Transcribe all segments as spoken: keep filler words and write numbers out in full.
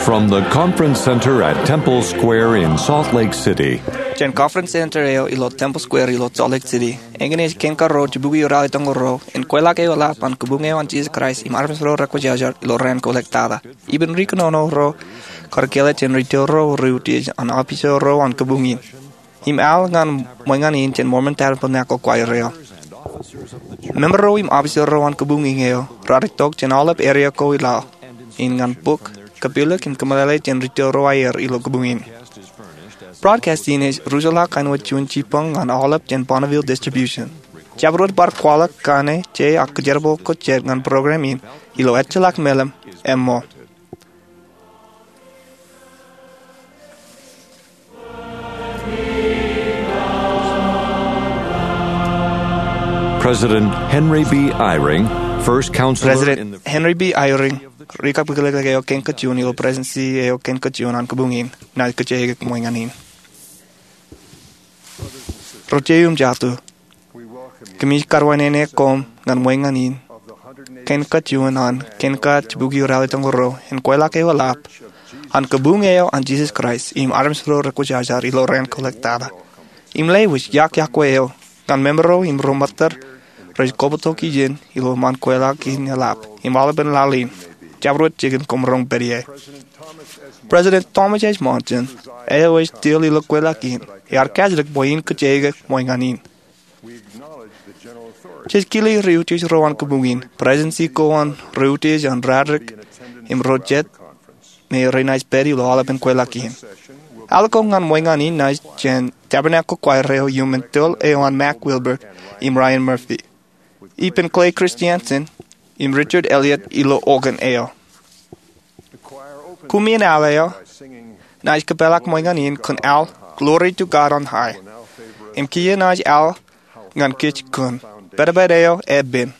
From the Conference Center at Temple Square in Salt Lake City. Jān Conference Center eo ilo Temple Square ilo Salt Lake City, eñin ej Kain Kōto, Jibukwi ralitōñoul ruo, im kweilọk eo eḷap an kabuñ eo an Jisōs Kraist im armej ro rekwōjarjar ilo raan ko ḷọk tata. Ippān ri kōnono ro kar kile jān ri tōl ro, ri utiej an office ro an kabuñ in, im al ñan ṃōñā in jān Mormon Tabernacle Choir eo. Member ro im officer ro an kabuñ in eo raar itok jān aolep area ko ilo in ñan bok, kapilōk im kōmeḷeḷe jān ri tōl ro aer ilo kabuñ in. Broadcast in ej ruj ḷọk kain wōt juon jibboñ ñan aolep jān Bonneville Distribution. Jabdewōt bar kwaḷọk kaṇe je ak kōjerbal ko jet ñan program in ilo ejjeḷọk meḷeḷe ṃōk. President Henry B. Eyring, first counselor President in the Henry B. Eyring, ri kapilōk eo kein kajuon ilo presidency eo kein kajuon an kabuñ in, naaj kōjeañ ṃōñā in. Ro jeiū im jatū, kōmij kar wanene koṃ ñan ṃōñā in kein kajuon an Kain Kōto, Jibukwi ralitōñoul ruo, im kweilọk eo eḷap an kabuñ eo an Jisōs Kraist im armej ro rekwōjarjar ilo raan ko ḷọk tata. Im lewōj iọkwe eo ñan member ro im ro ṃōttad rej kobatok ijin ilo ṃaan kweilọk in eḷap im aolepen laḷ in. Jabdewōt jikin koṃ roñ pād ie. President Thomas H. Monson eo ej tōl ilo kweilọk in ear kajjitōk bwe in kōjeañ ṃōñā in. Jej kile ri utiej ro an kabuñ in, presidency ko an ri utiej an radik, im ro jet me renaaj pād ilo aolepen kweilọk in. Al ko ñan ṃōñā in naaj jān Tabernacle Choir eo iuṃwin tōl eo an Mac Wilbert im Ryan Murphy, ippān Clay Christensen im Richard Elliott ilo organ eo. Koṃṃan al eo naaj kōpeḷḷọk ṃōñā in kōn al Glory to God on High. Im kiiō naaj al ñan kōj kōn Pedped eo Epen.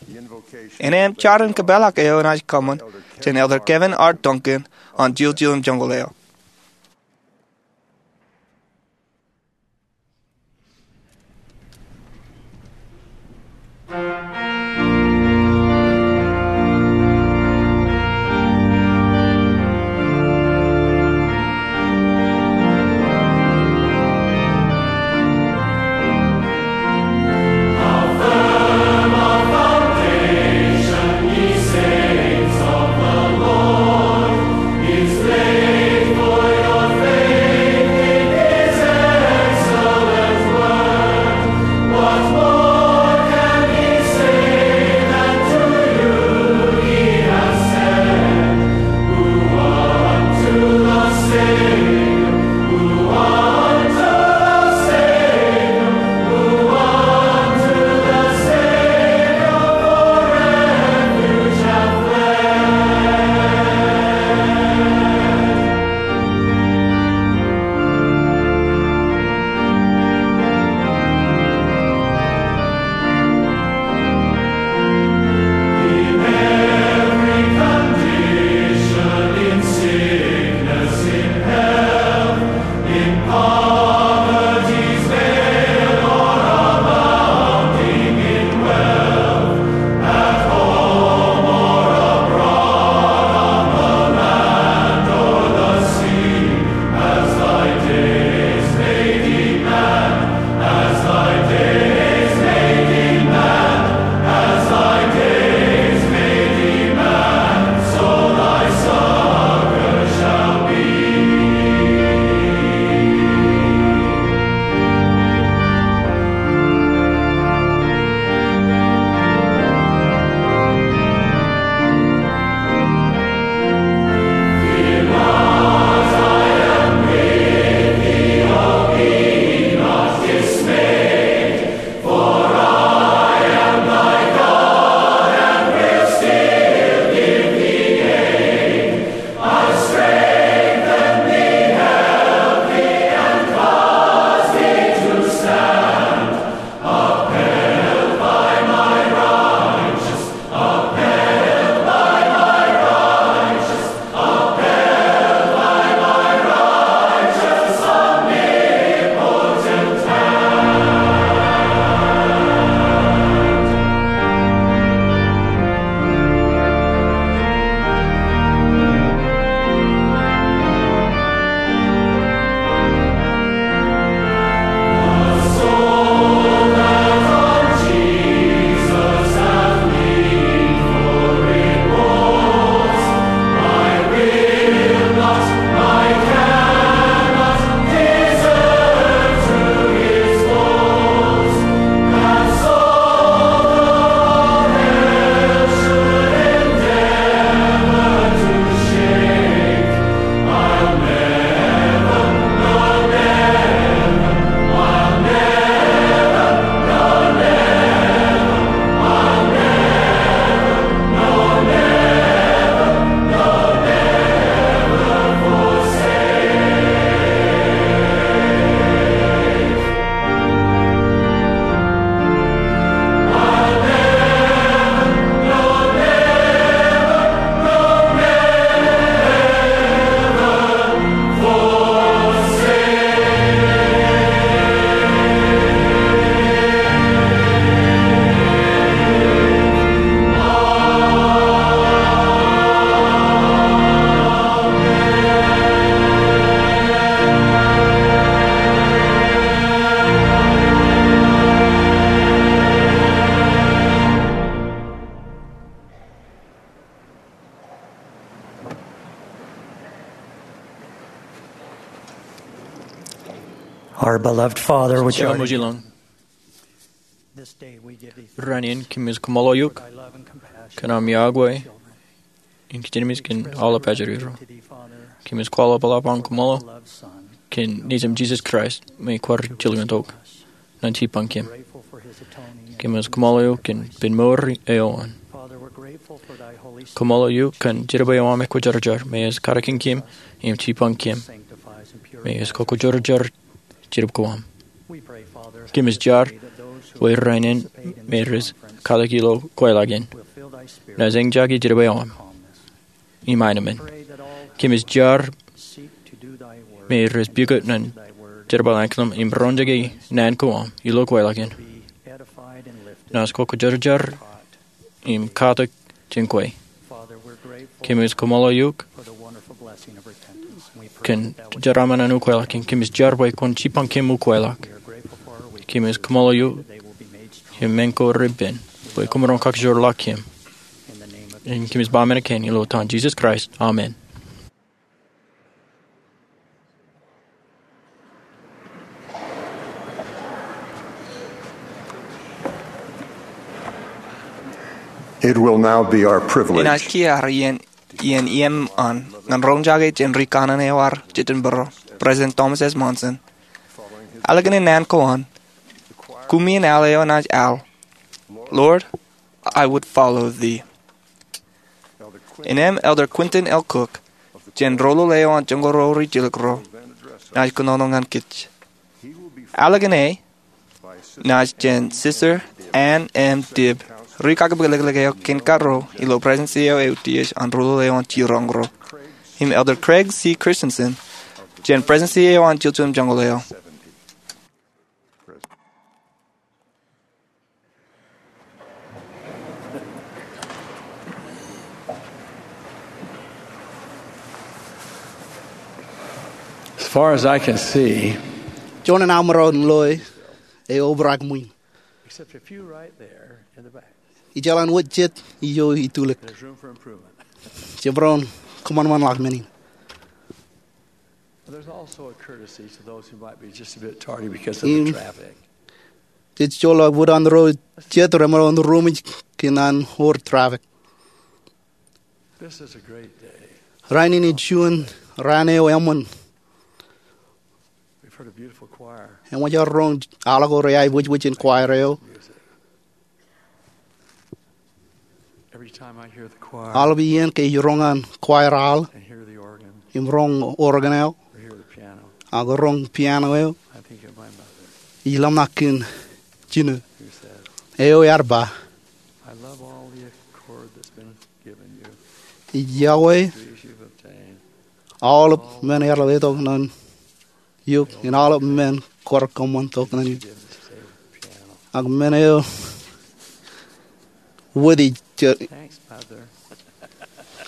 Enaaj jar im kōpeḷḷọk eo naaj kōṃṃan jān Elder Kevin R. Duncan an Jil Jil im Joñoul eo. Our beloved Father, which art in heaven. Rainin kōmij kaṃṃoolol eok kōn aṃ yokwe in kijenmej kōn aolep ajri ro. Kōmij kwaḷọk ḷap an kaṃṃoolol kōn Nejūṃ Jisōs Kraist me kwaar jilkintok ñan jibboñ kōm. Kōmij kaṃṃoolol eok kōn pen mour eo an. Kaṃṃoolol eok kōn Jetōb eo aṃ ekwōjarjar me ej katakin kōm im jibboñ kōm me ej kwōjarjar jetōb ko aṃ. Kōmij jar bwe rainin me rej katak ilo kweilọk in, naaj eñjake Jetōb eo aṃ im aenōṃṃan. Kōmij jar me rej pukot ñan jerbal aenōṃṃan im roñjake naan ko aṃ ilo kweilọk in, naaj kwōjarjar im katak jān kwe. Kōmij kaṃṃoolol eok kōn jeraaṃṃan an ukweilọk in. Kōmij jar bwe kwōn jibboñ kōm ukweilọk. Kōmij kaṃṃoolol eok im men ko repen bwe koṃ maroñ kakajoor ḷọk kōm. Im kōmij ba men kein ilo etan Jisōs Kraist, amen. It will now be our privilege. Enaaj kiiō iien, iien iien an ñan roñjake jān ri kanaan eo ear jejjenbōro, President Thomas S. Monson. Ālikin naan ko an, kumiin al eo enaaj al, Lord, I would follow thee. Innem Elder Quentin L. Cook jān Rōlul eo an Joñoul Ruo Ri Jilkinrot enaaj kōnono ñan kōj. Ālikin e, enaaj jān Sister Ann M. Dibb, ri kakipḷōklōk eo kein karuo ilo Presidensi eo Eutiej an Rōlul eo an Jiroñ Ro, im Elder Craig C. Christensen jān Presidensi eo an Jiljilimjuonñoul eo. As far as I can see, juon in aṃ maroñ in loe, eobrak ṃwiin. Except a few right there in the back. Ijeḷā wōt jet ijo itulōk. There's room for improvement. Jemaroñ kōṃanṃanḷọk men in. There's also a courtesy to those who might be just a bit tardy because of the traffic. Im jej joḷọk bōd an ro jet remaroñ in ruṃwij kōn an wōr traffic. This is a great day. Rainin ej juon raan eo eṃṃan. We've heard a beautiful choir. Eṃōj aer roñ al ko reaiboojoj in choir eo. Every time I hear the choir Aolep iien ke ij roñ an choir al and hear the organ im roñ organ eo or hear the piano, ak roñ piano eo, I think of my mother ij ḷōmṇak kōn jino who said, eo ear ba, I love all the accord that's been given you, ij yokwe degrees you've obtained, aolep men ear letok ñan eok im aolep men kwaar kōṃṃantok ñan eok. Ak men eo wōt ij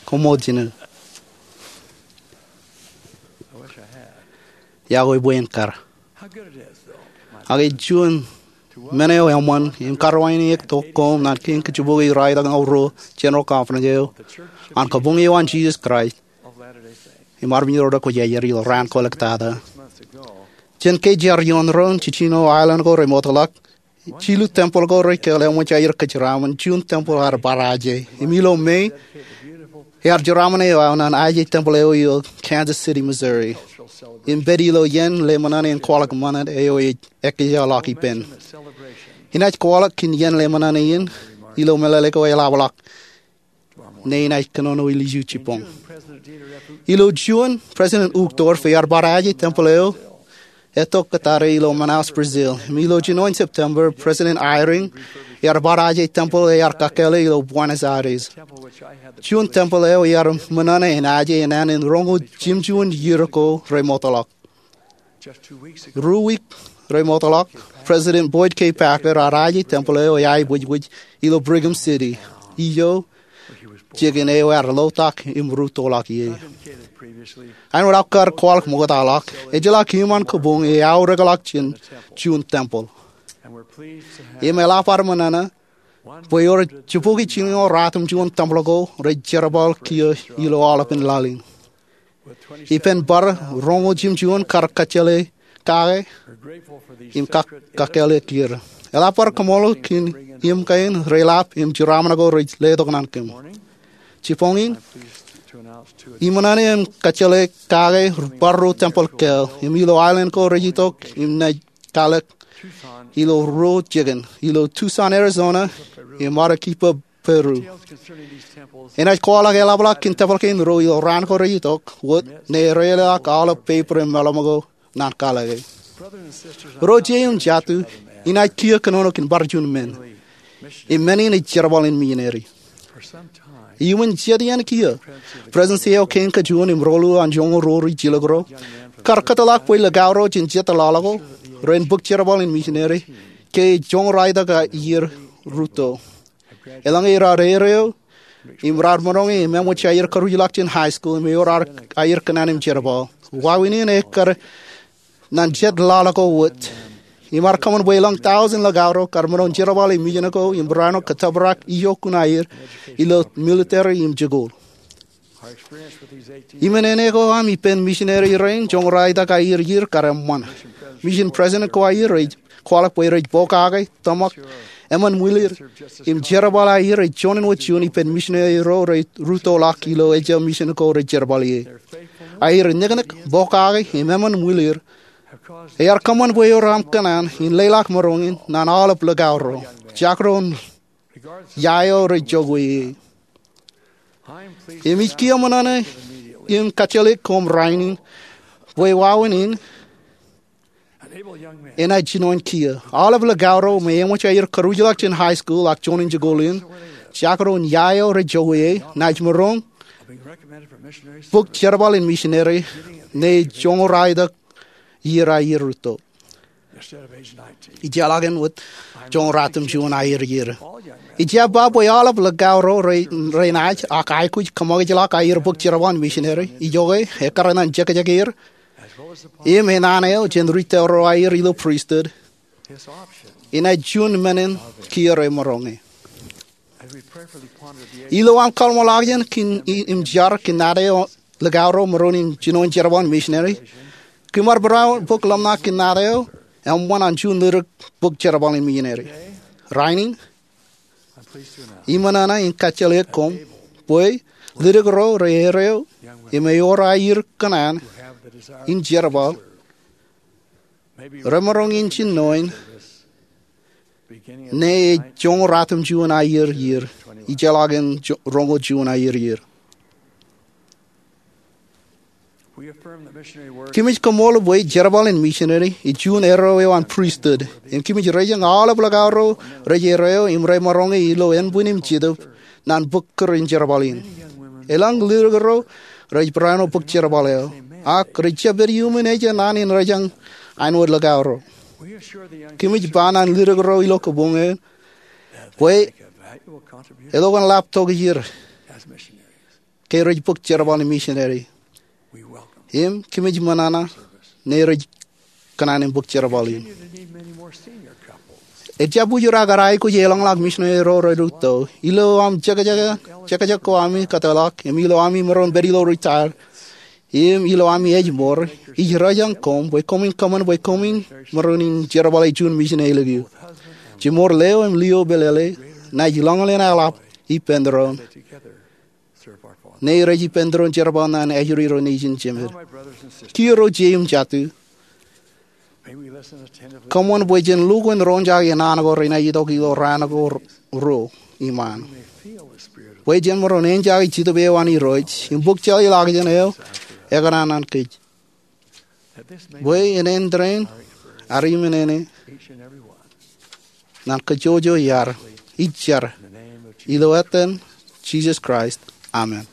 koṃṃool jino. Iọkwe bwe en kar. Ak ej juon men eo eṃṃan im karuwainektok koṃ ñan kein kajjipokwe Ralitōk Ṇe Ruo General Conference eo an Kabuñ eo an Jisōs Kraist im Armej ro rej kwōjarjar ilo raan ko ḷọk tata. Jān ke jar ioon doon, jiljino aelōñ ko remootḷọk, jilu tempel ko rekōḷḷe eṃōj aer kōjeraaṃṃan juon tempel ear bar aje. Im ilo May, ear jeraaṃṃan eo aō ñan aje tempel eo ilo Kansas City, Missouri. Im pād ilo iien ḷōmṇak in kwaḷọk ṃanit eo ej ekkejḷọk ippān. Inaaj kwaḷọk kōn iien ḷōmṇak in ilo meḷeḷe ko eḷapḷọk. Ṇe inaaj kōnono ilju jibboñ. Ilo June, President Uchtdorf ear bar aje tempel eo etto kōttar ilo Manaus, Brazil. Im ilo jinoin September, President Eyring ear bar aje tempel ear kakkāle ilo Buenos Aires. Juon tempel eo ear ṃōṇōṇō in aje enana in roñoul jimjuon iiō ko remootḷọk. Ruo wiik remootḷọk, President Boyd K. Packer ear aje tempel eo eaiboojoj ilo Brigham City, ijo jikin eo ear ḷotak im rūttoḷọk ie. Āinwōt aō kar kwaḷọk ṃoktaḷọk, ejjeḷọk iṃaan kabuñ eaorōkḷọk jān juon tempel. Im eḷap ad ṃōṇōṇō bwe ewōr jibboñōn jiljino ratimjuon tempel ko rej jerbal kiiō ilo aolepān laḷ in. Ippān bar roñoul jimjuon kar kōjjeḷā kake im kak-, kakkāāle kiiō. Eḷap bar kaṃṃoolol kōn im kein reḷap im jeraṃṃan ko rej letok ñan kōm. Jibboñin, iṃōṇōṇō in kajjeḷā kake bar ruo tempeḷ kāāl im ilo aelōñ ko rej itok im naaj kalōk ilo ruo jikin, ilo Tucson, Arizona, im Arequipa, Peru. Enaaj kwaḷọk eḷapḷọk kōn tempeḷ kein ruo ilo raan ko rej itok wōt, ñe ereḷọk aolep peiper im meḷeṃ ko ñan kalōke. Ro jet im jatū, inaaj kiiō kōnono kōn bar juon men. Im men in ej jerbal in misineri. Iuṃwin jet iien kiiō, presidents eo kein kajuon im roḷọk an joñoul ruo ri jilkinro kar kōtḷọk bwe likao ro jān jet laḷ ko ren bōk jerbal in misineri ke joñoul ralitōk iiō rūtto. Eḷaññe raar erreo im raar maroñ im eṃōj aer karuj ḷọk jān high school im ewōr aer kōṇaan im jerbal. Wāween in ekkar ñan jet laḷ ko wōt. Im ear kōṃṃan bwe elōñ tọujin likao ro kar maroñ jerbal ilo misin ko im barāinwōt kōttōprak ijokkun aer ilo military im jikuuḷ. Im nene ko aṃ ippān misineri rein joñoul ralitōk iiō iiō kar eṃṃan. Misin president ko aer ej kwaḷọk bwe rej pokake, tōmak, eṃṃan ṃwilir, im jerbal aer ej juon wōt juon ippān misineri ro rej rūttoḷọk ilo ejja misin ko rej jerbal ie. Aer niknik, pokake, im eṃṃan ṃwilir ear kōṃṃan bwe ewōr aṃ kōṇaan in leḷọk maroñ in ñan aolep likao ro, jakro ia eo rej jokwe ie. Im ij kiiō ṃōṇōṇō in kajjeḷā koṃ rainin bwe wāween in enaaj jinoin kiiō. Aolep likao ro me eṃōj aer karuj ḷọk jān high school ak juon in jikuuḷ in, jakro ia eo rej jokwe ie, naaj maroñ bōk jerbal in misineri ñe joñoul ralitōk iiō iiō rūtto. Ijjeḷọk in wōt joñoul ratimjuon aier iiō. Ij jab ba bwe aolep likao ro re, renaaj ak aikuj kōṃakijḷọk aer bōk jerbal in misineri, ijoke ekkar ñan jekjekier im enana eo jān ri tōl ro aer ilo pristut, enaaj juon men in kiiō rej maroñe. Ilo aṃ kaḷmōḷọkjeṇ kōn i-, im jar kōn nana eo likao ro maroñ in jinoin jerbal in misineri, kōm ar barāinwōt bōk ḷōmṇak kōn nana eo eṃṃan an juon ledik bōk jerbal in misineri. Rainin, iṃōṇōṇō in kajjeḷā koṃ bwe ledik ro re erreo im ewōr aer kōṇaan in jerbal remaroñ in jinoin ñe ej joñoul ratimjuon aier iiō, ijjeḷọk in jo-, roñoul juon aier iiō. Kōmij kaṃṃoolol bwe jerbal in misineri ej juon erreo eo an pristut, im kōmij rejañ aolep likao ro rej erreo im remaroñe ilo ānbwin im jetōb ñan bōk kūr in jerbal in. Elōñ ledik ro rej barāinwōt bōk jerbal eo, ak rej jab pād iuṃwin ejja naan in rejañ āinwōt likao ro. Kōmij ba ñan ledik ro ilo kabuñ eṇ bwe eḷoñ lap tokjir ke rej bōk jerbal in misineri. Im kōmij ṃōṇōṇō ñe rej kōṇaan in bōk jerbal in. Ejjab ujur ak ear aikuj eḷōñḷọk misineri ro rej rūtto. Ilo aṃ jekjek, jekjek ko ami kōtḷọk, im ilo ami maroñ pād ilo retire, im ilo ami ājmour, ij rejañ koṃ bwe koṃwin kōṃṃan bwe koṃwin maroñ in jerbal ilo juon misin ālikin eok. Jiṃor Leo im Leo Belele naaj lọñḷọk in eḷap ippān doon ñe rej ippān doon jerbal ñan ajri ro nejin jemed. Kiiō ro jet im jatū, kōṃṃan bwe jen lukkuun roñjake naan ko renaaj itok ilo raan ko ruo iṃaan, bwe jen maroñ enjoy Jetōb eo an Irooj im bōk jeḷā ḷọkjeṇ eo ekōṇaan ñan kōj. Bwe en āindein ad iṃōṇōṇō ñan kōjjojo iar ij jar ilo etan Jisōs Kraist, amen.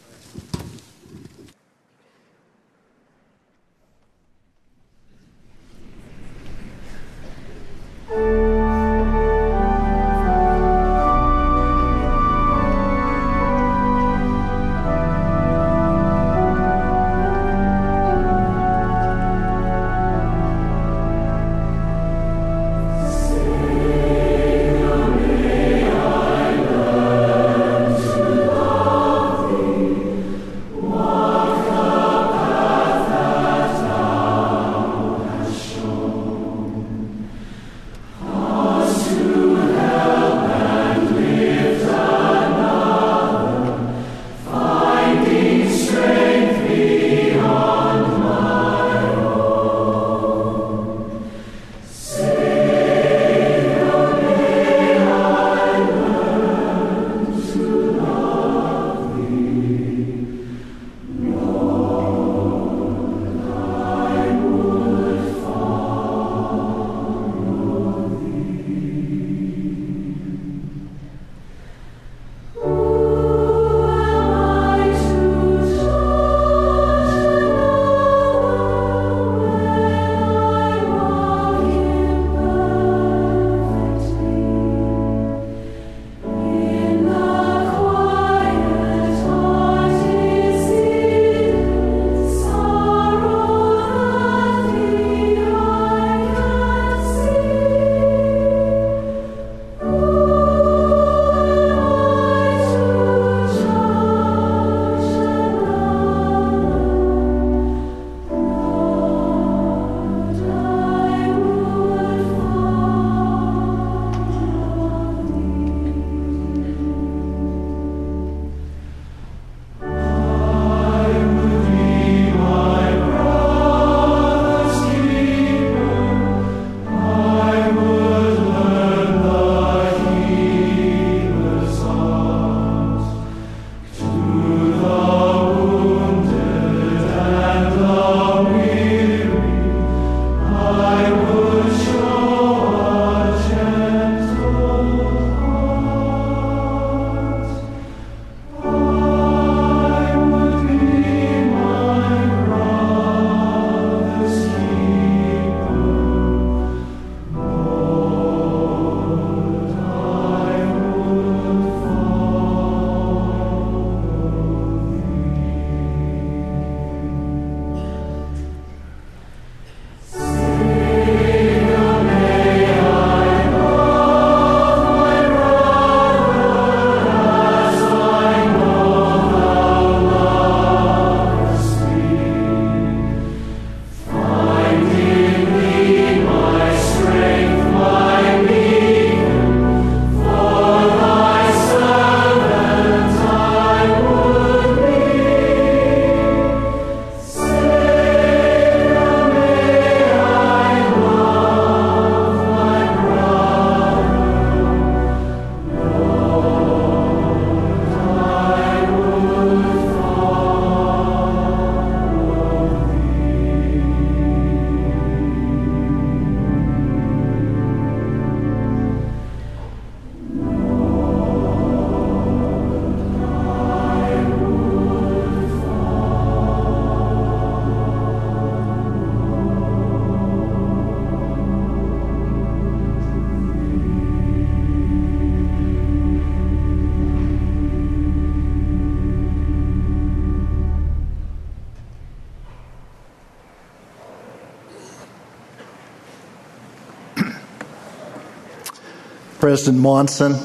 President Monson,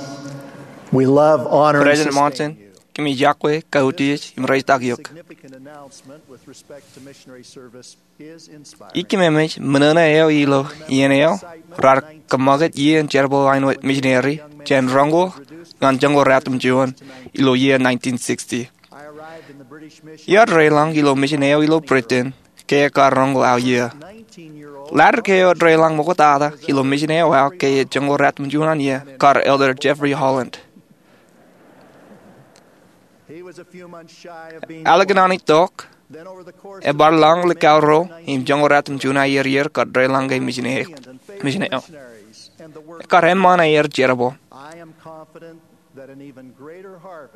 we love, honor, and President sustain Monson, you. Kōmij yokwe, kautiej im reitak eok. Significant announcement with respect to missionary service is inspiring. Ikememej, ṃōṇōṇō eo ilo iien eo raar kōṃṃakūt iien jerbal āinwōt misineri jān roñoul ñan joñoul ratimjuon ilo iien nineteen sixty. Iar reilañ ilo misin eo ilo Britain ke ekar roñoul aō iiō. Ḷaddik eo ear reilañ ṃoktata ilo misin eo aō ke ear joñoul ratimjuon an iiō kar Elder Jeffrey Holland. Ālikin an itok, ebar lañ likao ruo im joñoul ratimjuon aō iiō kar reilañ ke misin eo. Ekar eṃṃan aer jerbal.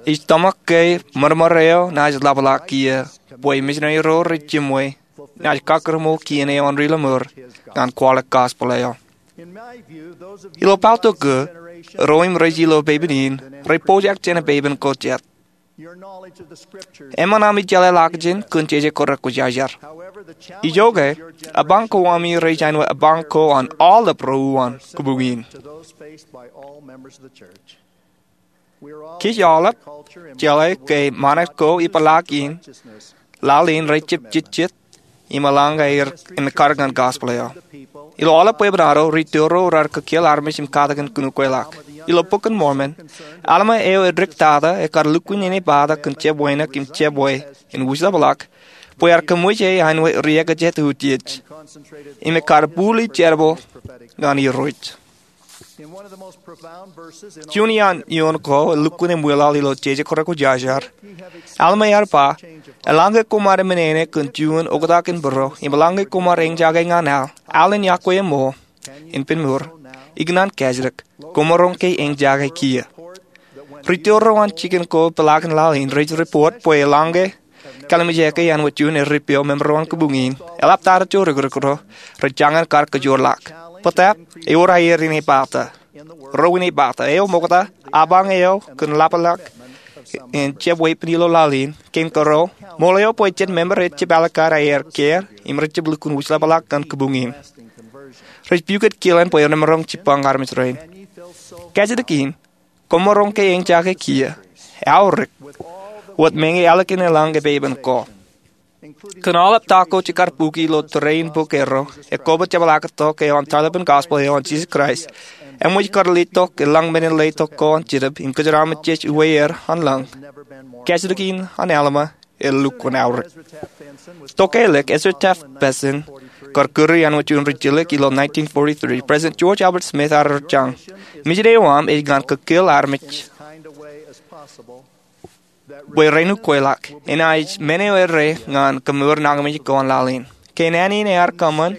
Ij tōmak ke ṃōrṃōr eo naaj ḷapḷọk kiiō bwe misineri ro rej jiṃwe naaj kakkure ṃool kien eo an ri-lōṃur ñan kwaḷọk gospel eo. Ilo pāltok ko, ro im rej ilo pepen in rej pojak jān pepen ko jet. Eṃṃan ami jeḷā ḷọkjeṇ kōn jeje kōrā kwōjarjar. Ijoke, apañ ko ami rej āinwōt apañ ko an aolep ro uwaan kōbuñ in. Kōj aolep jeḷā ke ṃanit ko ippaḷọk in laḷ in rej jab jejjet im eḷaññe aer ekkar ñan gospel eo. Ilo aolep bwebwenato, ri-tōl ro raar kōkeel armej im katakin kōn ukweḷọk. Ilo Bok in Mormon, Alma eo edik tata ekar lukkuun āne pata kōn jab wānōk im jab wāween wūjḷapḷọk bwe ear kōṃṃool e āinwōt ri-ekajet utiej im ekkar bōli jerbal ñan Irooj. Juon iaan eoon ko elukkuun eṃwilaḷ ilo jeje kōrā kwōjarjar, Alma ear ba, eḷaññe koṃ ar eṃṃan āne kōn juon oktak in būro im eḷaññe koṃ ar eñjake ñan aḷ, aḷ in yokwe eṃool, in pād mour, ikōṇaan kajjitōk, koṃaroñ ke eñjake kiiō. Ri-tōl ro an jikin ko ippaḷọk in laḷ in rej report bwe eḷaññe Kallimjeke āinwōt juon eddepeo member eo an kōbuñ in eḷap tata jo rikirikro, rej jañin kar kōjoorḷọk. Bōtab, ewōr aer ine pata. Ro ine pata. Eo ṃokta, apañ eo kōn ḷapḷọk in jab weeppān ilo laḷ in, kein kōrā, ṃool eo bwe jet member ej jab alikkar aer kāāl im rej jab lukkuun wūjḷapḷọk ñan kōbuñ in. Rej pukot kilen bwe remaroñ jibbañ armej rein. Kajjitōk in, koṃaroñ ke eñjake kiiō, aorōk, wōt meñe ālikin eḷaññe pepen ko. Kōn aolep ta ko jekar bukwi ilo tōre in bok erro, ekobot jepḷaaktok eo an tarlepen gospel eo an Jisōs Kraist, eṃōj kar letok eḷaññe men in letok ko an Jetōb im kōjeraaṃṃan jej uwe er an lañ. Kajjitōk in an Alma, elukkuun aorōk. Tokālik, Ezra Taft Benson kar kūri āinwōt juon rijjelōk ilo nineteen forty-three, President George Albert Smith ear jañ, misin eo aṃ ej ñan kōkeel armej bwe ren ukweḷọk, enaaj men eo errā ñan kōmour nañinmej ko an laḷ in. Ke naan in ear kōṃṃan,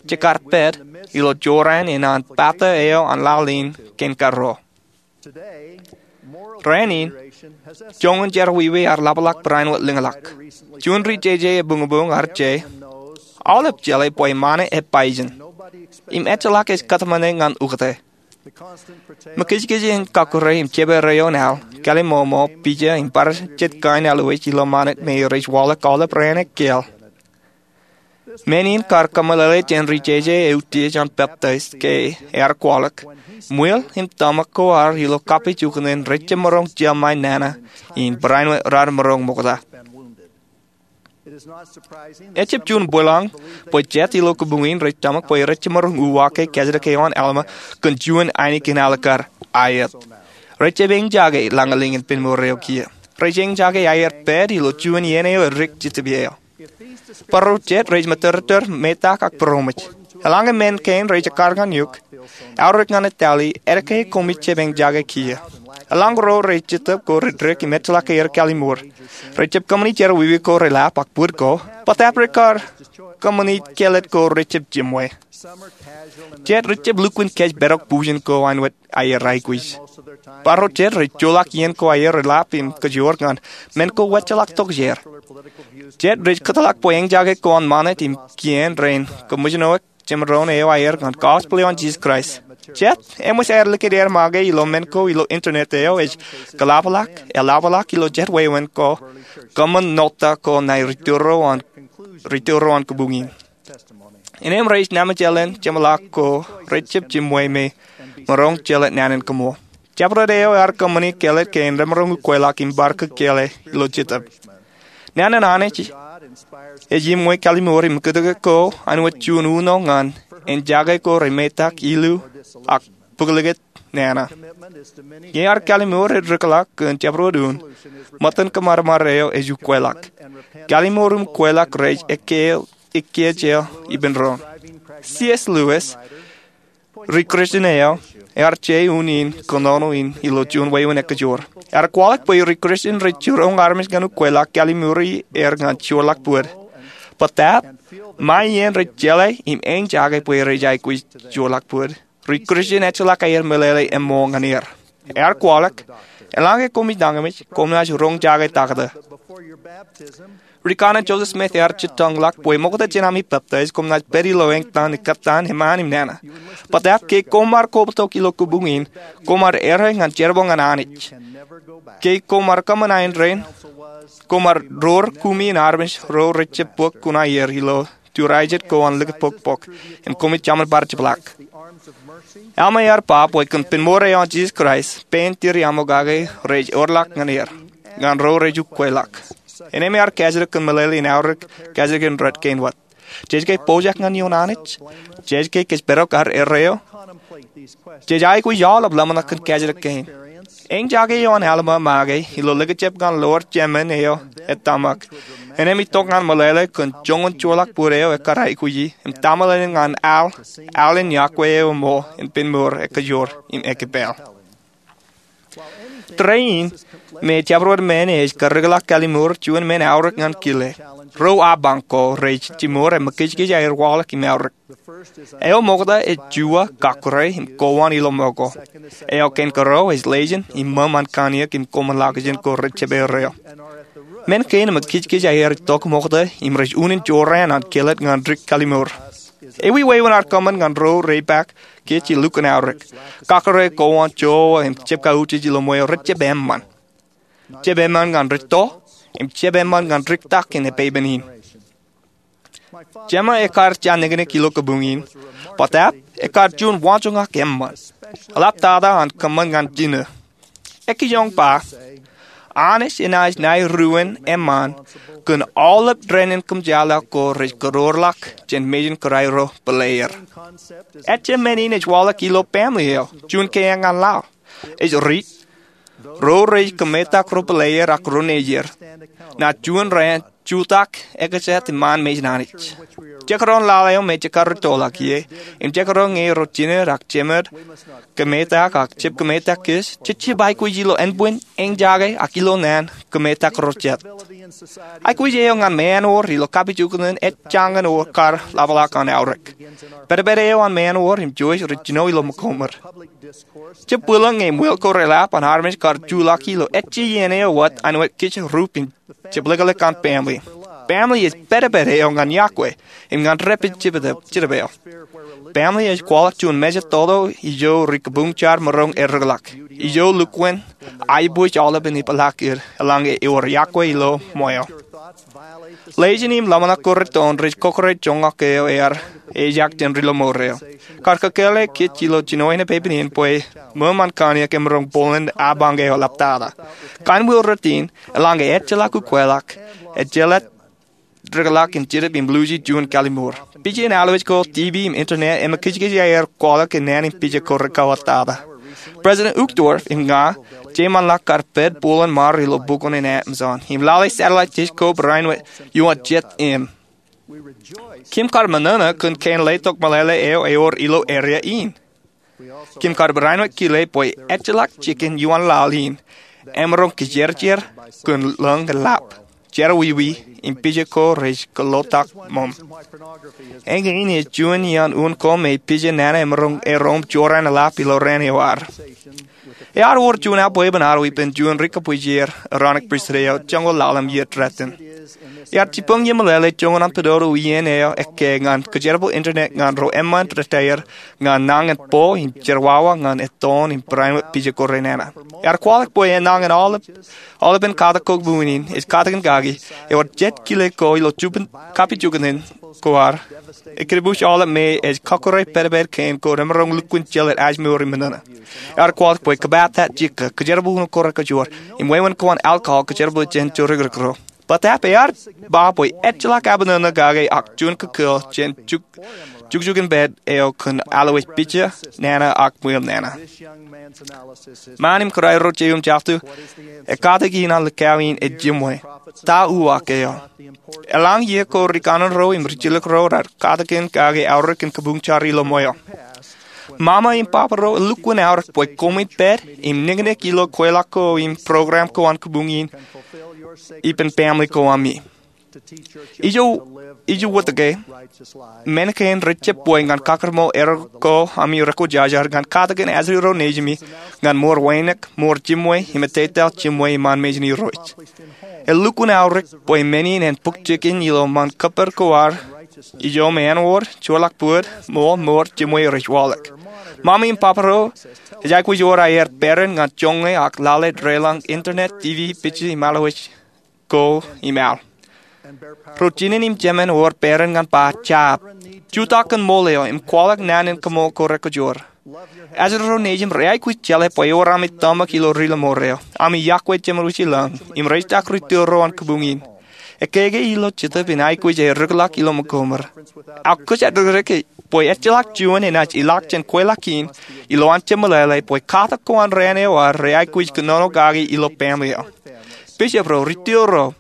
jekar pād ilo jorrāān in an pata eo an laḷ in kein kōrā. Rainin, joñan jerọwiwi ear ḷapḷọk barāinwōt lōñḷọk. Juon ri-jeje ebuñbuñ ear je, aolep jeḷā bwe ṃane ej pāijin im ejjeḷọk ej kōtmāne ñan ukōte. Ṃōkajkaj in kakkure im jepere eo an aḷ, kaliṃṃoṃo, pija im bar jet kain aolep ilo ṃanit me rej waḷọk aolep raan ekkāāl. Men in kar kōmeḷeḷe jān ri-jeje eutiej an peptaij ke ear kwaḷọk, ṃwiel im tōmak ko ad ilo kapijuknen rej jab maroñ jemae nana in barāinwōt raar maroñ ṃokta. Ejjab juon bōlañ bwe jet ilo kōbuñ in rej tōmak bwe rej jab maroñ uwaak ke kajjitōk eo an Alma kōn juon ainikien alikkar aet. Rej jab eñjake lañlōñ in pād mour eo kiiō. Rej eñjake aer pād ilo juon iien eo edik Jetōb eo. Barro jet rej mōttōrtōr metak ak būroṃōj. Eḷaññe men kein rej ekkar ñan eok, aorōk ñan etale, etke koṃij jab eñjake kiiō? Eḷaññe ro rej Jetōb ko rej dik im ejjeḷọk aer kāālōt mour, rej jab kōṃṃani jerọwiwi ko reḷap ak bōd ko, bōtab rekar kōṃṃani kāālōt ko rej jab jiṃwe. Jet rej jab lukkuun kōjparok bujen ko āinwōt aer aikuj. Barro jet rej joḷọk iien ko aer reḷap im kōjoor ñan men ko wōtjeḷọk tokjāer. Jet rej kōtḷọk bwe eñjake ko an ṃanit im kien rein kōṃōjṇọ jemdoon eo aer ñan gospel eo an Jisōs Kraist. Jet, eṃōj aer likūt aer make ilo men ko ilo internet eo ej kōḷapḷọk, eḷapḷọk ilo jet wāween ko, kōṃṃan ṇotta ko ṇae ri-tōl ro an, ri-tōl ro an kōbuñ in. Innām rej naan ṃōjleen jeṃḷọk ko rej jab jiṃwe me maroñ jeḷā naan in kōṃṃool. Jabdewōt eo ear kōṃṃani kāālōt kein remaroñ ukwelọk im bar kōkkeḷe ilo jetōb. Naan in Anij ej iṃwe kalimoor im kōtōke ko āinwōt juon uno ñan en jake ko remetak, ilu, ak bōklōkōt nana. Ñe ear kalimoor ej rūkḷọk kōn jabdewōt un, ṃōttan kōṃadṃōd eo ej ukwelọk. Kalimoor im ukwelọk rej ekkejel ippān doon. C. S. Lewis, ri-Kristian eo, ear je unin kōnono in ilo juon wāween ekkejor. Ear kwaḷọk bwe ri-Kristian rej jiroñ armej ñan ukwelọk kalimoor er ñan joorḷọk bōd. Bōtaab, ṃae iien rej jeḷā im āinjake bwe rej aikuj joorḷọk bōd, ri-Kristian ejjeḷọk aer meḷeḷe eṃṃool ñan er. Ear kwaḷọk, eḷaññe koṃij nañinmej, koṃ naaj roñjake taktō. Ri-Kanaan Joseph Smith ear jitōñḷọk bwe ṃokta jān ami peptaij koṃ naaj pād ilo eñtaan ekkattan eṃṃaan im nana. Bōtaab ke koṃ ar kobatok ilo kabuñ in, koṃ ar errā ñan jerbal ñan Anij. Ke koṃ ar kōṃṃan aer rein, koṃ ar door kumi in armej ro rej jab bōk kuṇaer ilo tūraijet ko an likūt pokpok, im koṃij jaṃin bar jepḷaak. Alma ear ba bwe kōn pen mour eo an Jisōs Kraist, pein Diri Aṃokake rej orḷọk ñan er, ñan ro rej ukwelọk. Innem ear kajjitōk kōn meḷeḷe in aorōk kajjitōk in rot kein wōt. Jej ke pojak ñan ioon Anij? Jej ke kōjparok ad errā eo? Jej aikuj aolep ḷōmṇak kōn kajjitōk kein. Āinjake eo an Alma make ilo likjab ñan lowar jemān eo ettōmak, innem itok ñan meḷeḷe kōn joñan joorḷọk bōd eo ekkar aikuji im tōmālōtlōt ñan al, al in iọkwe eo eṃṃool in pen mour ekkejor im ekkepāll. Tōre in, me jabdewōt men ej karreoḷọk kalimoor, juon men aorōk ñan kile. Ro apañ ko rej jimor im mekijkij aer waḷọk im aorōk. Eo ṃokta ej juwa, kakōrā, im kowaan ilo ṃōko. Eo kein kōrā ej lejin im ṃōṃ an kanniōk im koṃwin lakjān ko rej jab errā eo. Men kein im mekijkij aer itok ṃokta im rej unin jorrāān an kāālōt ñan dik kalimoor. Ewi wāween ear kōṃṃan ñan ro repaak ke ej lukkuun aorōk? Kakōrā, kowaan, jowa, im jab kautiej ilo ṃweo rej jab eṃṃan. Jab eṃṃan ñan dik to, im jab eṃṃan ñan dik tak in epeipen in. Jema ekkar jab niknik ilo kabuñ in, bōtaab ekkar juon waanjoñak eṃṃan. Eḷaptata an kōṃṃan ñan jino. Ekkejioñ ba, Anij enaaj nā ruōn eṃṃan kōn aolep dān in kōmjatḷọk ko rej kōroorḷọk jān mejān kōrā ro pāleer. Ejjab men in ej waḷọk ilo baaṃle eo, juon keeañ ñan laḷ. Ej riit, ro rej kōmetak ro pāleer ak ro nejier. Ṇa juon raan jutak ekjat iṃaan mejān Anij. Jekdọọn laḷ eo me jekar rūttoḷọk ie, im jekdọọn ñe ro jined ak jemed kōmetak ak jab kōmetak kōj, jej jab aikuj ilo ānbwin, āinjake, ak ilo naan kōmetak ro jet. Aikuj eo ñan ṃaanwōr ilo kapijuknen ej jañin kar ḷapḷọk an aorōk. Pedped eo an ṃaanwōr im jouj rej jino ilo ṃōko ṃōd. Jab bwilōñ ñe ṃwil ko reḷap an armej kar juḷọk ilo ejja iien eo wōt āinwōt kōj rup im jepḷakḷọk an baaṃle. Baaṃle ej pedped eo ñan iọkwe im ñan dāpij jetōb eo. Baaṃle ej kwaḷọk juon meja toto ijo ri-kabuñ jar maroñ errōkḷọk, ijo lukkuun aiboojoj aolepen ipḷaak eo eḷaññe ewōr iọkwe ilo ṃweo. Lejin im ḷōmṇak ko rūttoon rej kọkkure joñak eo ear ejak jān ri-lọmọọr eo. Kar kōkkeḷe kōj ilo jinoin epeipen in bwe ṃōṃ an kanniōk emaroñ bōlen apañ eo eḷaptata. Kōn ṃweo rūttoon, eḷaññe ejjeḷọk ukwelọk, ejjeḷọk dikḷọk in jetōb im luuji juon kalimoor. Pija in alwōj ko, TV im internet, emekijkij aer kwaḷọk kōn naan in pija ko rekauwōttata. President Uchtdorf im ña, jeiṃanḷọk kar pād bōlen ṃaar ilo bukwōn in Amazon im lale satellite telescope rainin wōt ioon jet im. Kim kar ṃōṇōṇō kōn kein letok meḷeḷe eo ewōr ilo area in. Kim kar barāinwōt kile bwe ejjeḷọk jikin ioon laḷ in emaroñ kijerjer kōn lōñ eḷap, jerọwiwi, im pija ko rej kōḷḷotak ṃōṃ. Eñin ej juon iaan un ko me pija nana emaroñ erom jorrāān eḷap ilo raan eo ad. Ear wōr juon aolepān aolepān juon ri-kōbwijer Aaronic Pristut eo joñoul ḷalem iiō ḷọk. Iar jibboñ jemeḷeḷe joñan an pād ro iien eo ekkā ñan kōjerbal internet ñan ro eṃṃan retired ñan nañin bo im jerwawa ñan ettoon im barāinwōt pija ko renana. Iar kwaḷọk bwe enañin aolepen katak ko buñin in ej katakin kaki, ewōr jet kile ko ilo jubin kapijukunen ko ad, ekkā bwe aolep me ej kọkkure pedped kein ko remaroñ lukkuun jeḷā ajmour im ṃōṇōṇō. Iar kwaḷọk bwe kōpata jikō, kōjerbal unin ko rekajoor, im wāween ko an alcohol kōjerbal jān jorōkrōk ro. Bōtaab ear ba bwe ejjeḷọk abṇōṇō kake ak juon kōkōḷ jān jukjukinpād eo kōn alwōj pija, nana ak ṃweo nana. Ṃaan im kōrā erro jeiū im jatū, ekatakin an likao in ej jiṃwe. Ta uwaak eo? Eḷaññe iiō ko ri kanaan ro im ri jilkinrot ro raar katakin kake aorōk in kabuñ jar ilo ṃweo. Ṃaṃa im baba ro elukkuun aorōk bwe koṃij pād im niknik ilo kweilọk ko im program ko an kabuñ in ippān family ko ami. Ijo, ijo wōt ke, men kein rej jab bwe ñan kakkōṃṃan erro ko ami rekwōjarjar ñan katakin ajri ro nejimi ñan ṃoor wānōk, ṃoor jiṃwe, im ettetaḷ jiṃwe iṃaan mejān Irooj. Elukkuun aorōk bwe men in en bōk jikin ilo ṃaan kōppād ko ad ijo me āinwōt, joorḷọk bōd, ṃool, ṃoor jiṃwe rej waḷọk. Ṃaṃa im baba ro ej aikuj wōr aer peran ñan joñe ak lale deḷọñ internet, TV, pija im alwōj ko im al. Ro jinen im jemān ewōr peran ñan ba jab, jutak kōn ṃool eo im kwaḷọk naan in kaṃool ko rekajoor. Ajri ro nejim reaikuj jeḷā bwe ewōr ami tōmak ilo ri-lọmọọr eo, ami yokwe jeṃḷọkin lañ, im rejitak ri-tōl ro an kabuñ in. Ekkā ke ilo Jetōb in aikuj ear rūkḷọk ilo ṃōkoṃ ro. Ak kōjatdikdik bwe ejjeḷọk juon enaaj ilọk jān kweilọk in ilo an jemeḷeḷe bwe katak ko an raan eo ad reaikuj kōnono kaki ilo family eo. Bishop ro, ri-tōl ro,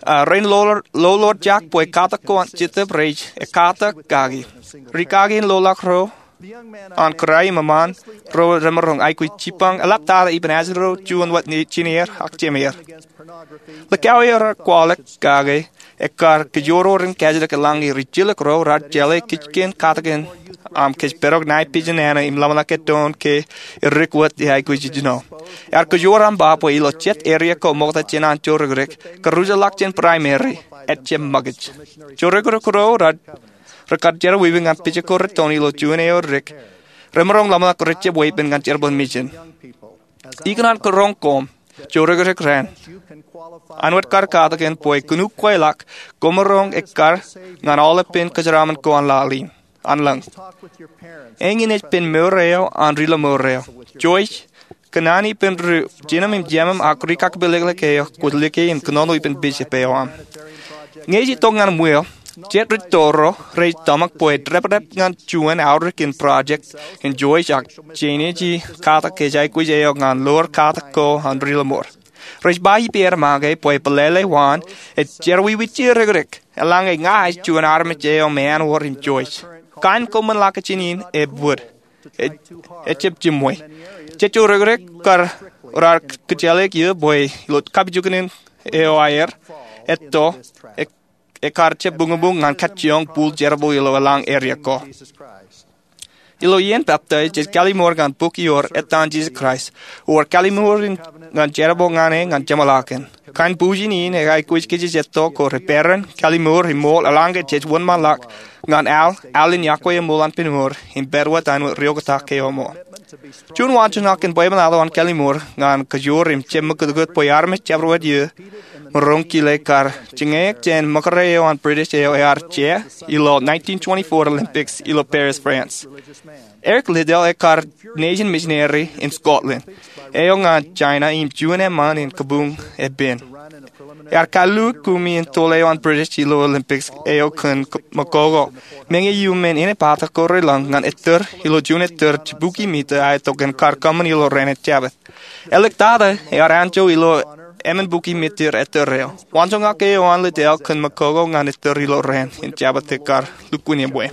a, rein lolorjak bwe katak ko an Jetōb rej ekkatak kaki. Ri-kaki in loḷọk ro an kōrā im eṃṃaan ro remaroñ aikuj jibboñ eḷaptata ippān ajri ro juon wōt jinier ak jemeer. Likao eo raar kwaḷọk kake ekkar kōjororin kajjitōk eḷaññe ri-jilkinrot ro raar jeḷā kōj kōn katakin aṃ kōj pād tok ṇae pija nana im ḷōmṇak ettoon ke edik wōt eaikuj ijjino. Ear kōjor aṃ ba bwe ilo jet area ko ṃokta jān an jorōkrōk, kōrujḷọk jān primary, ejjab ṃōkaj. Jorōkrōk ro raar, rekar jerọwiwi ñan pija ko rettoon ilo juon eo edik, remaroñ ḷōmṇak rej jab weeppān ñan jerbal in mejān. Ikōṇaan kōrọọñ koṃ, jorōkrōk raṇ, āinwōt kar katakin bwe kōn ukweḷọk koṃaroñ ekkar ñan aolepān kōjeraaṃṃan ko an laḷ in, an lañ. Eñin ej pen mour eo an ri-lọmọọr eo. Joij, kōṇaan ippān ri jinōm im jemōm ak ri-kakpāliklik eo kwōj lōke im kōnono ippān bishop eo aṃ. Ñe ej itok ñan ṃweo, jet ri-tōl ro rej tōmak bwe deprep ñan juon aorōk in project in Joij ak jenaaj katak kōj aikuj eo ñan loor katak ko an ri-lọmọọr. Rej ba ippāer make bwe pelele waan ej jerọwiwi jerōkrōk eḷaññe ña ij juon armej eo me āinwōt in Joij. Kain koṃwin ḷak ijin in ebōd, ejjab jiṃwe. Jet jorōkrōk kar raar kōjeḷāik eō bwe ilo kapijukunen eo aer etto, e, ekar jab buñbuñ ñan kajjioñ bul jerbal ilo eḷaññe area ko. Ilo iien peptaij, jej kallimur ñan bok ioer Ettaan Jisōs Kraist, ewōr kallimur in ñan jerbal ñan e ñan jeṃḷọkin. Kain bujen in eaikuj kōj jej etto ko reperan, kallimur im ṃool eḷaññe jej wōnṃaanḷọk ñan al, al in yokwe eṃṃool an pād ṃoor, im pād wōt āinwōt ri-oktak ke eṃṃool. Juon waanjoñak in bwebwenato an kallimur ñan kōjor im jab ṃakūtkūt bwe armej jabdewōt iiō maroñ kile kar jiñeaik jān ṃōkure eo an British eo ear jea ilo nineteen twenty-four Olympics ilo Paris, France. Eric Liddell ekar nejin misineri in Scotland eo ñan China im juon eṃṃan in kabuñ epen. Ear kalluuk kumi in tol eo an British ilo Olympics eo kōn McGogle, meñe iuṃwin inepata ko relōñ ñan ettōr ilo juon ettōr jibukwi mita aetok in kar kōṃṃan ilo rainin Jabōt. Āliktata ear anjọ ilo emān bukwi mita ettōr eo. Waanjoñak eo an Liddell kōn McGogle ñan ettōr ilo rainin Jabōt ekar lukkuun eṃṃan.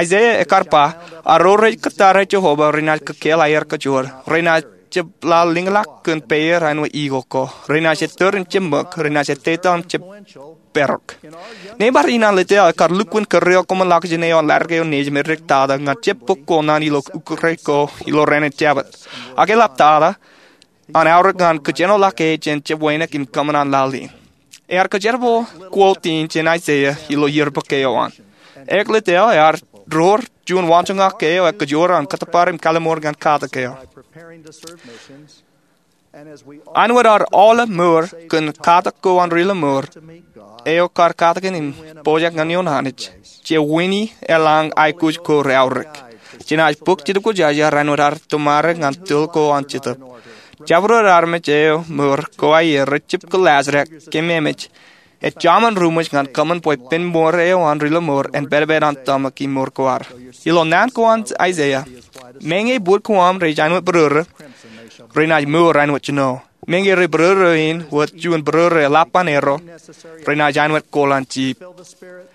Isaiah ekar ba, a ro rej kōttar eo Jehovah renaaj kōkkeḷ aer kajoor, renaaj jab lale liñlọk kōn peier āinwōt eagle ko, renaaj ettōr im jab ṃōk, renaaj ettetaḷ im jab parok. Neiṃaad in an Liddell ekar lukkuun kōrreoḷ koṃwin ḷak ijin eo an ḷadik eo nejim edik tata ñan jab bōk ko naan ilo ukōte ko ilo rainin Jabōt. Ak eḷaptata an aorōk ñan kōjenolọk e jān jab wānōk im kōṃṃan an laḷ in. Ear kōjerbal quote in jān Aiseia ilo yearbook eo an. Eklejia eo ear door juon waanjoñak eo ekōjro an kōttōpar im kalliṃur ñan katak eo. Āinwōt ad aolep mour kōn katak ko an ri lọmọọr eo kar katakin im pojak ñan ioon Anij, je wini eḷaññe aikuj ko reaorōk. Jenaaj bōk Jetōb Kwōjarjar āinwōt ad tōmare ñan tōl ko an Jetōb. Jabdewōt armej eo mour ko aer rej jab kōllaajrak kememej, ej jaṃin ruṃwij ñan kōṃṃan bwe pen mour eo an ri lọmọọr en pād pād an tōmak im mour ko ad. Ilo naan ko an Aiseia, meñe bōd ko aṃ rej āinwōt bōrōrō, renaaj mour āinwōt jino. Meñe rej bōrōrō in wōt juon bōrōrō eḷap an erro, renaaj āinwōt kooḷ an jeep.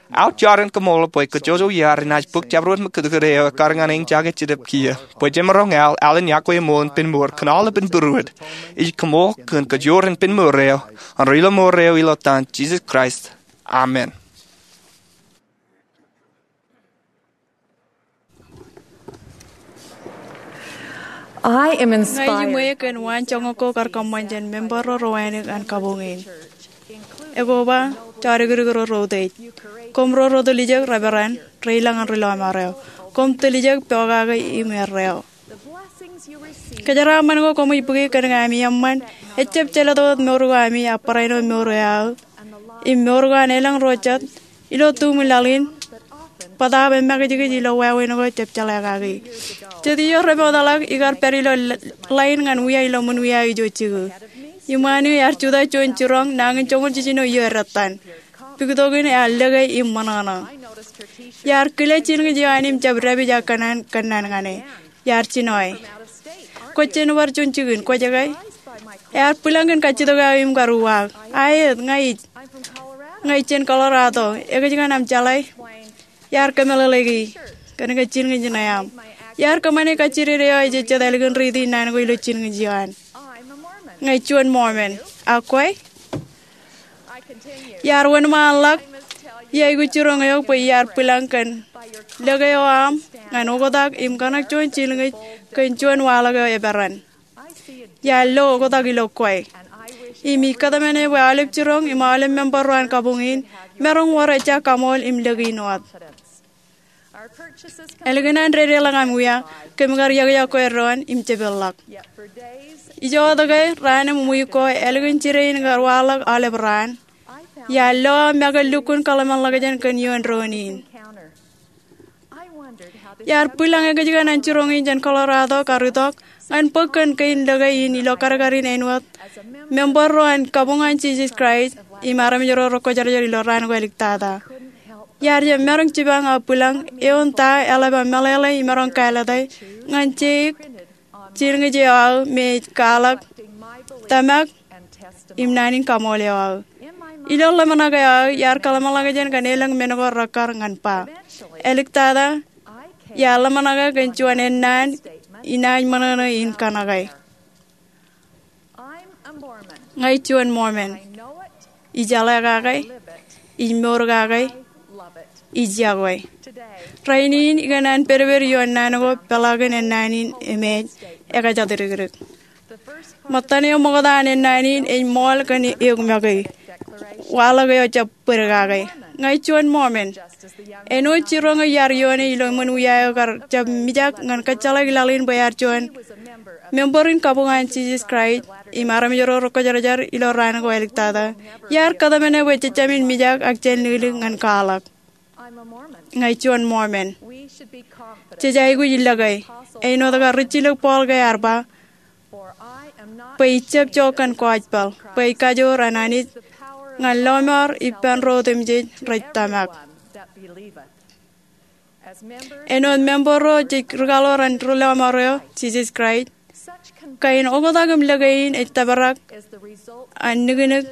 Aō jar in kaṃṃoolol bwe kōjjojo iaad renaaj bōk jabdewōt ṃōkūtkūt eo ekkar ñan eñjake Jetōb kiiō, bwe jemaroñ al alen yokwe ṃool in pen mour kōn aolepān būruod. Ij kaṃool kōn kōjro in pen mour eo an ri lọmọọr eo ilo etan Jisōs Kraist. Amen. I am inspired. Ña ij ṃool kōn waanjoñak ko kar kōṃṃan jān member ro ro wānōk an kabuñ in. Ekwe ba, jodikdik ro ro utiej. Koṃ ro ro tiljek, reverend, rej lōñ an ri lọmọọr eo. Koṃ tiljek, pokake im erreo. Kōjeraaṃṃan ko koṃij bōki kōn ami eṃṃan, ejjab jelōt wōt mour ko ami, ak barāinwōt mour eo aō, im mour ko an elōñ ro jet, ilo tumi laḷ in, bōtaab emakijkij ilo wāween ko jab jeḷā kaki. Jet ijo remootḷọk ikar pād ilo line ñan wia ilo ṃōn wia ijo jikin. Iṃaan eo iar jutak juon jiroñ nañin joñoul jiljino iiō dettan. Puktokin ear lōke im ṃōṇōṇō. Iar kile jilñij eo an im jab dāpij ak kōnnaan ñan e. Iar jino e. Kwōj jen bar juon jikin, kwōj ke? Ear bwilōñ kōn kajjitōk eo im kar uwaak. Aet, ña ij. Ña ij jān Colorado. Ekōjkan aṃ jeḷā? Iar kōmeḷeḷeiki kōn ke jilñij ṇe aṃ. Iar kōṃṃane kajjided eo ejejjet ālikin riiti naan ko ilo jilñij eo an. Ña ij juon Mormon. Ak kwe? Iar wōnṃaanḷọk, iaikuj jiroñ eok bwe iar bwilōñ kōn lōke eo aṃ ñan oktak im kōṇak juon jilñij kōn juon waḷọk eo eperan. Iar lo oktak ilo kwe. Im ij kōtmāne bwe aolep jiroñ im aolep member ro an kabuñ in, maroñ wōr ejja kaṃool im lōke in wōt. Ālikin an dedeḷọk aṃ wia, kōm kar iọkiọkwe doon im jepḷọk. Ijo wōt ke, raan im wiik ko, ālikin jide in kar waḷọk aolep raan, iar lo make lukkuun kōḷmānḷọkjeṇ kōn ioon doon in. Iar bwilōñ ekōjkan an jiroñ in jān Colorado kar itok ñan bōk kōn kein lōke in ilo kadkadin āinwōt member ro an kabuñ an Jisōs Kraist im armej ro rekwōjarjar ilo raan ko āliktata. Iar jab maroñ jipañ aō bwilōñ eoon ta eḷap aō meḷeḷe im maroñ kāālōte ñan jeik jilñij eo aō me ej kwaḷọk tōmak im naan in kaṃool eo aō. Ilo ḷōmṇak eo aō iar kōḷmānḷọkjeṇ kōn elōñ men ko rekkar ñan ba. Āliktata, iar ḷōmṇake kōn juon ennaan inaaj ṃōṇōṇō in kōṇake. Ña ij juon Mormon. Ij jeḷā kake, ij mour kake, ij yokwe. Rainin ikōṇaan pedped ioon naan ko peḷaakin ennaan in im ej ekajatdikdik. Ṃōttan eo ṃokta an ennaan in ej ṃool kōn eok make. Waḷọk eo jab bōd kake. Ña ij juon Mormon. Āinwōt jiroñ eo iar ioone ilo ṃōn wia eo kar jab mijak ñan kōjjeḷāik laḷ in bwe ear juon member in kabuñ an Jisōs Kraist im armej ro rekwōjarjar ilo raan ko āliktata, iar kōtmāne bwe jej jāmin mijak ak jān liklik ñan kwaḷọk. Ña ij juon Mormon. Jej aikuj lōke, āinwōt kar rijjilōk Paul ke ear ba, bwe ij jab jo kōn gospel, bwe ej kajoor an Anij ñan lọmọọr ippān ro otemjej rej tōmak. Āinwōt member ro jej rikaḷoor an ri lọmọọr eo, Jisōs Kraist, kain oktak im lōke in ej tōprak an niknik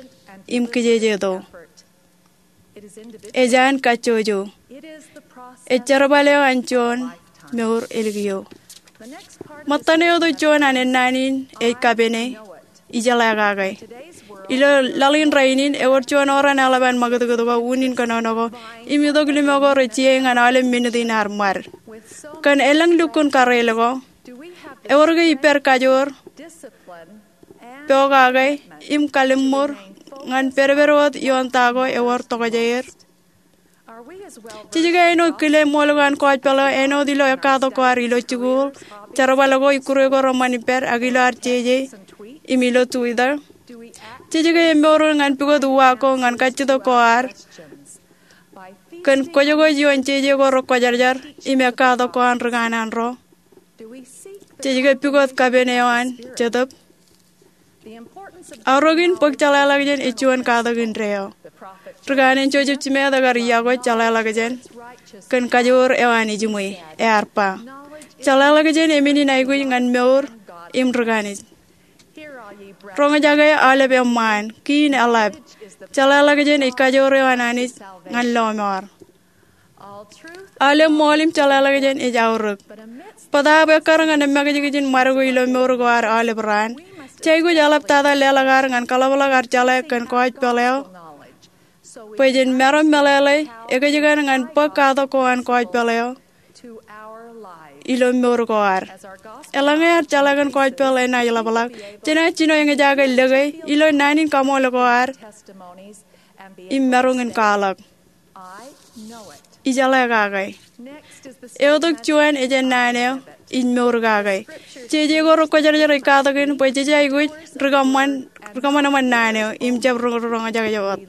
im kijejeto. Ej an kajjojo. Ej jerbal eo an juon mour ālikiiō. Ṃōttan eo tok juon an ennaan in ej kapene, ijeḷā kake. Ilo laḷ in rainin, ewōr juon oran eḷap an ṃakūtkūt ko, unin kōnono ko, im itok limo ko rej iiō ñan aolep minit in ad ṃad. Kōn elōñ lukkuun kareel ko, ewōr ke ippaad kajoor, pokake, im kalliṃur ñan pedped wōt ioon ta ko ewōr tokjāer? Jej ke āinwōt kile ṃool ko an kōjpeḷ eo āinwōt ilo ekkatak ko ad ilo jikuuḷ, jerbal ko, ikkure ko reṃṃan ippād, ak ilo ad jeje im ilo Twitter? Jej ke emour ñan pukot uwaak ko ñan kajjitōk ko ad kōn kwōjkwōj ioon jeje ko rekwōjarjar im ekkatak ko an ri kanaan ro? Jej ke pukot kapen eo an Jetōb? Aorōk in bōk jeḷāḷọkjeṇ ej juon katak indeeo. Ri kanaan Joseph Smith ekar yokwe jeḷāḷọkjeṇ kōn kajoor eo an ejiṃwe. Ear ba, jeḷāḷọkjeṇ emenin aikuj ñan mour im ri kanaan. Roñjake, aolep eṃṃaan, kiin eḷap. Jeḷāḷọkjeṇ ej kajoor eo an Anij ñan lọmọọr. Aolep ṃool im jeḷāḷọkjeṇ ej aorōk. Bōtaab ekkar ñan emakijkijin ṃadeko ilo mour ko ad aolep raan, jej aikuj eḷaptata leḷọk ad ñan kaḷapḷọk ad jeḷā kōn kōjpeḷ eo bwe jen maroñ meḷeḷe ekōjkan ñan bōk katak ko an kōjpeḷ eo ilo mour ko ad. Eḷaññe ad jeḷā kōn kōjpeḷ enaaj ḷapḷọk, jenaaj jino eñjake lōke ilo naan in kaṃool ko ad im maroñ in kwaḷọk, ijeḷā kake. Eotok juon ej ennaan eo, ij mour kake. Jeje ko rekwōjarjar ej katakin bwe jej aikuj ri kōṃanṃan naan eo im jab ri roñjake wōt.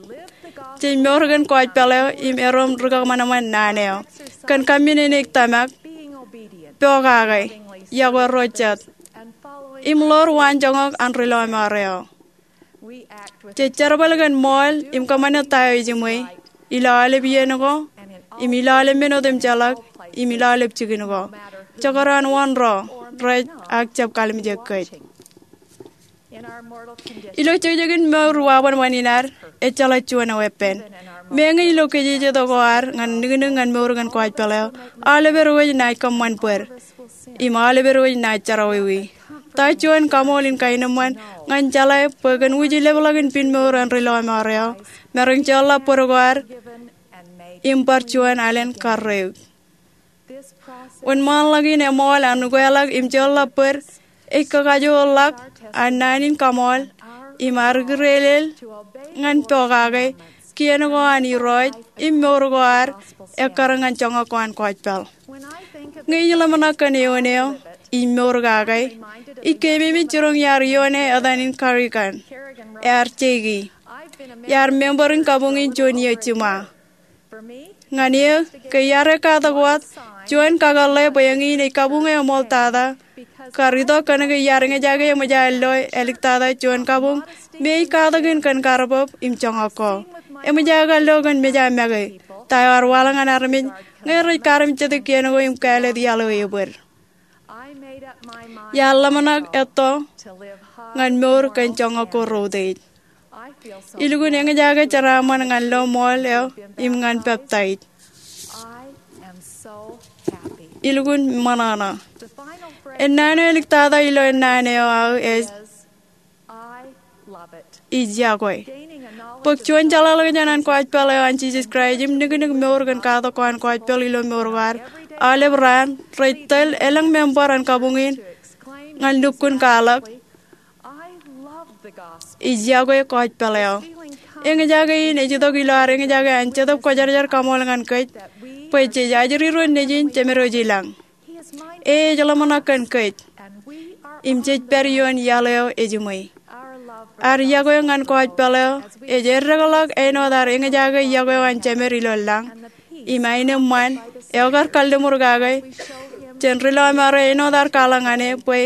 Jej mour kōn kōjpeḷ eo im erom ri kōṃanṃan naan eo kōn kaminene tōmak, pokake, yokwe ro jet, im ḷoor waanjoñak an ri lọmọọr eo. Jej jerbal kōn ṃool im kōṃṃane ta eo ejiṃwe ilo aolep iien ko im ilo aolep men otemjeḷọk im ilo aolep jikin ko, jekdọọn wōn ro rej ak jab kalimjek kōj. Ilo jekjekin mour wāween ṃanit ad, ejjeḷọk juon eweeppān. Meñe ilo kōjejjet ko ad ñan niknik ñan mour kōn kōjpeḷ eo, aolepād wōj naaj kōṃṃan bōd im aolepād wōj naaj jerọwiwi. Ta juon kaṃool in kaenōṃṃan ñan jeḷā bwe kōn wūjlepḷọk in piin mour an ri lọmọọr eo, maroñ jeorḷọk bōd ko ad im bar juon alen karreoik. Wōnṃaanḷọk in eṃool an ukeḷọk im jeorḷọk bōd ej kakajoorḷọk an naan in kaṃool im ad kireelel ñan pokake kien ko an Irooj im mour ko ad ekkar ñan joñak ko an kōjpeḷ. Ñe ij ḷōmṇak kōn eoon eo, ij mour kake, ij keememej jiroñ iar ioone etan in Carrigan, ear jeiki. Iar member in kabuñ in juon iiō jiṃa. Ñan eō, ke iar ekkatak wōt, juon kakōḷḷe bwe eñin ej kabuñ eo eṃool tata kar itok kōnke iar eñjake eṃōj aer lo āliktata juon kabuñ me ej katakin kōn karbōb im joñak ko. Eṃōj aō kar lo kōn mejāmake, ta eo ear waḷọk ñan armej ñe rej karmejjete kien ko im kāālōt iaḷ eo ebōd. Iar ḷōmṇak etto ñan mour kōn joñak ko reutiej. Ilukkuun eñjake jeraaṃṃan ñan lo ṃool eo im ñan peptaij. Ilukkuun ṃōṇōṇō. Ennaan eo āliktata ilo ennaan eo aō ej, ij yokwe. Bōk juon jeḷāḷọkjeṇ an kōjpeḷ eo an Jisōs Kraist im niknik mour kōn katak ko an kōjpeḷ ilo mour ko ad aolep raan rej tōl elōñ member an kabuñ in ñan lukkuun kwaḷọk, ij yokwe kōjpeḷ eo. Eñjake in ej itok ilo ad eñjake an Jetōb Kwōjarjar kaṃool ñan kōj bwe jej ajri ro nejin jemedwōj ilañ. E ej ḷōmṇak kōn kōj im jej pād ioon iaḷ eo ejiṃwe. Ad yokwe ñan kōjpeḷ eo ej eddekḷọk āinwōt ad eñjake yokwe eo an Jemed ilo lañ im aenōṃṃan eo kar kalliṃur kake jān ri lọmọọr eo āinwōt ad kwaḷọk ñan e bwe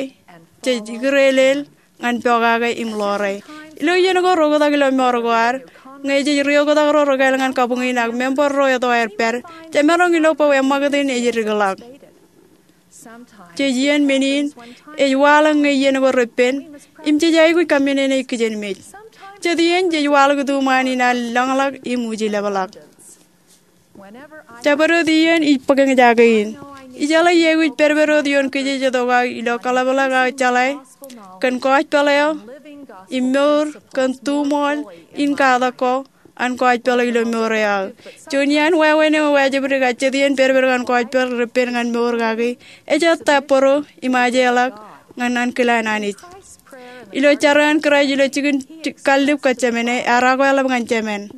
jej kireelel ñan pokake im ḷoore. Ilo iien ko reoktak ilo mour ko ad, ñe jej ri-oktak ro rekāāl ñan kabuñ in ak member ro eto aer pād, jemaroñ ilo bwe eṃṃakūt in ej dikḷọk. Jej iien men in ej waḷọk ñe iien ko repen im jej aikuj kaminene kijenmej. Jet iien jej waḷọk ituṃaan in ad lōñḷọk im wūjlepḷọk. Jabdewōt iien ij bōk eñjake in, ijeḷā iaikuj pedped wōt ioon kōjejjet ko aō ilo kaḷapḷọk aō jeḷā kōn kōjpeḷ eo im mour kōn tuṃool in katak ko an kōjpeḷ ilo mour eo aō. Juon iaan wāween eo ewajjibdik jet iien pedped kōn kōjpeḷ repen ñan mour kaki ej ettā bōro im ajeḷọk ñan ankilaan Anij. Ilo jar an Kraist ilo jikin kallib kōjemāne, ear akweḷap ñan Jemān,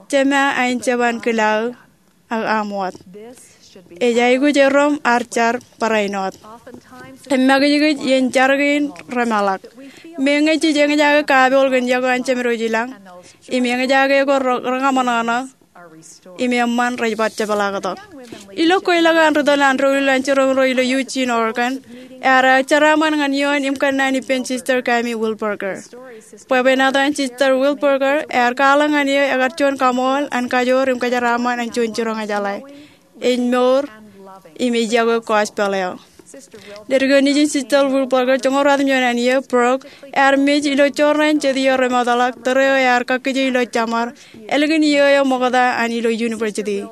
Jema, ain jab an kilaō, ak aṃ wōt. Ej aikuj erom ar jar barāinwōt. Im makijkij iien jar kein remeḷọk. Meñe jej eñjake kapool kōn yokwe an Jemedwōj ilañ, im eñjake ko re-, reñaṃōṇōṇō, im eṃṃan rej bar jepḷaaktok. Ilo kweilọk an ri tōl an doulul an jiroñ ro ilo Eugene, Oregon, ear jeraaṃṃan ñan ioon im kōnnaan ippān Sister Kami Wilberger. Bwebwenato an Sister Wilberger ear kwaḷọk ñan eō ekar juon kaṃool an kajoor im kajeraaṃṃan an juon jiroñ ejeḷā. Ej mour im ej yokwe gospel eo. Ledik eo nejin Sister Wilberger, joñoul ruatimjuon an iiō, Brooke, ear mej ilo jorrāān jet iiō remootḷọk, tōre eo ear kakkije ilo jeṃar, ālikin iiō eo ṃokta an ilo university.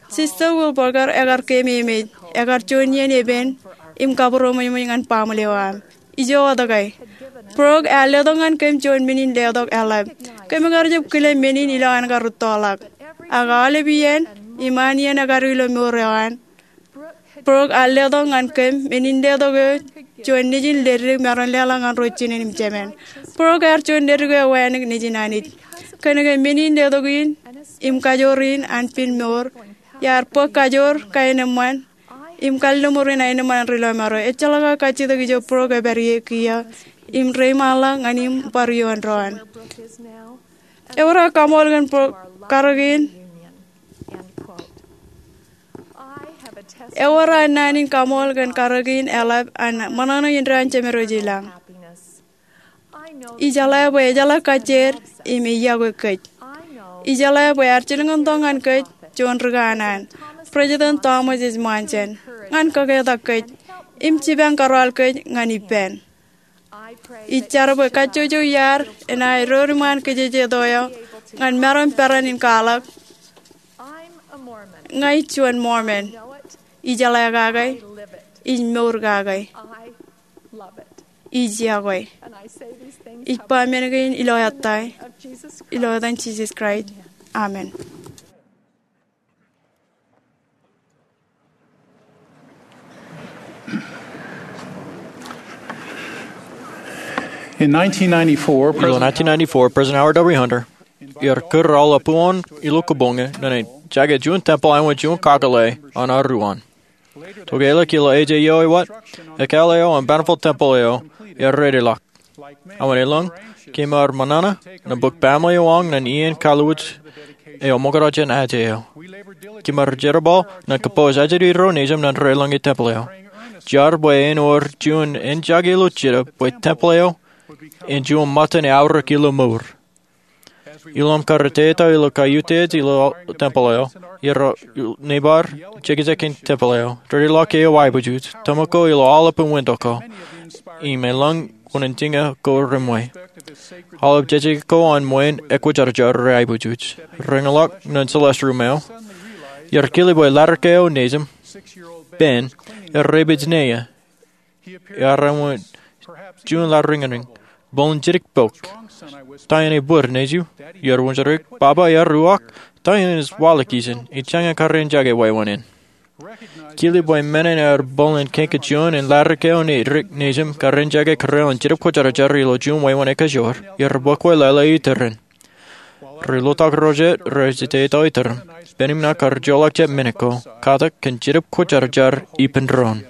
Sister Wilberger, ekar keememej, ekar juon iien epen im kabūroṃōjṃōj ñan baaṃle eo aṃ. Ijo wōt ke, Brooke ear letok ñan kōm juon men in letok eḷap. Kōm kar jab kile men in ilowaan kar rūttoḷọk. Ak aolep iien im an iien ekar ilo mour eo an, Brooke ear letok ñan kōm men in letok eo, juon nejin ledik maroñ leḷọk ñan ro jinen im jemān. Brooke ear juon ledik eo ewānōk nejin Anij. Kōnke men in letok in im kajoor in an pen mour, iar bōk kajoor, kaenōṃṃan, im kalliṃur in aenōṃṃan an ri lọmọọr eo. Ejjeḷọk aō kajjitōk ijo Brooke epād ie kiiō im reiṃaanḷọk ñan im bar ioon doon. Ewōr aō kaṃool kōn Brooke karōk in. Ewōr aō naan in kaṃool kōn karōk in eḷap an ṃōṇōṇō indeeo an Jemedwōj ilañ. Ijeḷā bwe ejeḷā kajjier im ej yokwe kōj. Ijeḷā bwe ear jilkintok ñan kōj juon rikanaan, President Thomas S. Monson, ñan kōketak kōj im jipañ kōrọọl kōj ñan ippān. Ij jar bwe kajjojo iaad enaaj eddour iṃaan kijejeto eo ñan maroñ peran in kwaḷọk, Ña ij juon Mormon. Ijeḷā kake. Ij mour kake. Ij yokwe. Ij ba men kein ilo ettā, ilo etan Jisōs Kraist, amen. In nineteen ninety-four, Ilo President nineteen ninety-four, President Howard W. Hunter ear kūr aolep uwaan ilo kōpoñe ñan en jake juon tempel āinwōt juon kakōḷḷe an aruwaan. Tok eḷak ilo eje eo ewōt, ekkāāl eo an Bountiful Temple eo ear redeḷọk. Awa elōñ, kōm ar ṃōṇōṇō, ñan bōk baaṃle eo aṃ ñan iien kōḷḷauj eo ṃokta jān aje eo. Kōm ar jerbal ñan kōpooj ajri ro nejūṃ ñan reḷọñe tempel eo. Jar bwe en wōr juon en jake ilo Jetōb bwe tempel eo en juon ṃōttan eaorōk ilo mour. Ilo aṃ kar ettā ilo kaiutiej ilo tempel eo, iar nebar jekjek in tempel eo, redeḷọk eo aibūjuj, tōmak ko ilo aolepān wāween ko, im elōñ wōn injina ko reṃwe. Aolep jejjek ko an ṃweiin ekwōjarjar rej aibūjuj. Reñḷọk ñan celestial room eo, iar kile bwe ladik eo nejūṃ, Ben, ear rej pād ṇe ia. Ear āinwōt juon lariñañin, bōlen jidik pok. Ta eṇ ebōd nejū? Iar wōnjake, Baba, ear uwaak. Ta eṇ ej waḷọk ijin? Ij jañin kar en jake wāween in. Kile bwe men in ear bōlen kañin juon in ladik eo nejūṃ kar en jake kōrā in Jetōb Kwōjarjar ilo juon wāween ekajoor, iar bōk wōt lale iturin. Ri lotōk ro jet rej ettā iturin. Ben im ṇa kar joḷọk jet minit ko, katak kōn Jetōb Kwōjarjar ippān doon.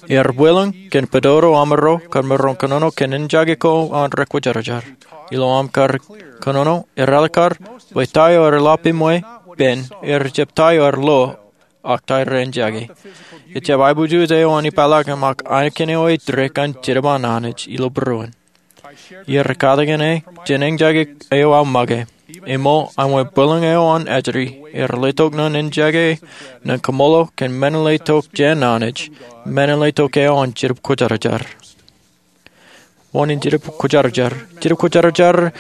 Iar bwilōñ kōn pād ilo amro kar maroñ kōnono kōn en jake ko an rekwōjarjar. Ilo aṃ kar kōnono, ear āliktata bwe ta eo ear lale iṃwe, Ben, ej jab ta eo ear lo, ak ta eo ren jake. Ejjab aiboojoj eo an ippaḷọk im ak ainikien eo ej dirrek an Jetōb an Anij ilo būruon. Iar katakin e jān en jake eo aō make. Im āinwōt bwilōñ eo an ajri, ear letok ñan en jake ñan kaṃṃoolol kōn men in letok jān Anij, men in letok eo an Jetōb Kwōjarjar. Wōn in Jetōb Kwōjarjar? Jetōb Kwōjarjar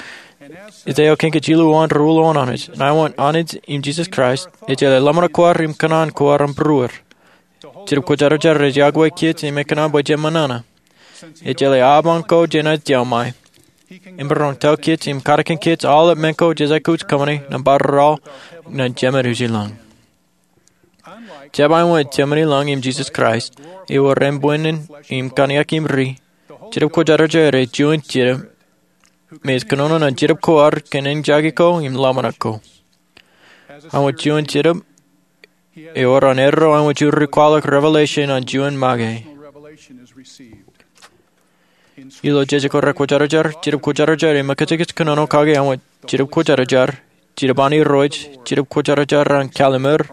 ej eo kañin jilu an ri ulo an Anij. Āinwōt Anij im Jisōs Kraist, ejjeḷọk ḷōmṇak ko ad im kōṇaan ko aṃ būruod. Jetōb Kwōjarjar ej yokwe kōj im ekōṇaan bwe jemaroñ ṇa. Ejjeḷọk apañ ko jenaaj iọkwe. Emaroñ tōl kōj im katakin kōj aolep men ko jej aikuj kōṃṃane nōṃba rūtto ñan Jemān ilañ. Jab āinwōt Jemān ilañ im Jisōs Kraist, ewōr embwinnin im kōṇaan im ri, Jetōb Kwōjarjar ej juon Jetōb me ej kōnono ñan jetōb ko ad kōn eñjake ko im ḷōmṇak ko. An wōt juon Jetōb, ewōr an erro an wōt juon ri kwaḷọk revelation an juon make. Ilo Jejako Rekwōjarjar, Jetōb Kwōjarjar ej mejānkōj kōnono kake an wōt Jetōb Kwōjarjar, Jetōb an Irooj, Jetōb Kwōjarjar an Kallimer,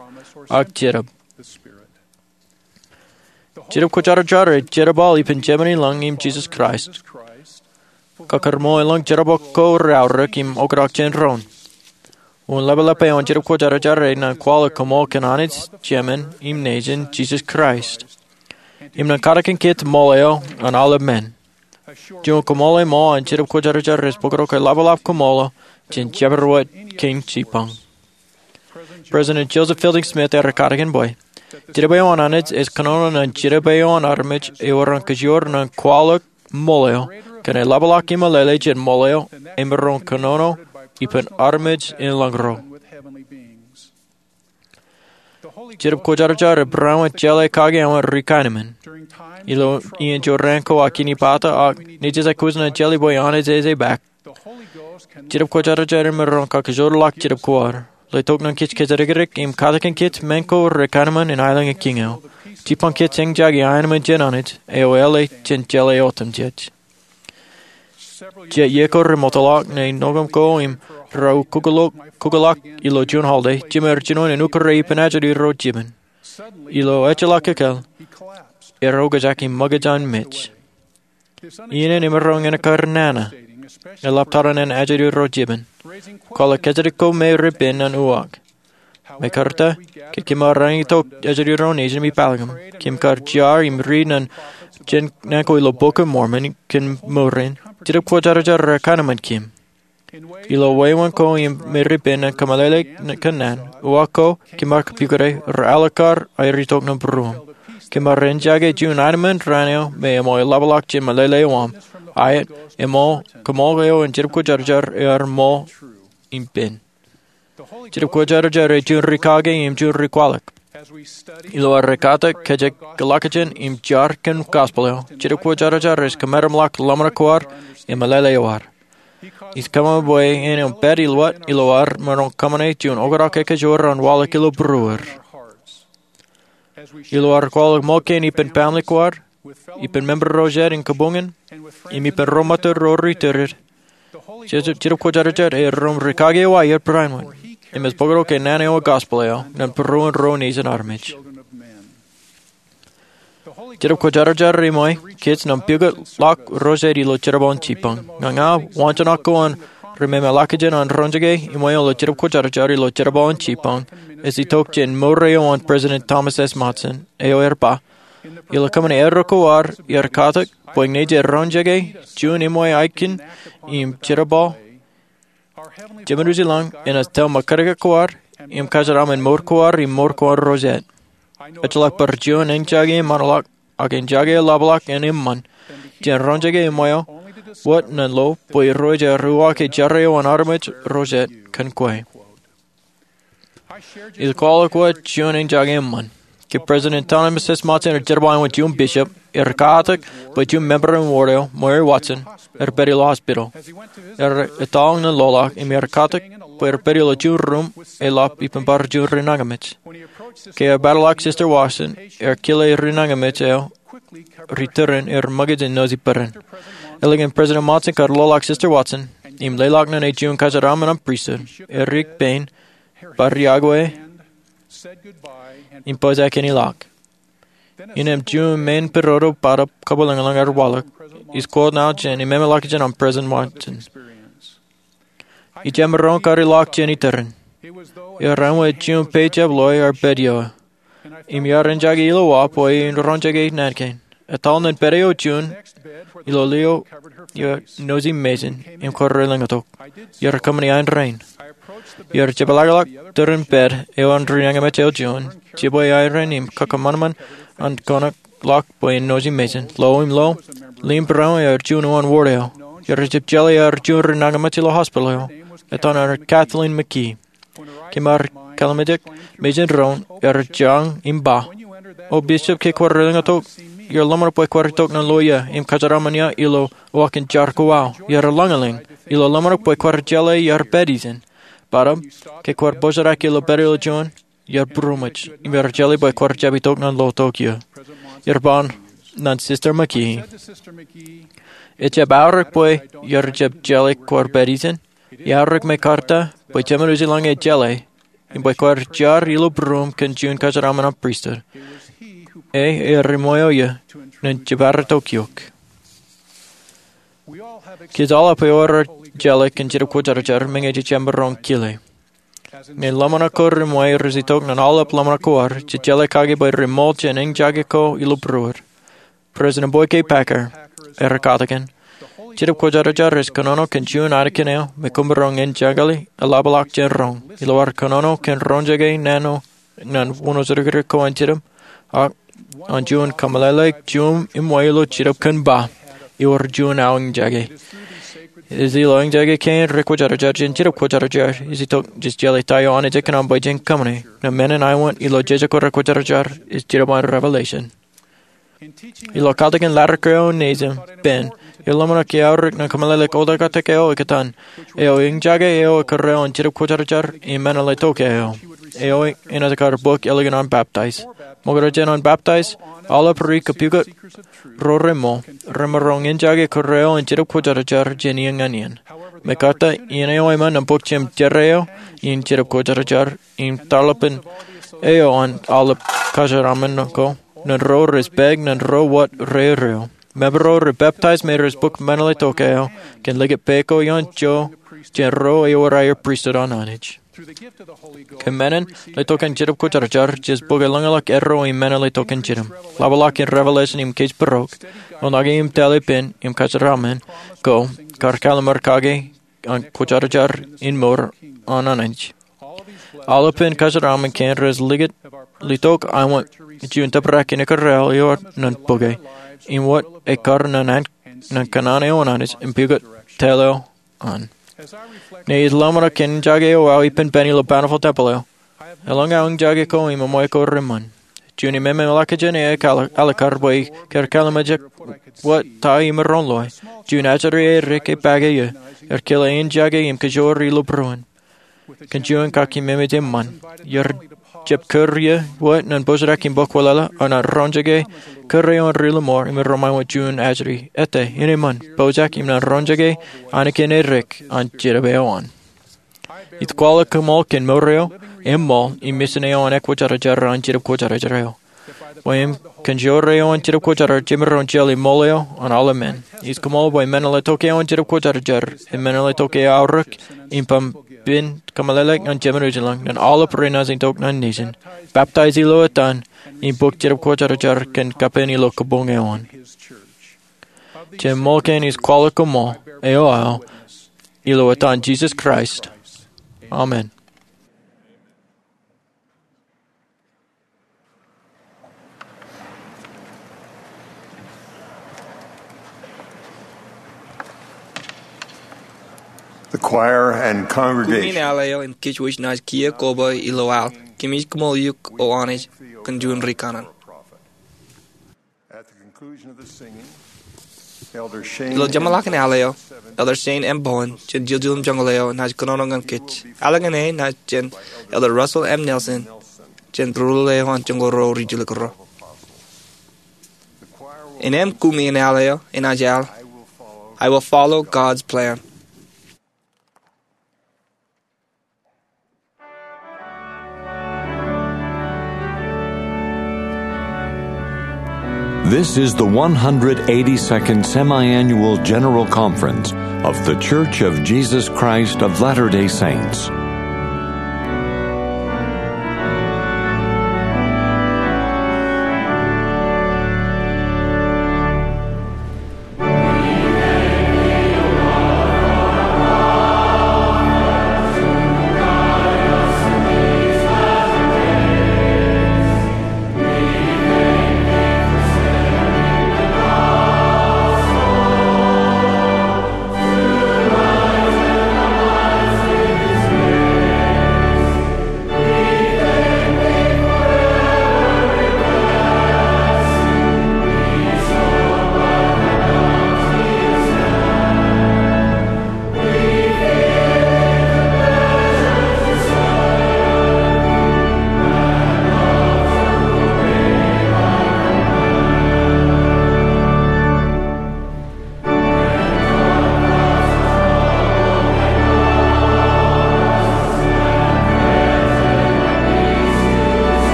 ak Jetōb. Jetōb Kwōjarjar ej jerbal ippān Jemān in lañ im Jisōs Kraist. Kōkōrmool elōñ jerbal ko reaorōk im oktak jān doon. Wōn ḷapḷap eo an Jetōb Kwōjarjar ej ñan kwaḷọk koṃṃool kōn Anij Jemān im Nejin Jisōs Kraist, im ñan katakin kōj ṃool eo an aolep men. Juon koṃṃool eo ṃool an Jetōb Kwōjarjar ej bōktok eḷapḷap koṃṃool eo jān Jemedwōt Kein Jipañ. President Joseph Fielding Smith ear katakin bwe Jetōb eo an Anij ej kōnono ñan jetōb eo an armej ewōr an kajoor ñan kwaḷọk ṃool eo kōn eḷapḷọk im meḷeḷe jān ṃool eo emaroñ kōnono ippān armej in lañ ro. Jetōb Kwōjarjar ej barāinwōt jeḷā kake an wōt ri-kaenōṃṃan. Ilo iien jorrāān ko aō kinipaata ak nejū ej kōj ñan jeḷā bwe Anij ej epaak, Jetōb Kwōjarjar emaroñ kakajoorḷọk jetōb ko ad, letok ñan kōj kōjatdikdik im katakin kōj men ko ri-kaenōṃṃan in aelōñ in kiiñ eo, jipañ kōj eñjake aenōṃṃan jān Anij eo eḷap jān jeḷā otemjej. Jet iiō ko remootḷọk ñe ṇoṃ ko im raar kukkuḷọk ilo juon holiday, jemān eo rej jino en ukōrā ippān ajri ro jibūn. Ilo ejjeḷọk kōkōl, ear okjak im ṃōkaj an mej. Iien in emaroñ in ekkar nana, eḷap tarrin an ajri ro jibūn, kwaḷọk kōjatdikdik ko me reipen ñan uwaak. Mekarta, ke kōm ar itok ajri ro nejin im ipālōkōm, kōm kar jar im riit ñan jān naan ko ilo Bok in Mormon kōn mour in, Jetōb Kwōjarjar rej kaenōṃṃan kōm. Ilo wāween ko im me reipen ñan kōmeḷeḷe kōn naan, uwaak ko kōm ar kōpukot e, reaḷọk aer itok ñan būruōṃ. Kōm ar eñjake juon aenōṃṃan raan eo me eṃōj eḷapḷọk jān meḷeḷe eo aṃ, aet, eṃōj koṃṃool eo an Jetōb Kwōjarjar ear ṃool im pen. Jetōb Kwōjarjar ej juon ri-kake im juon ri-kwaḷọk. Ilo ad ekkatak, kōjekḷọk jān, im jar kōn gospel eo, Jetōb Kwōjarjar ej kōmeramḷọk ḷōmṇak ko ad im meḷeḷe eo ad. Ij kōṃṃan bwe en eo pād ilo ad, ilo ad maroñ kōṃṃane juon oktak ekajoor an waḷọk ilo būruod. Ilo ad kwaḷọk ṃōk kein ippān family ko ad, ippān member ro jet in kabuñ in, im ippān ro ṃōttan ro rej iturin, Jetōb Kwōjarjar ej erom ri-kake eo aer barāinwōt, im ej bōktok naan eo an gospel eo ñan būruon ro nejin armej. Jetōb Kwōjarjar ej ṃōk kōj ñan pukot ḷọk ro jet ilo jerbal in jipañ. Ña ña, waanjoñak ko an ri-memeḷọkjeṇ an roñjake eṃṃan ilo Jetōb Kwōjarjar ilo jerbal in jipañ ej itok jān mour eo an President Thomas S. Monson, eo ear ba, ilo kōṃṃane erro ko ad, iar katak bwe ñe jej roñjake juon eṃṃan aikin im jerbal, Jemān wōt ilañ enaaj tōl ṃōkajdik ko ad im kōjeraaṃṃan mour ko ad im mour ko ad ro jet. Ejjeḷọk bar juon eñjake eṃṃanḷọk ak eñjake eḷapḷọk en eṃṃan jān roñjake eṃṃan eo wōt ñan lo bwe irooj aer uwaak ej jerā eo an armej ro jet kōn kwe. Ij kwaḷọk wōt juon eñjake eṃṃan. Ke President Thomas S. Monson ear jerbal wōt juon bishop, ear katak bwe juon member an wōt eo, Mary Watson, ear pād ilo hospital. Ear etal ñan loḷọk im ear katak bwe ear pād ilo juon ruum eḷap ippān bar juon ri-nañinmej. Ke ear pād ḷọk Sister Watson, ear kile ri-nañinmej eo rej iturin im ṃōkaj in nōsi bōran. Eḷap an President Monson kar loḷọk Sister Watson im leḷọk ñan e juon kōjeraaṃṃan an pristut, ear dik pein, bar iakwe, im pojak in ilọk. Innām juon men pidodo bōtab kabwilōñlōñ ear waḷọk. Ij quote ṇae jān memeḷọkjeṇ an President Monson. Ij jemaroñ kar ilọk jān iturin. Ear āinwōt juon pejab ḷọk ear pād ioō. Im iar eñjake ilowaan bwe in roñjake naan kein. Etal ñan pād eo juon ilo lio, iar nōsi mejin im kar lōñitok. Iar kōṃṃani aenōṃṃan. Iar jepḷaakḷọk turin pād eo an ri-nañinmej eo juon, jibwe aenōṃṃan im kakōṃanṃan an kōṇaan ḷọk bwe en nōsi mejin. Lo im lo, limburōn ear juon uwaan wōt eo. Iar jab jeḷā ear juon ri-nañinmej ilo hospital eo. Etan ear Kathleen McKee. Kōm ar kalimjek mejin doon, ear jañ im ba, "O Bishop, ke kwōj lōñitok iar ḷōmṇak bwe kwaar itok ñan lo ia im kōjeraaṃṃan ia ilo uwaak in jar ko aō. Iar lañlōñ ilo ḷōmṇak bwe kwaar jeḷā iar pād ijin. Bōtaab, ke kwaar bōjrak ilo pād ilo juon, iar būroṃōj im iar jeḷā bwe kwaar jab itok ñan lo tok ia. Iar ba ñan Sister McKee, ejjab aorōk bwe iar jab jeḷā kwaar pād ijin. Eaorōk me karta bwe Jemed Ujilōñ ej jeḷā im bwe kwaar jar ilo būruōm kōn juon kōjeraaṃṃan an pristut. E, ear ṃweo ia ñan jibadtok eok. Kōj aolep ewōr jeḷā kōn Jetōb Kwōjarjar, meñe jej jab maroñ kile. Ñe ḷōmṇak ko reṃṃe rej itok ñan aolep ḷōmṇak ko ad, jej jeḷā kake bwe reṃool jān eñjake ko ilo būruod. President Boyd K. Packer ear katakin, Jetōb Kwōjarjar ej kōnono kōn juon anakin eo me koṃ maroñ eñjakḷọk im ḷapḷọk jān roñ. Ilo ad kōnono kōn roñjake naan eo ñan wūnin ojekdek ko an Jetōb, ak an juon kōmeḷeḷe juon im ṃweo ilo Jetōb kōn ba, ewōr juon aō eñjake. Ej ilo eñjake kein rekwōjarjar jān Jetōb Kwōjarjar ej itok jej jeḷā ta eo Anij ej kōṇaan bwe jen kōṃṃane. Nōṃṃan in aewōt ilo jeje ko rekwōjarjar ej Jetōb an Revelation. Ilo katakin ḷaddik eo nejin, Ben, ear ḷōmṇak eaorōk ñan kōmeḷeḷe oktak eo ekkā an, eo eñjake eo ekkā eo an Jetōb Kwōjarjar im meṇeḷetok eo. Eo enaaj kar bōk ālikin an baptize. Ṃokta jān an baptize, aolep ri kōpukot ro reṃool, remaroñ eñjake ekkā eo an Jetōb Kwōjarjar jān iien ñan iien. Mekarta, iien eo eṃṃan im bōk jemjeran eo in Jetōb Kwōjarjar, im tarlepen eo an aolep kōjeraaṃṃan ko, ñan ro rej pād ñan ro wōt rereoik. Member ro rej baptize me rej bōk meṇeḷetok eo kōn likūt pā ko ioon ijo jān ro ewōr aer pristut an Anij. Kōn menin letok an Jetōb Kwōjarjar, jej bōk eḷaññe ḷọk erro im menin letok an Jetōb. Ḷapḷọk in Revelation im kōjparok, ḷōmṇak im tale pen im kōjeraaṃṃan ko, kar kallimur kake an kwōjarjar in mour an Anij. Aolepān kōjeraaṃṃan kein rej likūt, letok aṃ wōt juon tōprak in ekkar eo ewōr ñan bōke, im wōt ekkar ñan an, ñan kōṇaan eo an Anij im pukot tōl eo an. Ñe ij ḷōmṇak kōn eñjake eo aō ippān Ben ilo Bountiful Temple eo, eḷaññe aō eñjake ko im eṃṃan ko reṃṃan. Juon ememej ḷọk jān e ej al-, alikkar bwe kar kallimur wōt ta imaroñ loe. Juon ajri eo erik ej pake ia, ear kile eñjake im kōjoor ilo būruon. Kōn juon kakememej eṃṃan, iar jab kūr ia wōt ñan pojak im bōk wōtlọk, ak ñan roñjake kūr eo an ri-lọmọọr im ro ṃae wōt juon ajri. Ettā, eṃṃan, pojak im ñan roñjake anakin erik an Jetōb eo an. Ij kwaḷọk koṃṃool kōn mour eo, im ṃool, im misin eo an ekwōjarjar an Jetōb Kwōjarjar eo. Bwe im kōn joor eo an Jetōb Kwōjarjar jemaroñ jeḷā ṃool eo an aolep men. Ij koṃṃool bwe menin letok eo an Jetōb Kwōjarjar, im menin letok eo aorōk, im bōk pen kōmeḷeḷeik ñan Jemed Ujilōñ, ñan aolep renaaj itok ñan nejin, baptize ilo etan, im bōk Jetōb Kwōjarjar kōn kapen ilo kabuñ eo an. Jān ṃool kein ij kwaḷọk koṃṃool, eo aō, ilo etan Jisōs Kraist. Amen. The choir and congregation. Kumi in al eo im kōj wōj naaj kiiō koba ilo al. Kōmij koṃṃool eok O Anij kōn juon ri kanaan. At the conclusion of the singing, Elder Shane Ilo jeṃḷọkin al eo, Elder Shane M. Bowen jān Jiljilimjuonñoul eo enaaj kōnono ñan kōj. Ālikin e enaaj jān Elder Russell M. Nelson jān būruō eo an joñoul ruo ri jilkinro. Innām kumi in al eo enaaj al, I Will Follow God's Plan. This is the one hundred eighty-second Semiannual General Conference of The Church of Jesus Christ of Latter-day Saints.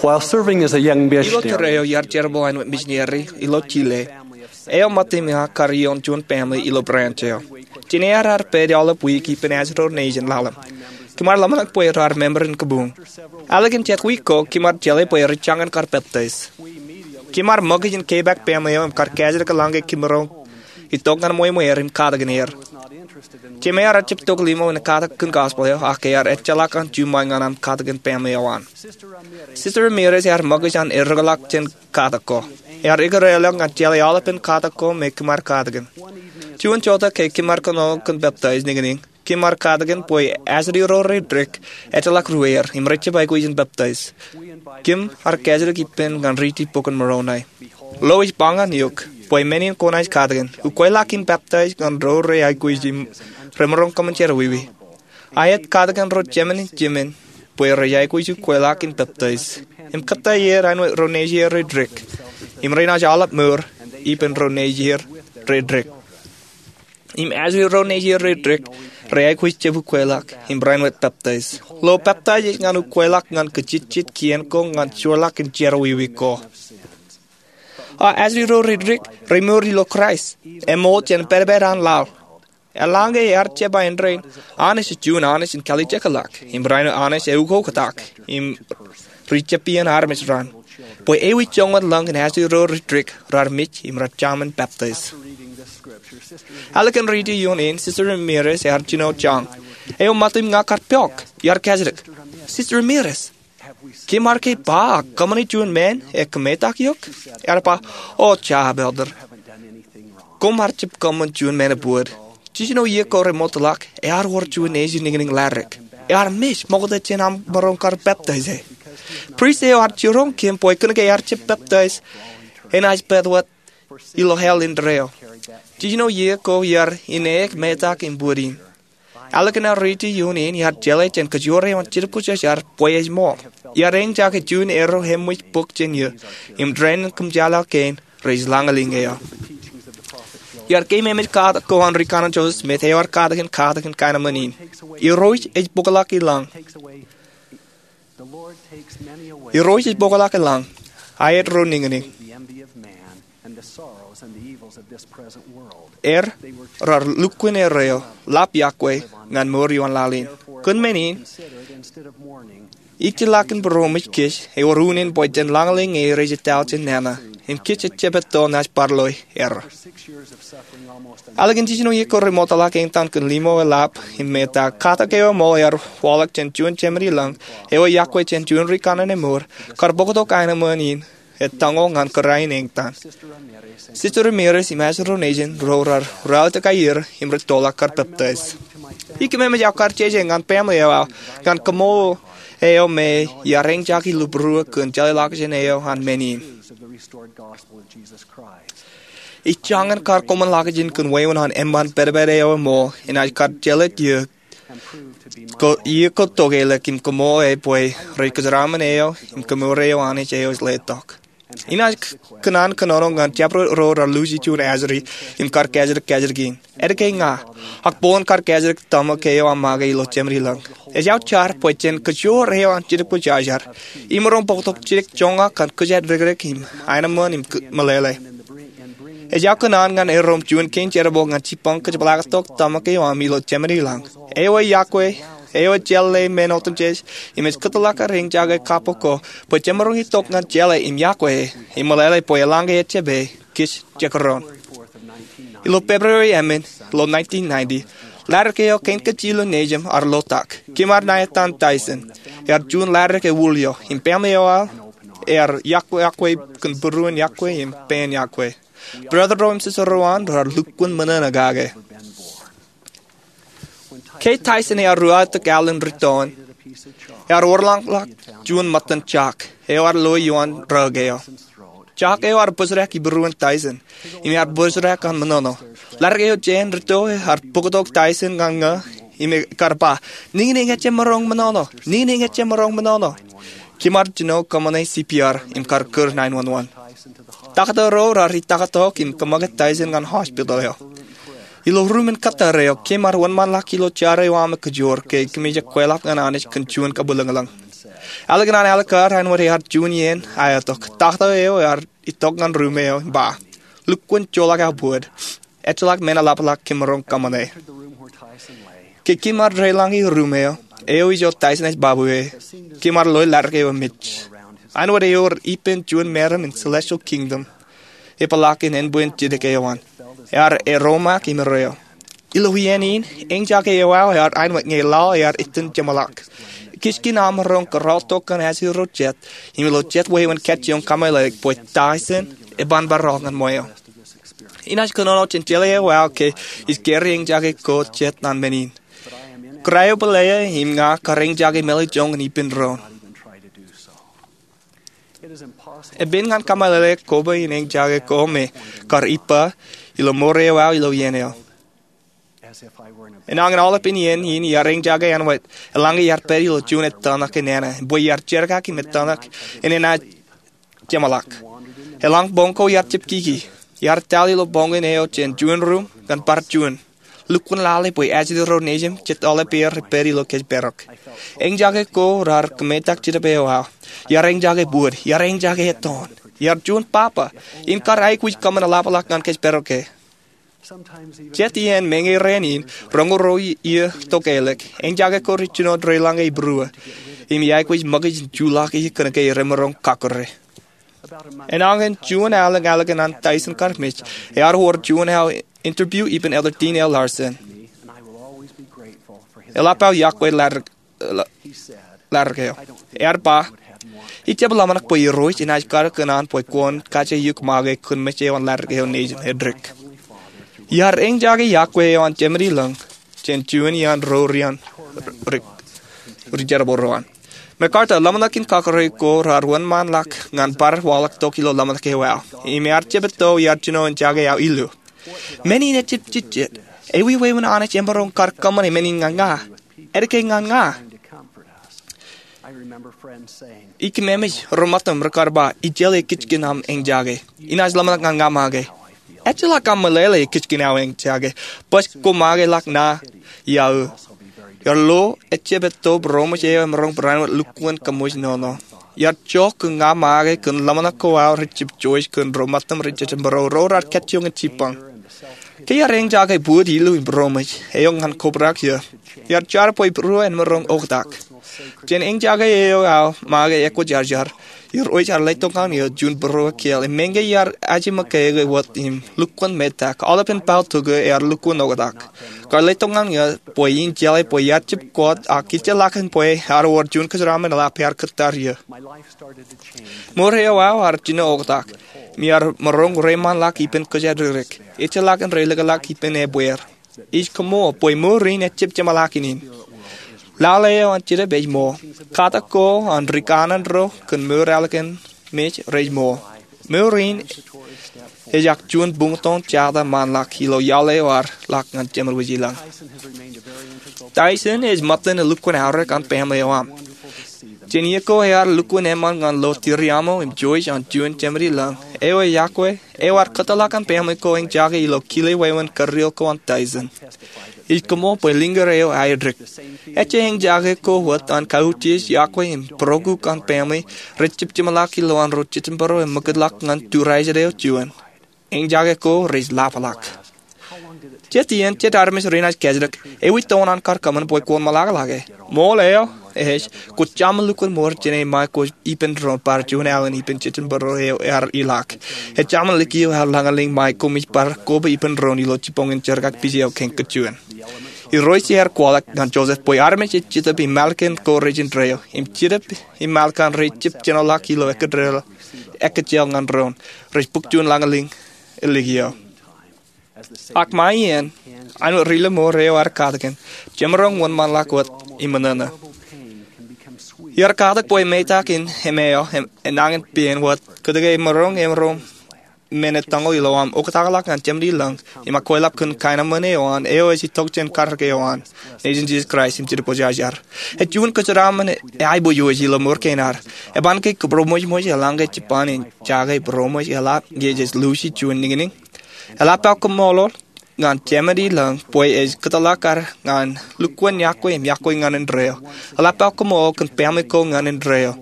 While serving as a young missionary, ilo tōre eo iar jerbal aenōṃṃan misineri ilo Chile, eo ṃōttan ña kar ioon juon family ilo branch eo. Jān eaar pād aolep wiik ippān Ajerur Nation ḷalem, kōm ar ḷōmṇak bwe raar member in kabuñ. Ālikin jet wiik ko, kōm ar jeḷā bwe rej jañin kar peptaij. Kōm ar ṃōkaj in kepaak family eo im kar kajjitōk eḷaññe kōm maroñ itok ñan ṃweo ṃweer im katakin er. Jemāer ejjab tok limo in katakin gospel eo, ak ear ejjeḷọk an juṃae ñan aṃ katakin family eo an. Sister Ramirez ear ṃōkaj an errōkḷọk jān katak ko. Ear ikōreelọk ñan jeḷā aolepān katak ko me kōm ar katakin. Juon jota ke kōm ar kōnono kōn peptaij niñniñ, kōm ar katakin bwe ajri ro rej dik ejjeḷọk ruwāer im rej jab aikuj in peptaij. Kōm ar kajjitōk ippān ñan riiti Bok in Moronai. Lo ej ba ñan eok bwe men in kwōnaaj katakin, ukweḷọk in peptaij ñan ro rej aikuj im remaroñ kōṃṃan jerọwiwi. Aet katakin ro jemān in jemān bwe rej aikuj ukweḷọk in peptaij. Im kōttāik er āinwōt ro nejier rej dik, im renaaj aolep mour ippān ro nejier rej dik. Im ajri ro nejier rej dik rej aikuj jab ukweḷọk im rainwōt peptaij. Lo peptaij ej ñan ukweḷọk ñan kajitjit kien ko ñan joorḷọk in jerọwiwi ko. A ajri ro rej dik rej mour ilo Kraist, eṃool jān pedped an laḷ. Eḷaññe ear jab ba indein, Anij ej juon Anij in kalijekḷọk, im rainin Anij eukoktak, im rijepien armej raṇ, bwe ewi joñan lañ in ajri ro rej dik raar mej im rej jaṃin peptaij. Ālikin riiti ioon in, Sister Ramirez ear jino jañ. Eo ṃōttan ña kar pok, iar kajjitōk, Sister Ramirez, kōm ar ke ba ak kōṃṃani juon men e kōmetak eok? Ear ba, O jab, Elder. Koṃ ar jab kōṃṃan juon men ebōd. Jiljino iiō ko remootḷọk, ear wōr juon nejin niñniñ ḷadik. Ear mej ṃokta jān aṃ maroñ kar peptaij e. Prist eo ear jiroñ kōm bwe kōnke ear jab peptaij, enaaj pād wōt ilo hell indeeo. Jiljino iiō ko iar indeeo metak im bōd in. Ālikin aō riiti ioon in, iar jeḷā jān kajoor eo an Jetōb Kwōjarjar bwe ej ṃool. Iar eñjake juon erro eṃōj bōk jān eō, im dān in kōṃjale kein rej lañlōñ eō. Iar keememej katak ko an Rikaṇan Joseph Smith eo ear katakin katakin kaenōṃṃan in. Irooj ej bōkḷọk i lañ. Irooj ej bōkḷọk i lañ, aet ro niñniñ. Er, raar lukkuun erreo, ḷap iọkwe ñan mour ioon laḷ in. Kōn men in, ijjeḷọkin būroṃōj kōj ewōr unin bwe jen lañlōñ e rej ettā jān nana, im kōj ejjab etto naaj bar loi erro. Ālikin jiljino iiō ko remootḷọk eñtaan kōn limo e ḷap im metak, katak eo eṃool ear waḷọk jān juon jemān i lañ eo eyakwe jān juon rikaṇan emour kar bōktok aenōṃṃan in etaño ñan kōrā in eñtaan. Sister Ramirez im ajri ro nejin ro raar ruwaḷtak aer im rej tōlḷọk kar peptaij. Ikememej aō kar jeje ñan family eo aō ñan kaṃṃoolol eo me iar eñjake ilo būruō kōn jeḷāḷọkjeṇ eo an men in. Ij jañin kar koṃwin ḷakijin kōn wāween an eṃṃan pedped eo eṃool enaaj kar jeḷā iiō ko, iiō ko tokālik im kaṃṃoolol e bwe rej kōjeraṃṃan eo im kōmour eo Anij eo ej letok. Inaaj k-, kōṇaan kōnono ñan jabdewōt ro raar luuji juon ajri im kar kajjitōk kajjitōk in. Etke ña? Ak bōlen kar kajjitōk tōmak eo aṃ make ilo jemān i lañ. Ej aō jar bwe jān kajoor eo an Jetōb Kwōjarjar, imaroñ bōktok jidik joñak kōn kōjatdikdik im aenōṃṃan im k-, meḷeḷe. Ej aō kōṇaan ñan erom juon kein jerbal ñan jibboñ kōjepḷaaktok tōmak eo aṃ ilo jemān i lañ. Eo eyakwe, eo ejjeḷā men otemjej, im ej kōtḷọk kar eñjake kabbok ko bwe jemaroñ itok ñan jeḷā im yokwe e, im meḷeḷe bwe eḷaññe ejjab e, kōj jekdọọn. Ilo February emān ilo nineteen ninety, ḷadik eo kein kajjilōk nejūṃ ear lotak. Kōm ar ṇa etan Tyson. Ear juon ḷadik ewūlio im family eo aō ear yokwe, yokwe kōn būruon yokwe im pein yokwe. Brother ro im sister ro an raar lukkuun ṃōṇōṇō kake. Ke Tyson ear ruwaḷtak alen rūtto in, ear wōrḷọkḷọk juon ṃōttan jock eo ear lo ioon rūk eo. Jock eo ear bōjrak ibūruon Tyson im ear bōjrak an ṃōṇōṇō. Ḷadik eo jān rūtto ear bōktok Tyson ñan ña im ekar ba, "Niñniñ ejjab maroñ ṃōṇōṇō! Niñniñ ejjab maroñ ṃōṇōṇō!" Kōm ar jino kōṃṃane C P R im kar kūr nine one one. Taktō ro raar itaktok im kōṃṃake Tyson ñan hospital eo. Ilo ruumen kōttar eo, kōm ar wōnṃaanḷọk ilo jar eo aṃ kōjoor ke kōmij kweilọk ñan Anij kōn juon kabwilōñlōñ. Ālikin an ālikin kar āinwōt ear juon iien aetok, taktō eo ear itok ñan ruum eo im ba, "Lukkuun joḷọk aō bōd. Ejjeḷọk men eḷapḷọk kōmaroñ kōṃṃane." Ke kōm ar deḷọñe ruum eo, eo ijo Tyson ej babue, kōm ar loe ladik eo emej. Āinwōt ewōr ippān juon meram in Celestial Kingdom epeḷaakin ānbwin jidik eo an. Ear eromaak im erreo. Ilo iien in, eñjake eo aō ear āinwōt ñe laḷ ear itōn jeṃḷọk. Ikijjeen aṃ maroñ kōrọọltok kōn ajri ro jet, im ilo jet wāween kajjioñ kōmeḷeḷeik bwe Tyson eban bar rọọl ñan ṃweo. Inaaj kōnono jān jeḷā eo aō ke ij kōrā eñjake ko jet naan men in. Kōrā eo bōlō im ña kar eñjake mālōtlōt ippān doon. Epen ñan kōmeḷeḷe koba in eñjake ko me kar ippa ilo mour eo aō ilo iien eo. Enañin aolepān iien in iar eñjake āinwōt eḷaññe iar pād ilo juon ettōṇak enana bwe iar jerkak im ettōṇak enaaj jeṃḷọk. Eḷaññe boñ ko iar jab kiki, iar etal ilo boñin eo jān juon ruum ñan bar juon. Lukkuun lale bwe ajri ro nejim jet aolepān rej pād ilo kōjparok. Eñjake ko raar kōmetak jitōb eo aō. Iar eñjake bōd, iar eñjake ettoon. Iar juon papa, im kar aikuj kōṃṃan eḷapḷọk ñan kōjparok e. Jet iien meñe rainin, roñoul ruo iiō tok ālikin, eñjake ko rej jino deḷọñe ibūruō, im iaikuj ṃōkaj in juḷọki kōnke remaroñ kakōrā. Enañin juon alen ālikin an Tyson kar mej, ear wōr juon aō interview ippān Elder Dean L. Larsen. Eḷap aō iọkwe ladik eo. Ear ba, "Ij jab ḷōmṇak bwe Irooj enaaj kar kōn an bwe kwōn kaje eok make kōn mej eo an ladik eo nejin eddik." Iar eñjake iọkwe eo an Jemedilōñ jān juon iaan ro rian ri-, rijerbal ro an. MacArthur, ḷōmṇak in kakōrā ko raar wōnṃaanḷọk ñan bar waḷọk tok ilo ḷōmṇak eo aō. Im ear jab etto iar jino eñjake aō illu. Men in ejjab jejjet. Ewi wāween Anij emaroñ kar kōṃṃane men in ñan ña? Etke ñan ña? Ij kōmemej ro ṃōttam rekar ba, "Ijeḷā ikijjeen aṃ eñjake. Inaaj ḷōmṇak ñan ña make." Ejjeḷọk aṃ meḷeḷe ikijjeen aō eñjake. Bwe kwō make ḷọk ṇa iaō. Iar lo ejjab etto būroṃōj eo emaroñ barāinwōt lukkuun kōṃṃooj nono. Iar jokwe ña make kōn ḷōmṇak ko aō rej jab joij kōn ro ṃōttam rej jejjab būroṃōj ro raar kajjioñ in jibboñ. Ke iar eñjake bōd, illu im būroṃōj eo ñan kobrak iiō, iar jar bwe būruō en maroñ oktak. Jān eñjake eo aō make ekwe jarjar, Irooj ear letok ñan eō juon būruō kiiō im meñe iar aje ṃōke wōt im lukkuun metak, aolepān bōd tukwe ear lukkuun oktak. Kar letok ñan eō bwe in jeḷā bwe iar jab kōt ak ejjeḷọkin bwe ear wōr juon kōjeraaṃṃan eḷap ear kōttar iiō. Mour eo aō ear jino oktak, im iar maroñ reiṃaanḷọk ippān kōjatdikdik. Ejjeḷọkin reilikḷọk ippān ebbeer. Ij kōṃṃool bwe mour in ejjab jeṃḷọkin in. Lale eo an Jetōb ej ṃool. Katak ko an ri kanaan ro kōn mour ālikin mej rej ṃool. Mour in ejjab juon buñtōñ jota ṃaanḷọk ilo iaḷ eo ear ḷak ñan Jemān Wūjilōñ. Tyson ej ṃōttan elukkuun aorōk an baaṃle eo aṃ. Jān iiō ko ear lukkuun eṃṃan ñan lo Tiriamo im Joyce an juon Jemān Wūjilōñ. Eo ej iọkwe, eo ear kōtḷọk an baaṃle ko eñjake ilo kile wāween kūrreoḷ ko an Tyson. Ij kōṃṃool bwe liñgūr eo aeddik. Ejja eñjake ko wōt an kautiej, iọkwe im būrokiik an baaṃle rej jab jeṃḷọk ilowaan ro jejjab būruō im ṃakūtḷọk ñan tūrājet eo juon. Eñjake ko rej ḷapḷọk. Jet iien, jet armej renaaj kajjitōk, "Ewi toon an kar kōṃṃan bwe kwōn ṃōḷakḷọk e?" Ṃool eo ej, kwō jaṃ lukkuun mour jāne ṃae ko ippān doon bar juon alen ippān jejjab būruō eo ear ilọk. Ejjaṃ likio ear lañlōñ ṃae koṃij bar koba ippān doon ilo jibboñin jerkakpeje eo kein kōj juon. Irooj ear kwaḷọk ñan Joseph bwe armej ej Jetōb im Mālōkan ko rejin deeo, im Jetōb im Mālōkan rej jab jenoḷọk ilo ekkejel, ekkejel ñan doon, rej bōk juon lañlōñ elikio. Ak ṃae iien, āinwōt ri-lọmọọr eo ear katakin, jemaroñ wōnṃaanḷọk wōt im ṃōṇōṇō. Iar katak bwe emetak in emaroñ, em, enañin pein wōt, kōtke emaroñ, emaroñ men ettoñoul ilo aṃ oktakḷọk ñan Jemān Wūjilōñ, im akwālọk kōn kaenōṃṃan eo an, eo ej itok jān katak eo an, Nejin Jisōs Kraist im Jetōb Kwōjarjar. Ej juon kōjeraaṃṃan eaiboojoj ilo mour kein ad. Eban ke kōbūroṃōjṃōj eḷaññe jibboñ in jake būroṃōj eḷap ñe jej luuji juon niñniñ? Eḷap aō kōṃṃoolol? ñan Jāmān ilọñ bwe ej kōtḷọk ad ñan lukkuun yokwe im yokwe ñan indeeo. Eḷap aō koṃṃool kōn family ko ñan indeeo.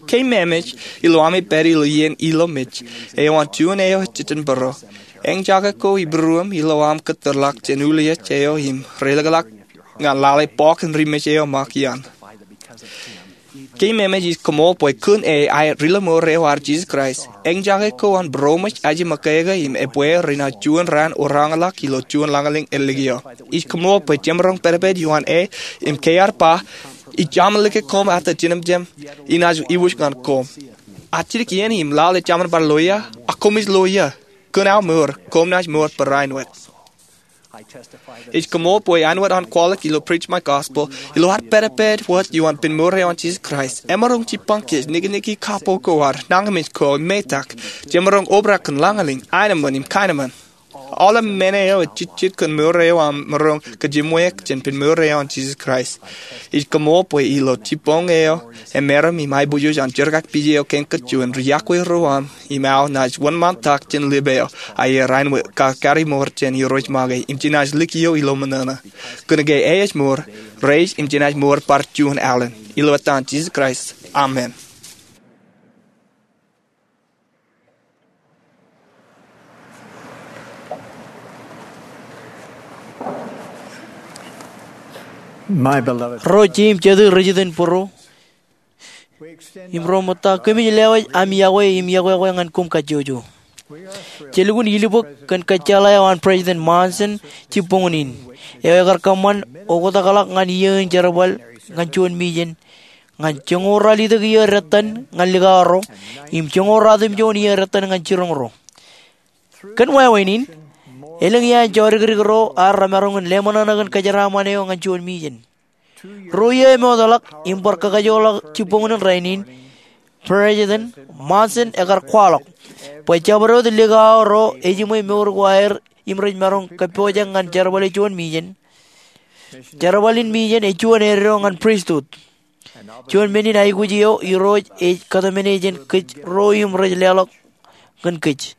Keememej ilo ami pād ilo iien ilo mej eo an juon eo ej jitōnbōro. Eñjake ko ibūruōm ilo aṃ kōtōrḷọk jān uliej eo im reilōkḷọk ñan lale bọọk in ri mej eo ṃōk iaan. Keememej ij koṃṃool bwe kōn e aer ri lọmọọr eo ad Jisōs Kraist. Eñjake ko an būroṃōj aje ṃōkāāke im ebwe rein aō juon raan orañḷọk ilo juon lañlōñ ālikin eo. Ij koṃṃool bwe jemaroñ pedped ioon e im ke ear ba, ij jaṃ in lōke koṃ ata jinōmjam, inaaj iwōj ñan koṃ. Ak jidik iien im lale jemaroñ bar lo ia, ak koṃij lo ia. Kōn aō mour, koṃ naaj mour barāinwōt. Ij koṃṃool bwe āinwōt an kwaḷọk ilo Preach My Gospel, ilo ad pedped wōt ioon pen mour eo an Jisōs Kraist, emaroñ jipañ kōj, nikniki kapo ko ad, nañinmej ko, metak, jemaroñ obrak kōn lañlōñ, aenōṃṃan im kaenōṃṃan. Aolep men eo ej jejjet kōn mour eo aṃ maroñ kōjimweik jān pen mour eo an Jisōs Kraist. Ij koṃṃool bwe ilo jibboñ eo emeram im aiboojoj an jerkakpije eo kein kōj juon, ri-yokwe ro aṃ im aō naaj wōnṃaantak jān lip eo aer āinwōt kakari mour jān Irooj make im jenaaj likio ilo ṃōṇōṇō. Kōnke e ej mour, rej im jenaaj mour bar juon alen. Ilo etan Jisōs Kraist, amen. Ro jeiū im jatū rej iten būruō, im ro ṃōtta, kōmij lewōj ami yokwe im yokwe ñan koṃ kajjojo. Jej lukkuun ilubōk kōn kōjjeḷā eo an President Monson jibboñōn in, eo ekar kōṃṃan oktakḷọk ñan iiō in jerbal ñan juon mijen, ñan joñoul ralitōk iiō dettan ñan likao ro, im joñoul ratimjuon iiō dettan ñan jiroñ ro. Kōn wāween in, elōñ iaan jodikdik ro ad remaroñ in leṃōṇōṇō kōn kōjeraaṃṃan eo ñan juon mijen. Ruo iiō emootḷọk im bar kakajoorḷọk jibboñōn in rainin, President Monson ekar kwaḷọk bwe jabdewōt likao ro ejiṃwe mour ko aer im rej maroñ kōppojak ñan jerbale juon mijen. Jerbal in mijen ej juon eddo ñan pristut. Juon men in aikuj eo Irooj ej kōtmāne jān kōj ro im rej leḷọk kōn kōj.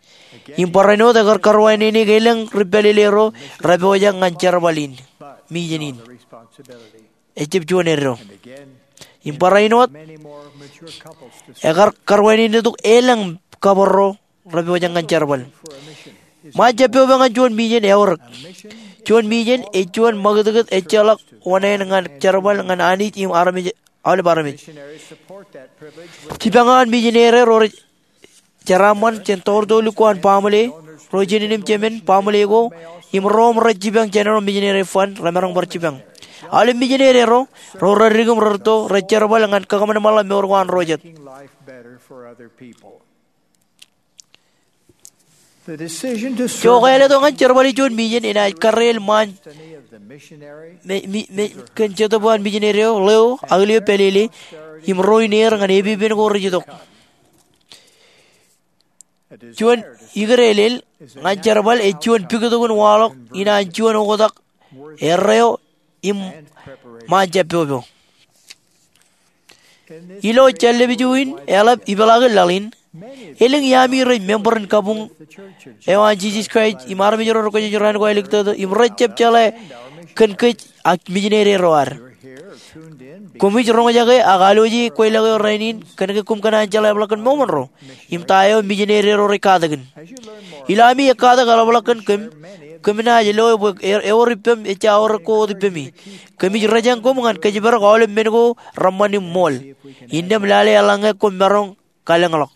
Im barāinwōt ekar karuwainene ke elōñ ri pālele ro repojak ñan jerbal in mijen in. Ejjab juon eddo. Im barāinwōt ekar karuwainene tok elōñ kabōrro repojak ñan jerbal. Ṃaan jab pepe ñan juon mijen eorōk. Juon mijen ej juon ṃakūtkūt ejjeḷọk oṇāān ñan jerbal ñan Anij im armej, aolep armej. Jipañ eo an mijen ro rej jeraaṃṃan jān toortooli ko an baaṃle, ro jinen im jemān baaṃle ko, im ro im rej jipañ jān ro mijen fund remaroñ bar jipañ. Aolep mijen ro, ro reddik im rerūtto, rej jerbal ñan kakōṃanṃanḷọk mour ko an ro jet. Jokāāl eto ñan jerbale juon mijen enaaj karreel ṃaan me, me, me, kōn Jetōb eo an mijen eo, ḷeo, ak lio pālele, im ro in er ñan epepen ko rej itok. Juon ikdeelel ñan jerbal ej juon pikitok in waḷọk in an juon oktak erreo im ṃaan jab pepe. Ilo jān lepiju in eḷap ipeḷaakin laḷ in, elōñ iaami rej member in kabuñ eo an Jisōs Kraist im armej ro rej kwōjarjar raan ko āliktata im rej jab jeḷā kōn kōj ak mijen ro ad. Koṃij roñjake ak alwōje kweilọk eo rainin kōnke koṃ kōṇaan jeḷā eḷap ḷọk kōn ṃool ro im ta eo mijen ro rej katakin. Ilo ami ekkatak eḷap ḷọk kōn kōm, kōm naaj loe bwe e, ewōr ippem ejja aorōk ko wōt ippemi. Kōmij rejañ koṃ ñan kōjparok aolep men ko reṃṃan im ṃool. Innām lale eḷaññe koṃ maroñ kalōñḷọk.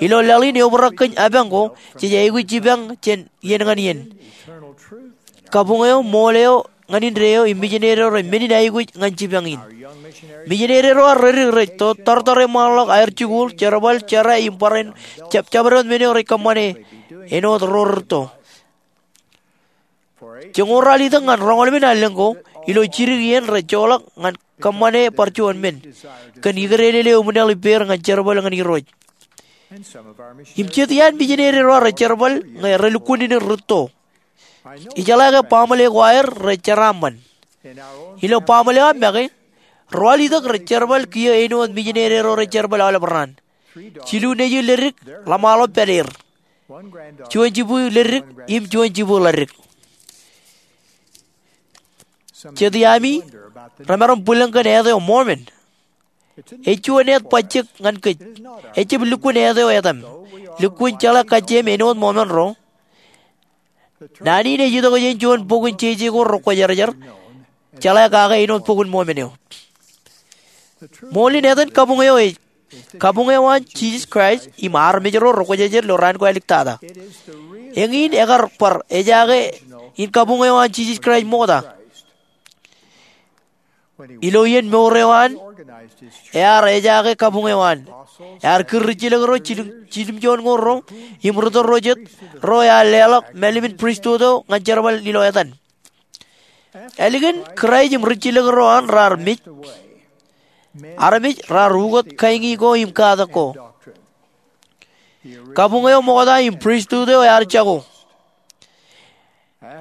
Ilo laḷ in eobrak kōn apañ ko, jej aikuj jipañ jān iien ñan iien. Kabuñ eo, ṃool eo, ñan indeeo, im mijen ro rej men in aikuj ñan jipañ in. Mijen ro ad reddik rej to, tortōr eṃṃanḷọk aer jikuuḷ, jerbal, jerā, im barāinwōt jab, jabdewōt men eo rej kōṃṃane āinwōt ro rerūtto. Joñoul ralitōk ñan roñoul emān allōñ ko, ilo jidik iien rej joḷọk ñan kōṃṃane bar juon men. Kōn ikdeelel eo eṃwilaḷ ippāer ñan jerbal ñan Irooj. Im jet iaan mijen ro ad rej jerbal ñe relukkuun in rūtto. Ijeḷā ke baaṃle ko aer rej jeraaṃṃan. Ilo baaṃle eo am make, ruwalitōk rej jerbal kiiō āinwōt mijen ro rej jerbal aolep raan. Jilu nejū ledik ḷōṃaro pād er. juon jibukwi leddik im juon jibukwi ḷaddik. Jet iaami remaroñ bwilōñ kōn āt eo Mormon. Ej juon āt bajjek ñan kōj. Ejab lukkuun āt eo etaṃ. Lukkuun jeḷā kajjiem āinwōt Mormon ro, naan in ej itok jān juon bok in jeje ko rekwōjarjar, jeḷā kake āinwōt bok in Mormon eo. Ṃool in etan kabuñ eo ej kabuñ eo an Jisōs Kraist im armej ro rekwōjarjar ilo raan ko āliktata. Eñin ekar bar ejaake in kabuñ eo an Jisōs Kraist ṃokta. Ilo iien mour eo an, ear ejaake kabuñ eo an. Ear kūr ri jilkinḷọk ro, jilimjuonñoul ro, im ri tōl ro jet, ro ear leḷọk mālim in pristut eo ñan jerbal ilo etan. Ālikin Kraist im ri jilkinḷọk ro an raar mej, armej raar ukōt kain ko im katak ko. Kabuñ eo ṃokta im pristut eo ear jako.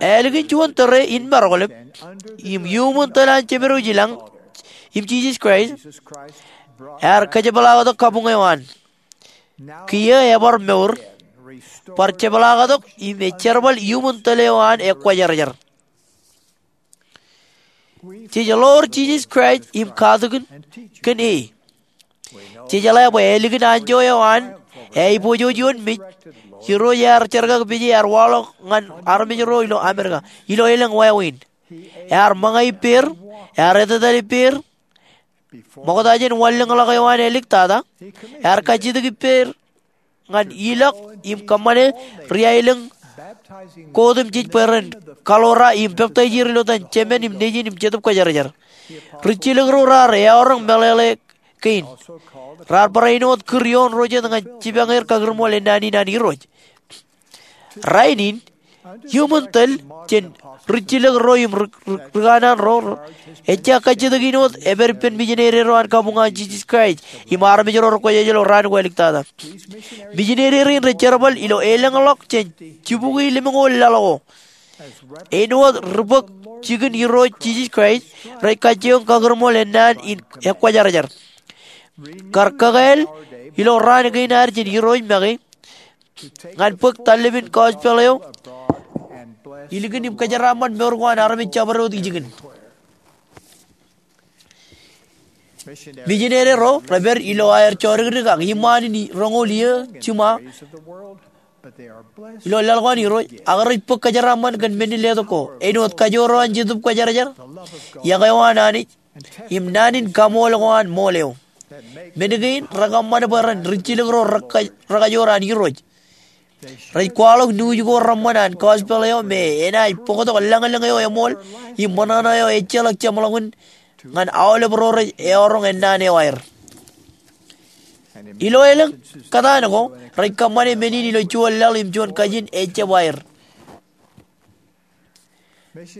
Ālikin juon tōre in maroñḷọk, im iuṃwin tōl an Jemedwōj i lañ, im Jisōs Kraist, ear kajepḷaaktok kabuñ eo an. Kiiō ebar mour, bar jepḷaaktok im ej jerbal iuṃwin tōl eo an ekwōjarjar. Jej ḷoor Jisōs Kraist im katakin kōn e. Jej jeḷā bwe ālikin anjọ eo an aiboojoj ioon mej, Irooj ear jerkakpeje ear waḷọk ñan armej ro ilo Amerika ilo elōñ wāween. Ear ṃōñā ippāer, ear etetal ippāer, ṃokta jān wanlōñḷọk eo an āliktata, ear kajjitōk ippāer ñan ilọk im kōṃṃane ri aelōñ ko otemjej bwe ren kaḷoor im peptaij er ilo etan Jemān im Nejin im Jetōb Kwōjarjar. Ri jilkinḷọk ro raar eọroñ meḷeḷe kein. Raar bar āinwōt kūr ioon ro jet ñan jipañ er kakūrṃool ennaan in an Irooj. Rainin, iuṃwin tōl jān ri jilkinḷọk ro im ri, ri, ri kanaan ro, ejja kajjitōk in wōt epād ippān mijinede ro an kabuñ eo an Jisōs Kraist im armej ro rekwōjarjar ilo raan ko āliktata. Mijinede rein rej jerbal ilo elōñḷọk jān jibukwi lemñoul laḷ ko. Āinwōt ri bōk jikin Irooj Jisōs Kraist, rej kajjioñ kakūrṃool ennaan in ekwōjarjar. Kar kakāāl ilo raan kein ad jān Irooj make, ñan bōk tallepin gospel eo ilikin im kōjeraaṃṃan mour ko an armej jabdewōt ijin. Mijinede ro rej pād ilo aer jodikdik ak iṃaan in roñoul iiō jiṃa ilo laḷ ko an Irooj, ak rej bōk kōjeraaṃṃan kōn men in letok ko āinwōt kajoor eo an Jetōb Kwōjarjar, iọkwe eo an Anij, im naan in kaṃool ko an ṃool eo. Men kein rekōṃṃan bwe ren ri jilkinḷọk ro reka-, rekajoor an Irooj. Rej kwaḷọk nuuj ko reṃṃan an gospel eo me enaaj bōktok lañlōñ eo eṃool im ṃōṇōṇō eo ejjeḷọk jeṃḷọkin ñan aolep ro rej eọroñ ennaan eo aer. Ilo elōñ kōtaan ko, rej kōṃṃane men in ilo juon laḷ im juon kajin ejjab aer.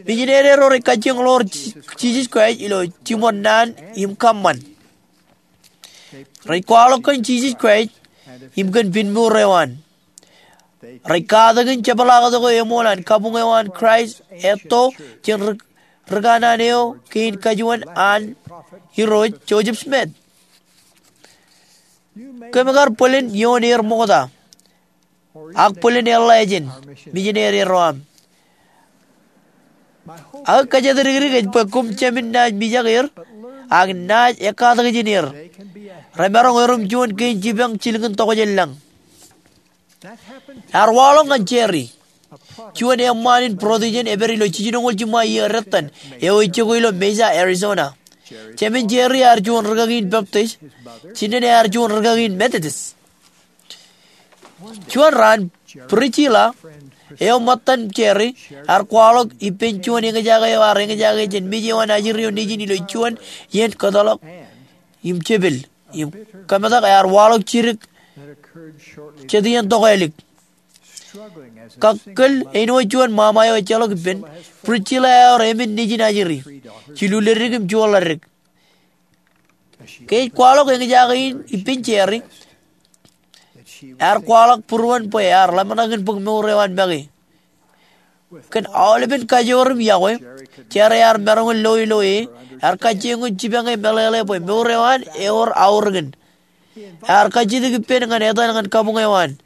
Mijinede ro rej kajjioñ ḷoor Ji-, Jisōs Kraist ilo jiṃor naan im kōṃṃan. Rej kwaḷọk kōn Jisōs Kraist im kōn pinmour eo an. Rej katakin jepḷaaktok eo eṃool an kabuñ eo an Kraist etto jān ri, ri kanaan eo kein kajuon an Irooj Joseph Smith. Kōm kar bōlen ioon er ṃokta, ak bōlen eḷḷā jān mijinede ro aṃ. Ak kōjatdikdik ej bwe koṃ jāmin naaj mijak er, ak naaj ekkatak jān er. Remaroñ erom juon kein jipañ jilkintok jān lañ. Ear waḷọk ñan Jerry, juon eṃṃaan in būrotijen epād ilo jiljinoñoul jiṃa iiō dettan eo ej jokwe ilo Mesa, Arizona. Jāmin Jerry ear juon rikaki in Baptist, jinen ear juon rikaki in Methodist. Juon raan, Priscilla, eo ṃōttan Jerry, ear kwaḷọk ippān juon eñjake eo ear eñjake jān mej eo an ajri eo nejin ilo juon iien kōtḷọk im jepel im kōmetak. Ear waḷọk jidik jet iien tokālik. Kakkōl āinwōt juon ṃaṃa eo ejjeḷọk ippān, Priscilla ear emān nejin ajri, jilu leddik im juon ḷaddik. Ke ej kwaḷọk eñjake in ippān Jerry, ear kwaḷọk būruon bwe ear ḷōmṇak in bōk mour eo an make. Kōn aolepen kajoor im iọkwe, Jerry ear maroñ in lo ilo e, ear kajjioñ jipañ e meḷeḷe bwe mour eo an ewōr aorōkin. Ear kajjitōk ippān ñan etan ñan kabuñ eo an.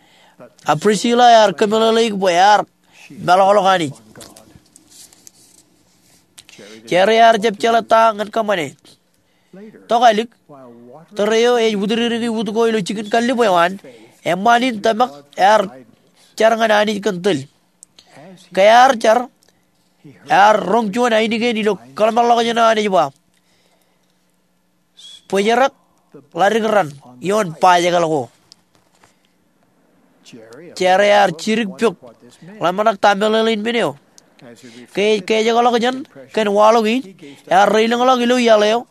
A Priscilla ear kōmeḷeḷeik bwe ear meḷọkḷọk Anij. Jerry ear jab jeḷā ta ñan kōṃṃane. Tokālik, tōre eo ej utdikdiki ut ko ilo jikin kallib eo an, eṃṃaan in tōmak ear jar ñan Anij kōn tōl. Ke ear jar, ear roñ juon ainikien ilo kōḷmānḷọkjeṇ eo an ej ba, "Bōjrak ḷadik raṇ ioon bajekel ko." Jerry ear jidik pok ḷōmṇak ta meḷeḷein men eo. Ke ej kōjekḷọk jān kōn waḷọk in, ear reilōñḷọk ilo iaḷ eo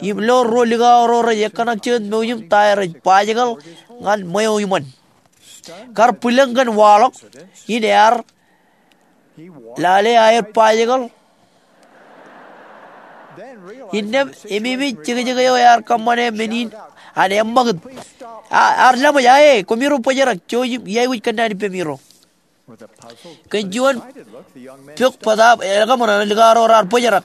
im lo ruo likao ro rej ekkōṇak jijet mouj im ta rej bajekel ñan ṃweo iṃōn. Kar bwilōñ kōn waḷọk in, ear lale aer bajekel. Innām ememej jekjek eo ear kōṃṃane men in an eṃṃakūt. Ear laṃōj, "Ae, koṃiro bōjrak, jouj im iaikuj kōnnaan ippemiro." Kōn juon pok bōtaab elōñ kōṃṃan, likao ro raar bōjrak.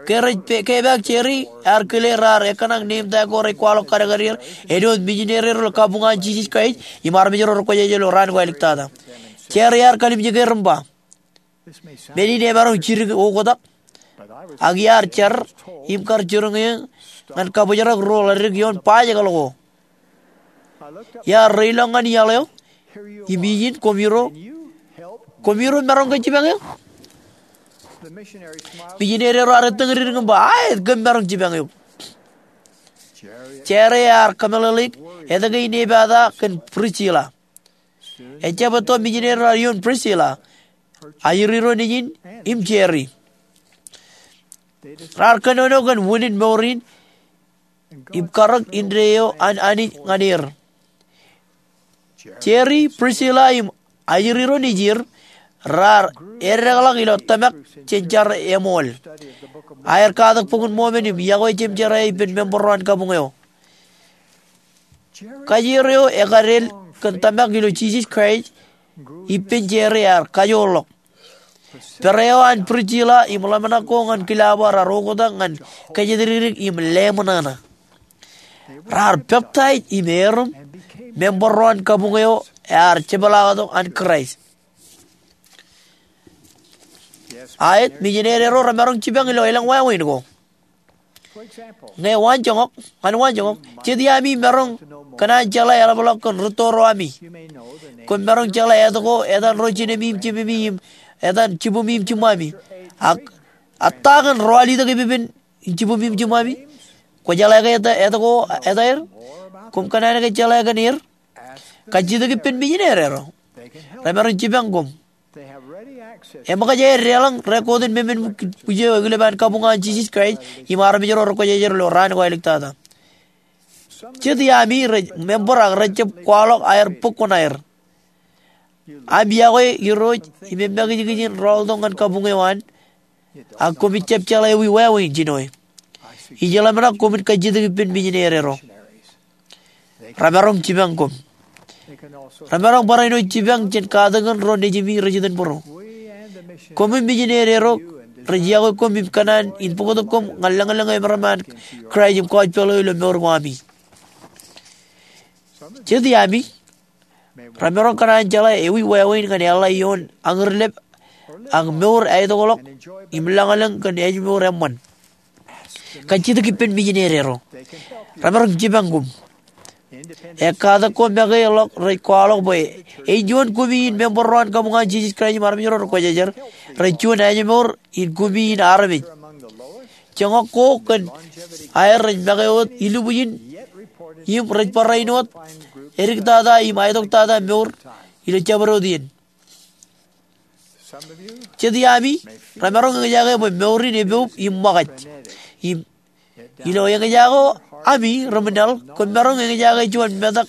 Ke rej kepaak Jerry, ear kile raar ekkōṇak neeṃ ta ko rej kwaḷọk kadkad er, āinwōt mijineri ro ilo kabuñ an Jisōs Kraist im armej ro rekwōjarjar ilo raan ko āliktata. Jerry ear kalimjeke im ba, "Men in emaroñ jidik oktak, ak iar jar im kar jiroñ eō ñan kabōjrak ruo ḷadik ioon bajekel ko." Iar reilọk ñan iaḷ eo im ijin, "Koṃiro, koṃiro maroñ ke jipañ eō?" Mijineri ro ear ettōñdikdik im ba, "Aet, kōm maroñ jipañ eok." Jerry ear kōmeḷeḷeik etke in epata kōn Priscilla. Ejjab etto mijineri ro ear iioon Priscilla, ajri ro nejin im Jerry. Raar kōnono kōn wūnin mour in im karōk indeeo an Anij ñan er. Jerry, Priscilla im ajri ro nejier raar edekḷọk ilo tōmak jān jar eṃool. Aer katak Bok in Mormon im yokwe jemjerā ippān member ro an kabuñ eo. Kajeer eo ekadeel kōn tōmak ilo Jisōs Kraist ippān Jerry ear kajoorḷọk. Pere eo an Priscilla im ḷōmṇak ko ñan Kilaba raar oktak ñan kōjatdikdik im leṃōṇōṇō. Raar peptaij im erom member ro an kabuñ eo ear jepḷaaktok an Kraist. Aet, mijineri ro remaroñ jipañ ilo elōñ wāween ko. Ñe waan joñak, ñan waan joñak, jet iaami maroñ kōṇaan jeḷā eḷapḷọk kōn rūtto ro ami. Koṃ maroñ jeḷā etko etan ro jinemi im jememi im etan jibumi im jiṃṃaami. Ak, ak ta kōn ro alitok epepen in jibumi im jiṃṃaami? Kwō jeḷā ke etko etaer? Koṃ kōṇaan ke jeḷā kōn er? Kajjitōk ippān mijineri ro. Remaroñ jipañ koṃ. Eṃōkaj aer deḷọñ rekotin memen bwij eo ekilep an kabuñ an Jisōs Kraist im armej ro rekwōjarjar ilo raan ko āliktata. Jet iaami rej member ak rejjab kwaḷọk aer bōk kuṇaer. Aṃ yokwe Irooj im emakijkij in rọọltok ñan kabuñ eo an, ak koṃij jab jeḷā ewi wāween jinoe. Ij ḷōmṇak koṃwin kajjitōk ippān mijineri ro. Remaroñ jipañ koṃ. Remaroñ barāinwōt jipañ jān katakin ro nejimi rej itōnbōro. Koṃ im mijineri ro rej yokwe koṃ im kōṇaan in bōktok koṃ ñan lōñlōñ eo eṃṃan Kraist im gospel eo ilo mour ko ami. Jet iaami remaroñ kōṇaan jeḷā ewi wāween ñan eḷḷā ioon añurlep ak mour āitokḷọk im lōñlōñ kōn ājmour eṃṃan. Kajjitōk ippān mijineri ro. Remaroñ jipañ koṃ. Ekkatak ko make ḷọk rej kwaḷọk bwe ej juon kumi in member ro an kabuñ an Jisōs Kraist im armej ro rekwōjarjar, rej juon ājmour in kumi in armej. Joñak ko kōn aer rej make wōt ilubwijin im rej barāinwōt ediktata im aetoktata mour ilo jabdewōt iien. Jet iaami remaroñ eñjake bwe mour in epoub im ṃōkaj. Im ilo eñjake ami ri-ṃwilaḷ, koṃ maroñ eñjake juon metak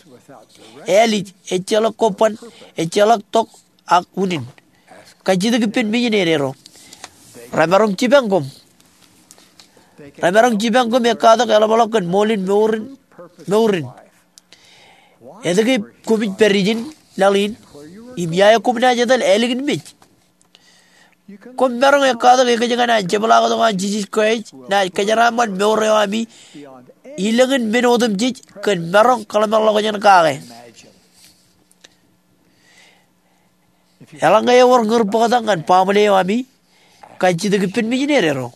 ālij, ejjeḷọk kobban, ejjeḷọk tok ak unin. Kajjitōk ippān mijineri ro. Remaroñ jipañ koṃ. Remaroñ jipañ koṃ ekkatak eḷapḷọk kōn ṃool in mour in, mour in. Etke koṃij pād ijin laḷ in, im ia eo koṃ naaj etal ālikin mej? Koṃ maroñ ekkatak ekōjkan an jepḷaaktok an Jisōs Kraist naaj kōjeraaṃṃan mour eo ami ilōñin men otemjej kōn maroñ kōḷmānḷọkjeṇ kake. Eḷaññe ewōr ñūr bōktak ñan baaṃle eo ami, kajjitōk ippān mijinede ro.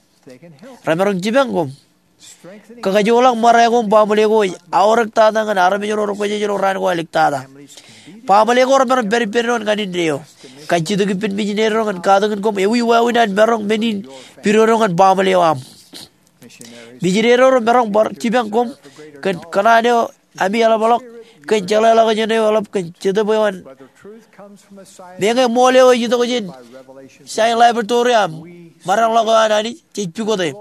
Remaroñ jipañ koṃ. Kakajoḷọk ṃōrā ko im baaṃle ko ej aorōk tata ñan armej ro rekwōjarjar ilo raan ko āliktata. Baaṃle ko remaroñ pād ippān doon ñan indeeo. Kajjitōk ippān mijinede ro ñan katakin koṃ ewi wāween an maroñ men in pidodo ñan baaṃle eo aṃ. Mijinede ro remaroñ bar jipañ koṃ kōn kōṇaan eo ami eḷapḷọk kōn jeḷāḷọkjeṇ eo eḷap kōn Jetōb eo an. Meñe ṃool eo ej itok jān sain laboratory im ṃōdeḷọk eo an Anij jej pukot e.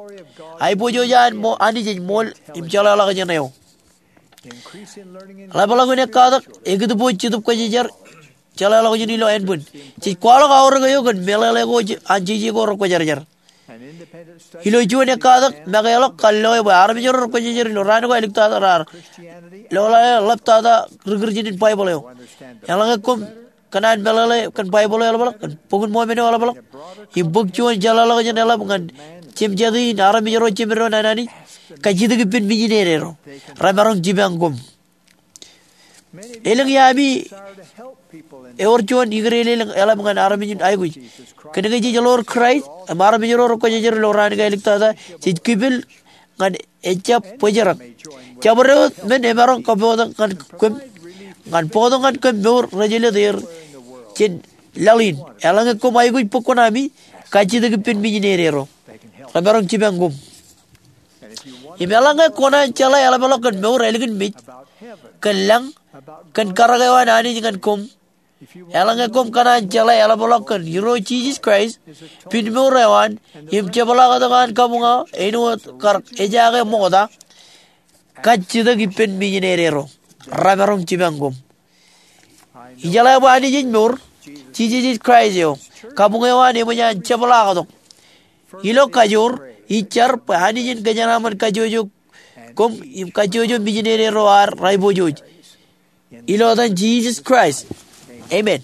Aiboojoj an ṃo-, Anij ej ṃool im jeḷāḷọkjeṇ eo. Ḷapḷọk in ekkatak ekidbōj Jetōb Kwōjarjar jeḷāḷọkjeṇ ilo ānbwin. Jej kwaḷọk aorōk eo kōn meḷeḷe ko an jeje ko rekwōjarjar. Ilo juon ekkatak, make ḷọk kar loe bwe armej ro rekwōjarjar ilo raan ko āliktata raar lolọọlḷap tata ri Kūrjin in Baibōḷ eo. Eḷaññe koṃ kōṇaan meḷeḷe kōn Baibōḷ eo eḷapḷọk, kōn Bok in Mōmen eo eḷapḷọk, im bōk juon jeḷāḷọkjeṇ eḷap ñan jemjeti in armej ro jemedwōj an Anij, kajjitōk ippān mijinede ro. Remaroñ jipañ koṃ. Elōñ iaami ewōr juon ikōṇaan elōñ eḷap ñan armej in aikuj. Kōnke jej ḷoor Kraist im armej ro rekwōjarjar ilo raan ko āliktata, jej kipel ñan ejjab bōjrak. Jabdewōt men emaroñ kōbōktok ñan kōm, ñan bōktok ñan kōm mour rej jelōt er jān laḷ in. Eḷaññe koṃ aikuj bōk kuṇaami, kajjitōk ippān mijinede ro. Remaroñ jipañ koṃ. Im eḷaññe kwōnaaj jeḷā eḷapḷọk kōn mour ālikin mej, kōn lañ, kōn karōk eo an Anij ñan koṃ, eḷaññe koṃ kōṇaan jeḷā eḷapḷọk kōn Irooj Jisōs Kraist, pinmour eo an, im jepḷaaktok an kabuñ eo āinwōt kar ejaake ṃokta, kajjitōk ippān mijinede ro. Remaroñ jipañ koṃ. Ijeḷā bwe Anij ej mour, Jisōs ej Kraist eo, kabuñ eo an eṃōj an jepḷaaktok. Ilo kajoor, ij jar bwe Anij en kōjeraaṃṃan kajjojo koṃ im kajjojo mijinede ro ad rej pojoj. Ilo etan Jisōs Kraist. Amen.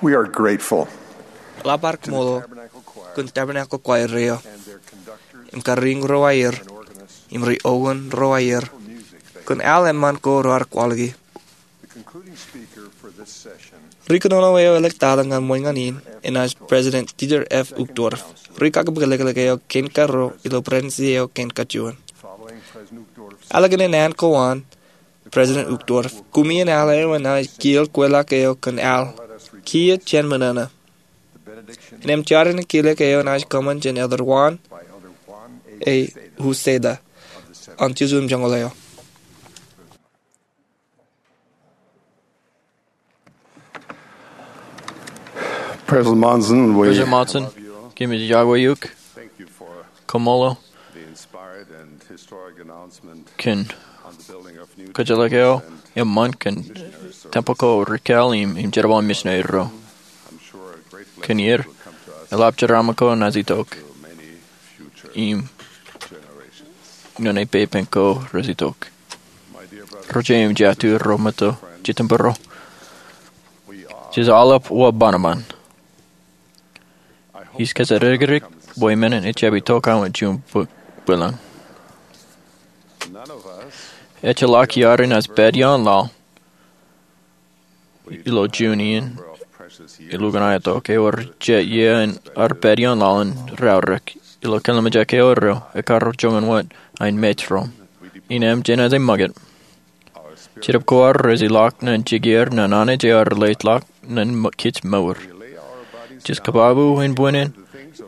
We are grateful. Eḷap ad koṃṃool kōn Tabernacle Choir eo im kariiñ ro aer im ri-ogun ro aer kōn al eṃṃan ko raar kwaḷọki. Ri-kōnono eo eḷḷoktata ñan ṃōñā in enaaj President Dieter F. Uchtdorf. Ri-kakōpukḷọk eo kein karuo ilo President eo kein kajuon. Ālikin an ko an President Uchtdorf, kumi in al eo enaaj kiiō kweilọk eo kōn al kiiō jān ṃōṇōṇō. Innām jar in kilek eo enaaj kōṃṃan jān Elder Juan A. Uceda an Jesuim Joñoul eo. President Monson, we President Monson, kōmij iọkwe eok koṃṃool kōn kōjatḷọk eo eṃṃan kōn tempel ko ri-kāāl im jerbal in misineri ro. Kōn ier, eḷap jeraaṃṃan ko enaaj itok im ñan ippān ko rej itok. Ro jeiū im jatū ro, ṃōtto, jitōnbōro, jej aolep wōt banoban. Ij kōjatdikdik bwe men in ejab itok ilo juon bwilōñ. Ejjeḷọk iaad enaaj pād ioon laḷ ilo juon iien elukkuun aetok, ewōr jet iien ear pād ioon laḷ in raorōk. Ilo kōlmejak eo, ekkar joñan wōt ain mej ro. Innām jenaaj ṃakūt. Jetōb ko ad rej ilọk ñan jikier ñan Anij eo ear leḷọk ñan kōj mour. Jej kōbabu in bwinin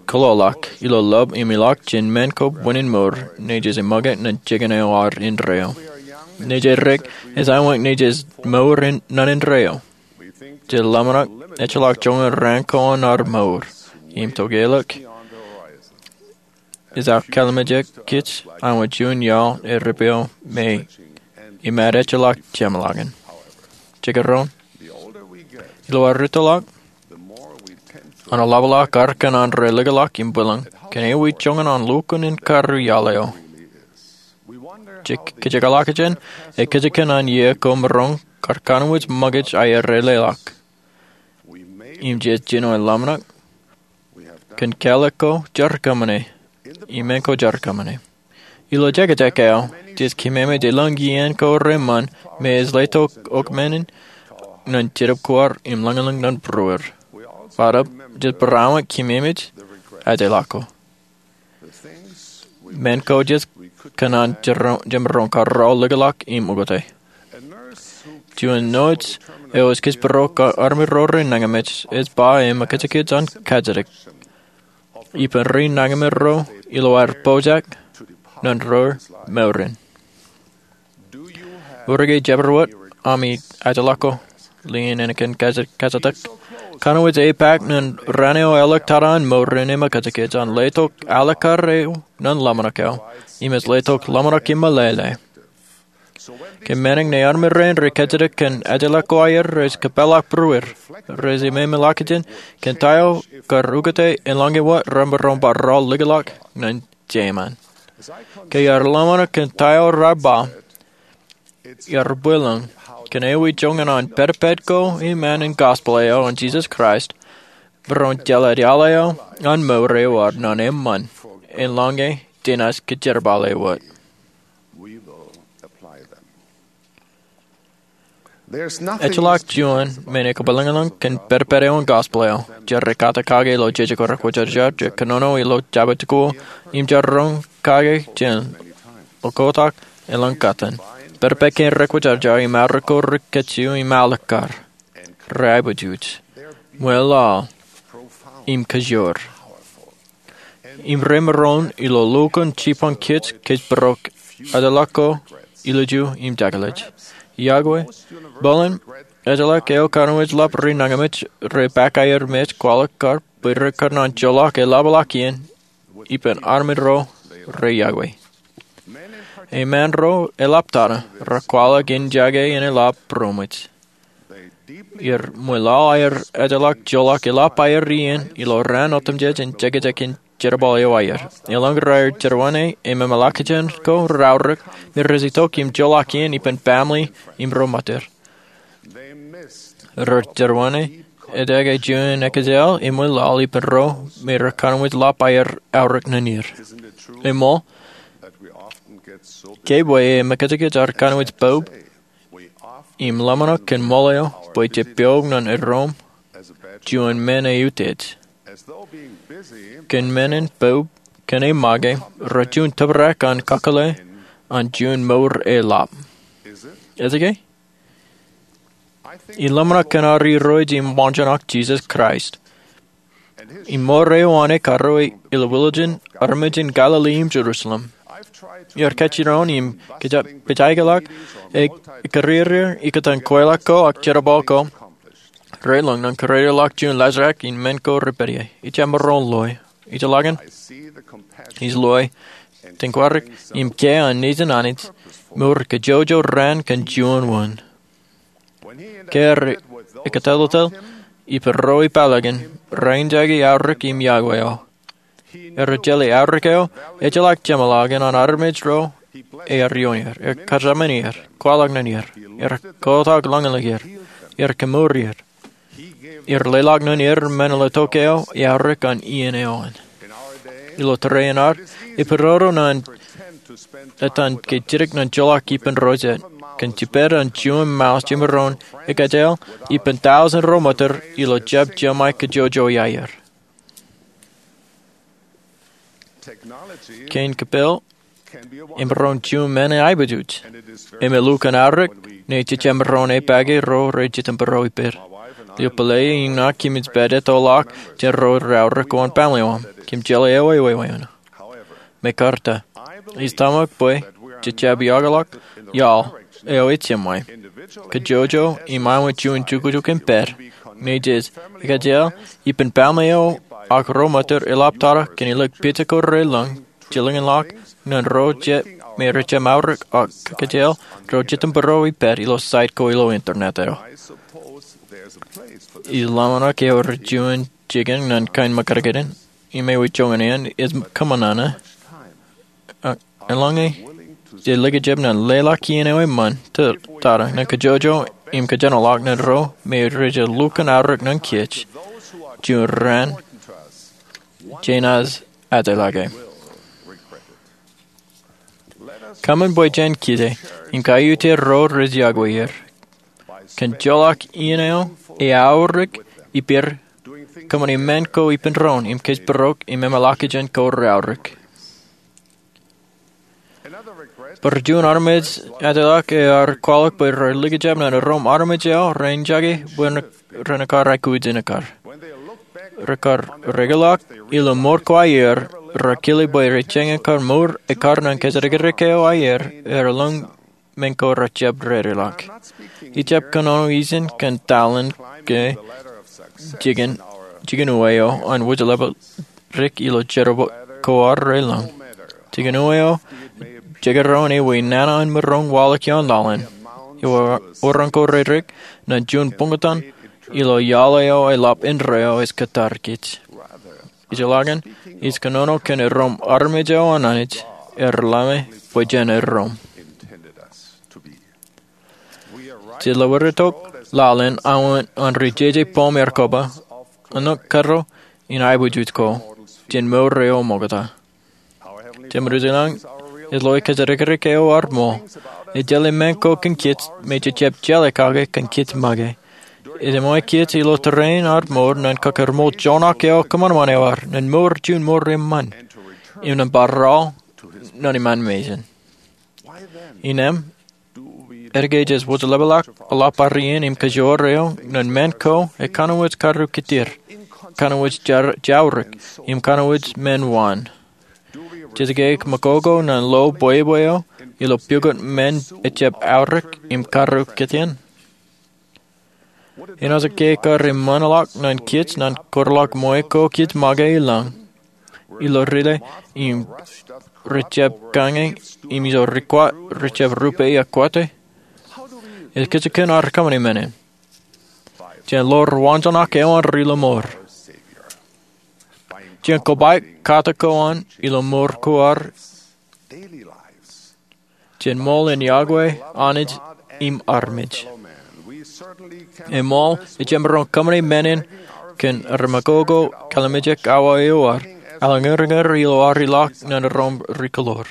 kōlọk ilo lọp im ilọk jān men ko bwinin mour, ñe jej ṃakūt ñan jikin eo ad indeeo. Ñe jej dik, ej āinwōt ñe jej mour ñan indeeo. Jej ḷōmṇak ejjeḷọk joñan raan ko an ad mour im tokālik. Ej aō kōlmejak kōj āinwōt juon iaḷ ear ippaṃ me imaat ejjeḷọk jeṃḷọkin. Jekdọọn, ilo ad rūttoḷọk, an eḷapḷọk ad kōṇaan rej likḷọk im bwilōñ, kōn ewi joñan an lukkuun in karreoik iaḷ eo. Jej kōjeḷọk jān, ekōjkan an iiō ko maroñ kar kōnwōj ṃakūt aer ej leḷọk. Im jej jino ḷōmṇak kōn kālik ko jar kōṃṃane im men ko jar kōṃṃane. Ilo jekjek eo, jej kememej elōñ iien ko reṃṃan me ej letok ṃōk men in ñan jetōb ko ad im lañlōñ ñan būruod. Bōtab, jej barāinwōt kememej ajeḷọk ko. Men ko jej kōṇaan jemaroñ kar likḷọk im ukōte. Juon nōj eo ej kōjparok armej ro rej nañinmej ej ba eṃōkajkōj an kajjitōk ippān ri nañinmej ro ilo aer pojak ñan ro mour in. Eor ke jabdewōt ami ajeḷọk ko lien ālikin kajjitōk? Kōnwōj epaak ñan raan eo eḷọk tata an mour in eṃōkajkōj an letok alikkar eo ñan ḷōmṇak eo im ej letok ḷōmṇak im meḷeḷe. Ke men in ñe armej rein rej kajjitōk kōn ajeḷọk ko aer, rej kōpeḷḷọk būruod, rej ememej ḷọk jān kōn ta eo kar ukōte eḷaññe wōt remaroñ bar likḷọk ñan jeiṃaan. Ke iar ḷōmṇak kōn ta eo raar ba, iar bwilōñ kōn ewi joñan an pedped ko im an in gospel eo an Jesus Christ maroñ jeḷā iaḷ eo an mour eo ad ñan eṃṃan eḷaññe jenaaj kōjerbale wōt. Ejjeḷọk juon men ekabwilōñlōñ kōn pedped eo an gospel eo. Jar rej kate kake ilo jejako rekwōjarjar, jar kōnono ilo jabdewōt ko, im jar roñ kake jān oktak elōñ kōtaan. Pedped kein rekwōjarjar im arro ko rej kajju im alikkar, rej aiboojoj, ṃweḷaḷ, im kajoor. Im remaroñ ilo lukkuun jipañ kōj kōjparok ajeḷọk ko ilju im jakḷaj. Iọkwe, bōlen ejjeḷọk eo kōnwōj ḷap ri nañinmej rej paak aer mej kwaḷọk kar bwe rej kōṇaan joḷọk eḷapḷọk iien ippān armej ro rej iọkwe. Eṃṃaan ro eḷaptata rej kwaḷọk in jake in eḷap būroṃōj. Im ṃweḷaḷ aer ejjeḷọk joḷọk eḷap aer iien ilo raan otemjej in jekjek in jerbal eo aer. Eḷaññe raar jerbal im ememej ḷọk jān ko raorōk, me rej itok im joḷọk iien ippān family im ro ṃōttan. Raar jerbal Etke juon ekōjāāl im ḷaḷ ippān ro me rej kōnwōj lap aer aorōk nōn er? Eṃṃool ke bwe e mekajekaj ad kōnwōj poub im ḷōmṇak kōn ṃool eo bwe jej pioñ nōn erom juon men eutiej, kōn men in poub kōn e make rej juon tōprak an kakōḷḷe an juon mour eḷap. Ej ke? Iḷōmṇak kōn ad irooj im wānjennak Jisōs Kraist im mour eo an e karuo ilo wiljen armej in Galili im Jerusalem. Iar kajjirāwin im kōjeañ ḷọk e karier ikōtaan kweilọk ko ak jerbal ko relōñ ñan karier ḷọk juon laajrak in men ko rej pād ie. Ij maroñ loe. Ij lale. Ij loe. Tōn kwarik im kiiō an nejin Anij mour kajjojo raan kōn juon wōn. Ke ear ekōtelōtel ippān ro ipālakin, rein jake aorōk im iọkwe eo. Ear jeḷā aorōk eo ejjeḷọk jeṃḷọkin an armej ro ear ioon er. Ear kōjāmin er, kwaḷọk nōn er, ear kotak ḷōñḷọk er, ear kemour er. Ear leḷọk nōn er men ilo tok eo e aorōk an iien eo an. Ilo tōre in ad, epidodo ñan etan ke jidik ñan joḷọk ippān ro jet kōn jiped an juon mour jemaroñ ekōjāāl ippān tọujin ro ṃōttōr ilo jab jeṃae kajjojo iar. Kein kōppel emaroñ juon men eaiboojoj. Im elukkuun aorōk ñe jej jab maroñ epaake ro rej jitōnbōro ippād. Ilo pālle in ṇa kōmij pād ettoḷọk jān ro rej aorōk oṇ baaṃle eo aṃ. Kōm jeḷā ewi ewi ewi eṇ. Mekarta, ij tōmak bwe jej jab iọkḷọk iaḷ eo ej jeṃae kajjojo im aṃ juon jukjuk in pād ñe jej ekōjāāl ippān baaṃle eo ak ro ṃōttōr eḷap tata kōn ilo pija ko relōñ jilkinḷọk ñan ro jet me rej jab aorōk ak ekōjāāl ro jitōnbōro ippād ilo site ko ilo internet eo. Ij ḷōmṇak eor juon jikin ñan kain mekarkerin im ewi joñan eṇ ej kōṃṃan ñan eḷaññe jej likjab ñan leḷọk iien eo eṃṃan tata ñan kajjojo im kōjenolọk ñan ro me rej lukkuun aorōk ñan kōj juon raan jenaaj ajlake. Kōṃṃan bwe jen kije im kaiutier ro rej iọkwe er kōn joḷọk iien eo e aorōk ippād kōṃṃani men ko ippān doon im kōjparok im eṃṃanḷọkjeṇ ko reaorōk. Bar juon armej ajlọk ear kwaḷọk bwe rej likjab ñan erom armej eo rein jake bwe ren ekkar aikuj in ekkar. Rekar rekeḷọk ilo mour ko aer, rekile bwe rej jañin kar mour ekkar ñan kōjatdikdik eo aer, ear ḷōñ men ko rej jab dedeḷọk. Ij jab kōnono ijin kōn taḷen ke jikin, jikin uwe eo an wōjlepeḷ dik ilo jerbal ko ad relōñ. Jikin uwe eo jekdọọn ewi nana an maroñ waḷọk ioon laḷ in. Ewi orañ ko redik ñan juon buñtōn ilo iaḷ eo eḷap indeeo ej kōttar kōj. Ij lale, ij kōnono kōn erom armej eo an Anij ear ḷame bwe jen erom. Jej lewōj tok laḷ in aō an ri jeje boom ear koba, āinwōt kōttar in aiboojoj ko jān mour eo ṃokta. Jemedwōj ilañ, ej loe kōjatdikdik eo ad ṃool. Ej jeḷā men ko kōn kōj me jej jab jeḷā kake kōn kōj make. Ej ṃool kōj ilo tōre in ad mour ñan kōkōrṃool joñak eo kōṃanṃan eo ad, ñan mour juon mour eṃṃan, im ñan bar aḷ ñan iṃaan mejān. Innām, etke jej wōjlepeḷọk eḷap bar iien im kōjoor eo ñan men ko ekanooj karuo kōttar, kanooj jaorōk, im kanooj men waan? Jej ke ṃakoko ñan lo bwebwe eo ilo pukot men ejjab aorōk im karuo kōttar? Enaaj ke kar eṃṃanḷọk ñan kōj ñan kōtḷọk ṃool ko kōj make ilañ ilo rile im rej jab kañe im ijo rikwat rej jab rupe ekwōte? Ej kajjitōk ad kōṃṃani men in jān ḷoor wānjeṇak eo an ri lọmọọr, jān kobaik kate ko an ilo mour ko ad, jān ṃool in iọkwe Anij im armej. Eṃool, ejjab maroñ kōṃṃane men in kōn armej ko, kōḷmānḷọkjeṇ awa eo ad, eḷaññe ri ñan ri ilo ad ilọk ñan ri koḷoor.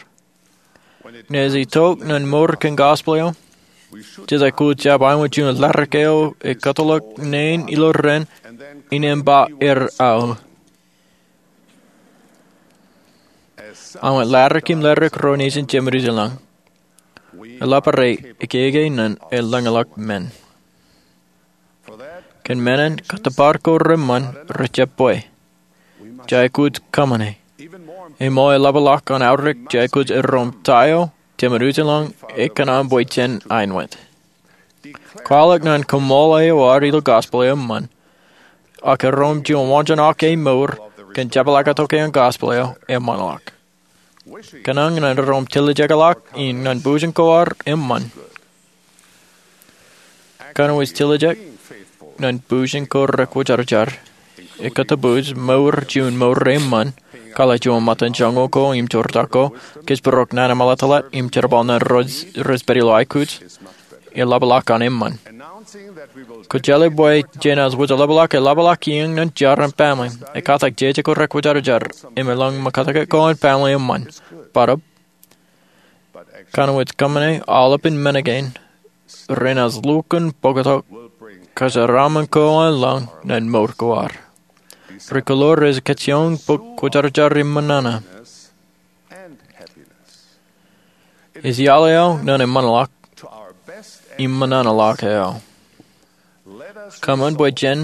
Ñe ej itok ñan mour kōn gospel eo, jej aikuj jab aiwōj juon ladik eo ej kōtḷọk neen ilo ren, innām ba er aō. Āinwōt ladik im ladik ro nejin jemed ijin lañ, eḷap rej ekeke ñan eḷaññe ḷọk men. Kōn men in, kōttōpar ko reṃṃan rejjab bwe. Jej aikuj kōṃṃane. Eṃool, eḷapḷọk an aorōk, jej aikuj erom ta eo jemed ijin lañ ekōṇaan bwe jen aiwōj. Kwaḷọk ñan koṃṃool eo ad ilo gospel eṃṃan, ak erom juon waanjoñak e mour kōn jepḷaaktok eo an gospel eo eṃṃanḷọk. Kōṇaan ñan erom tiljekḷọk in ñan bujen ko ad eṃṃan. Kōnwōj tiljek ñan bujen ko rekwōjarjar. Ekōtōpoj mour juon mour eṃṃan, kwaḷọk juon ṃōttan joñoul ko im jortak ko, kōjparok naan eṃṃanḷọk tōḷọt im jerbal ñan rej pād ilo aikuj, eḷapḷọk an eṃṃan. Kwōjeḷā bwe jenaaj wōj eḷapḷọk, eḷapḷọk iien ñan jar an family. Ekātak jeje ko rekwōjarjar im eḷaññe ṃōkaj ko an family eṃṃan. Barāinwōt kōṃṃane aolepān men kein, renaaj lukkuun bōktok kōjeraaṃṃan ko an lañ ñan mour ko ad. Ri koḷoor, ej kajjioñ bōk kwōjarjar im ṃōṇōṇō. Ej iaḷ eo ñan eṃṃanḷọk im ṃōṇōṇō ḷọk eo. Kōṃṃan bwe jen,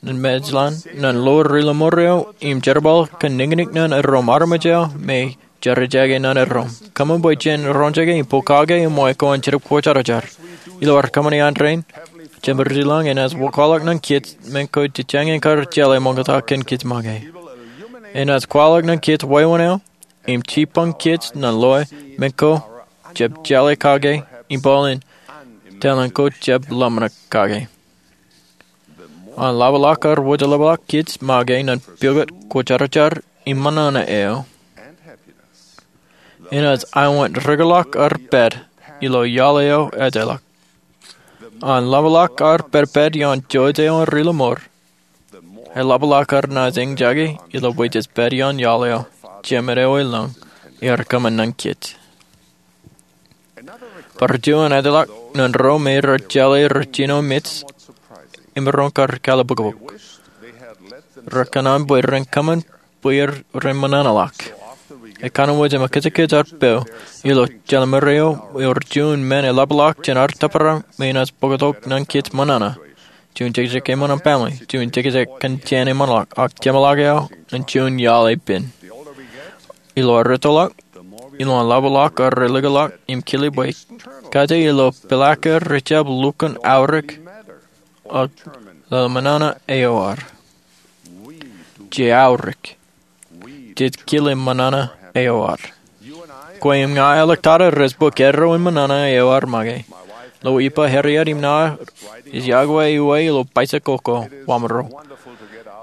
ñan mejḷan, ñan lo ri lọmọọr eo im jerbal kōn niñniñ ñan erom armej eo me jej jake ñan erom. Kōṃṃan bwe jen roñjake im pokake eṃṃan ko an Jetōb Kwōjarjar. Ilo ad kōṃṃane an rein, Jemām ri lañ enaaj kwaḷọk ñan kōj men ko jejjañin kar jeḷā ṃokta kōn kōj make. Enaaj kwaḷọk ñan kōj wāween eo im jipañ kōj ñan loe men ko jab jeḷā kake im bōlen talent ko jab ḷōmṇak kake. An ḷapḷọk ad wōj eḷapḷọk kōj make ñan pukot kwōjarjar im ṃōṇōṇō eo, enaaj aiwōt rūkōḷọk ad pād ilo iaḷ eo ejjeḷọk. An ḷapḷọk ad pād pād ioon jouj eo an ri lọmọọr, eḷapḷọk ad naaj eñjake ilo bwe jej pād ioon iaḷ eo Jemed eo eḷaññe ear kōṃṃan ñan kōj. Bar juon ejjeḷọk ñan ro me rej jeḷā rej jino mej im maroñ kar kalbukbuk. Rekōṇaan bwe ren kōṃṃan bwe ren ṃōṇōṇō ḷọk. Ekōnwōj im ekōjkōj ad pād ilo jeḷā ṃōrro eo ewōr juon men eḷapḷọk jān ad tōprak me enaaj bōktok ñan kōj ṃōṇōṇō. Juon jekjek eṃṃan an family, juon jekjek kōn jān eṃṃanḷọk, ak jeṃḷọk eo an juon iaḷ epen. Ilo ad ettoḷọk, ilo an ḷapḷọk ad relukkuun im kile bwe kaje ilo peḷaakin rej jab lukkuun aorōk ak ḷōmṇōṇō eo ad. Jej aorōk. Jej kile ṃōṇōṇō eo ad. Kwe im ña āliktata rej bōk erro in ṃōṇōṇō eo ad make. Lo ippa Harriet im ṇa ej iọkwe iwe ilo bicycle ko, Wamro.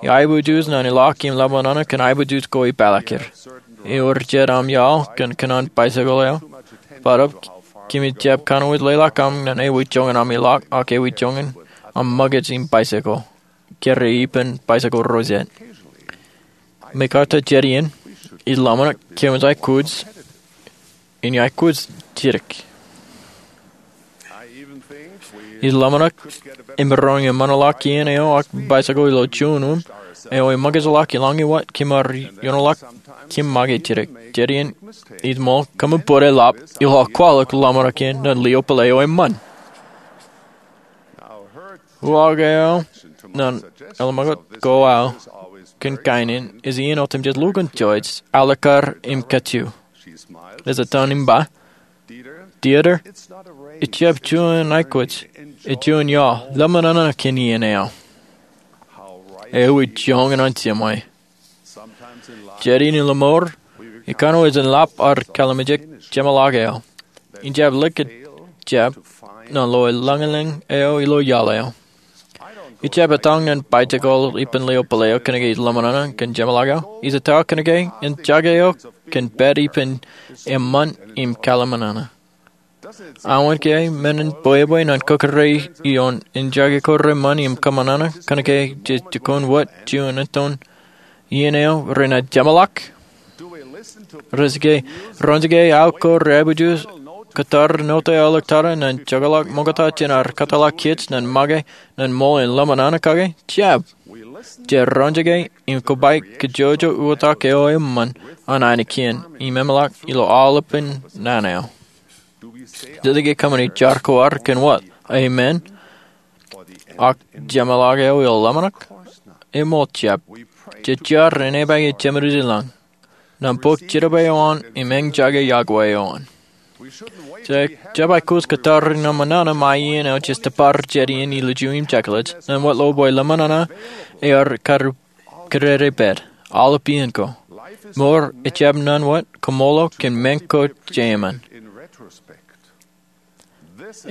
Iaiboojoj ñan ilọk im ḷōmṇōṇō kōn aiboojoj ko ippaḷọk er. Ewōr jet aṃ iaḷ kōn kōṇaan bicycle eo. Barāinwōt kōmij jab kōnwōj leḷọk aṃ ñan ewi joñan aṃ ilọk ak ewi joñan aṃ ṃōkaj im bicycle. Kōrā ippān bicycle ro jet. Mekarta jet iien, ij ḷōmṇak kōmij aikuj in aikuj jidik. Ij ḷōmṇak im maroñ eṃṃanḷọk iien eo ak bicycle ilo juon uṃ eo eṃōkajḷọk ilañ iwōj kōm ar ioonḷọk kōm make jidik. Jet iien ij ṃool, kōṃṃan bōd eḷap ilo aō kwaḷọk ḷōmṇak iien ñan lio pālle eo eṃṃan. Uwaak eo ñan eḷapḷọk ko aō kōn kain in ej iien otemjej lukkuun jouj, alikkar im kajju. Ej etan im ba, Dieter, ejjab juon aikuj, ej juon iaḷ, ḷōmṇōṇō kōn iien eo. Ewi joñan an jiṃwe. Jet iien ilo mour, ekōnwōj in ḷap ad kalimjek jeṃḷọk eo. Ij jab likūt jab ñan lo eḷaññe eo ilo iaḷ eo. Ij jab etañ ñan bicycle ippān lio pālle eo kōnke ij ḷōmṇōṇō kōn jeṃḷọk eo. Ij etto kōnke en jake eok kōn pād ippān eṃṃan im kaḷmānḷọkjeṇ. Aō ke men in bwebwe ñan kōkōrā ioon injake ko reṃṃan im kōṃanana kōnke jej jikuuḷ wōt juon etan iien eo renaaj jeṃḷọk? Rej ke, rej ke aō ko reaiboojoj kōttar note aolep tata ñan jokḷọk ṃoktata jān ad kōtḷọk kōj ñan make ñan ṃool in ḷōmṇak kake? Jab. Jej roñjake im kōpaik kōjwōjwōj uwaak eo eṃṃan an ainikien im eṃṃanḷọk ilo aolepān naan eo. Jej ke kōṃṃani jar ko ad kōn wōt, amen, ak jeṃḷọk eo ilo ḷōmṇak? Eṃṃool jab. Jej jar in epaake Jemedwōj ilañ, ñan bōk jerbal eo an im eñjake yokwe eo an. Jej jab aikuj kōttar ñan ṃōṇōṇō ṃae iien eo jej tōpar jet iien ilju im jekḷaj ñan wōt lo bwe ḷōmṇak ear kar kōdede pād aolep iien ko. Mour ejjab ñan wōt kōṃṃool kōn men ko jeṃaan.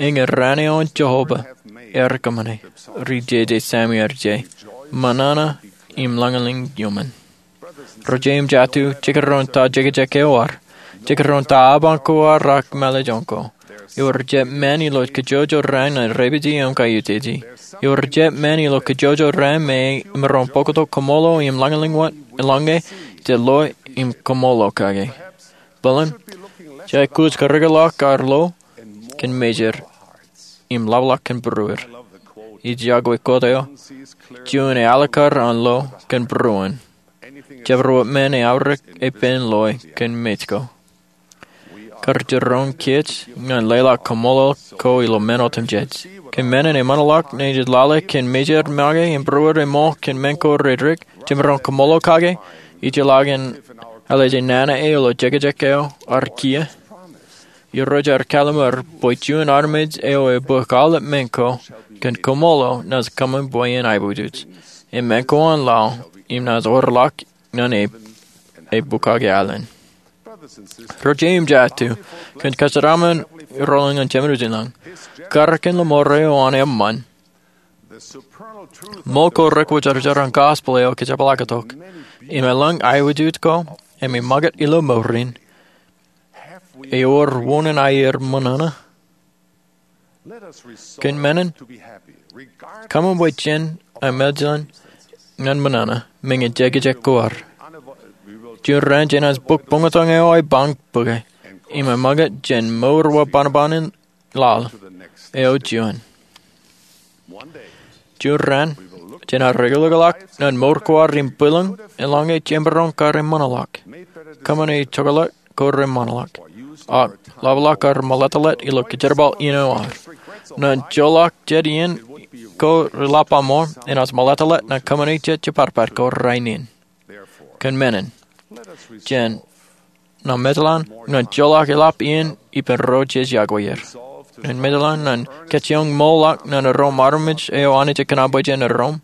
Eñin raan eo an Jeova ear kōṃṃane, ri jeje Sameer je, ṃōṇōṇō im lañlōñ iuṃwin. Ro jeiū im jatū, jekdọọn ta jekjek eo ad, jekdọọn ta aban ko ad ak mālōtlōt ko. Ewōr jet men ilo kōjwōjwōj raan ñan repeje im kaiuteje. Ewōr jet men ilo kōjwōjwōj raan me emaroñ bōktok kōṃṃool im lañlōñ wōt eḷaññe jej lo im kōṃṃool kake. Bōlen, jej aikuj karreoḷọk ad lo kōn mejed im ḷapḷọk kōn būruod. Ij yokwe quote eo, juon ealikkar an lo kōn būruon. Jabdewōt men eaorōk epen loe kōn mej ko. Kar jiroñ kōj ñan leḷọk kōṃṃool ko ilo men otemjej. Kōn men in eṃṃanḷọk ñe jej lale kōn mejed make im būruod eṃṃool kōn men ko reddik, jemaroñ kōṃṃool kake, ijellọkin ālije nana eo ilo jekjek eo ad kiiō. Irooj ear kallimur bwe juon armej eo ebōk aolep men ko kōn kōṃṃool naaj kōṃṃan bwe en aiboojoj. Im men ko an laḷ im naaj orḷọk ñan e, ebukake alen. Ro jeiū im jatū, kōn kōjatdikdik ro lañ ñan Jemedwōj ilañ, karōk in ḷōṃaro eo an eṃṃan, ṃool ko rekwōjarjar an gospel eo kōjepḷaaktok, im eḷaññe aiboojoj ko im e ṃakūt ilo mour in, ewōr wōn in aier ṃōṇōṇō? Kōn men in, kōṃṃan bwe jen ameḷeḷe ñan ṃōṇōṇō, meñe jekjek ko ad. Juon raan jenaaj bōk buñtōñ eo epañ bōke, im eṃṃakūt jān mour wōt bōnbōn in laḷ eo juon. Juon raan, jenaaj eḷḷọk ñan mour ko ad im bwilōñ, eḷaññe jemaroñ kar eṃṃanḷọk, kōṃṃane jokḷọk ko reṃṃanḷọk, ak ḷapḷọk ad ṃōḷeḷe ilo kōjerbal iien eo ad. Ñan joḷọk jet iien ko reḷap ṃōṇōṇō, enaaj ṃōḷeḷe ñan kōṃṃane jet jepatpat ko rainin. Kōn men in, jen ñan meḷeḷe ñan joḷọk eḷap iien ippān ro jej yokwe er. Ñan meḷeḷe ñan kajjioñ ṃool ḷọk ñan erom armej eo Anij ej kōṇaan bwe jen erom.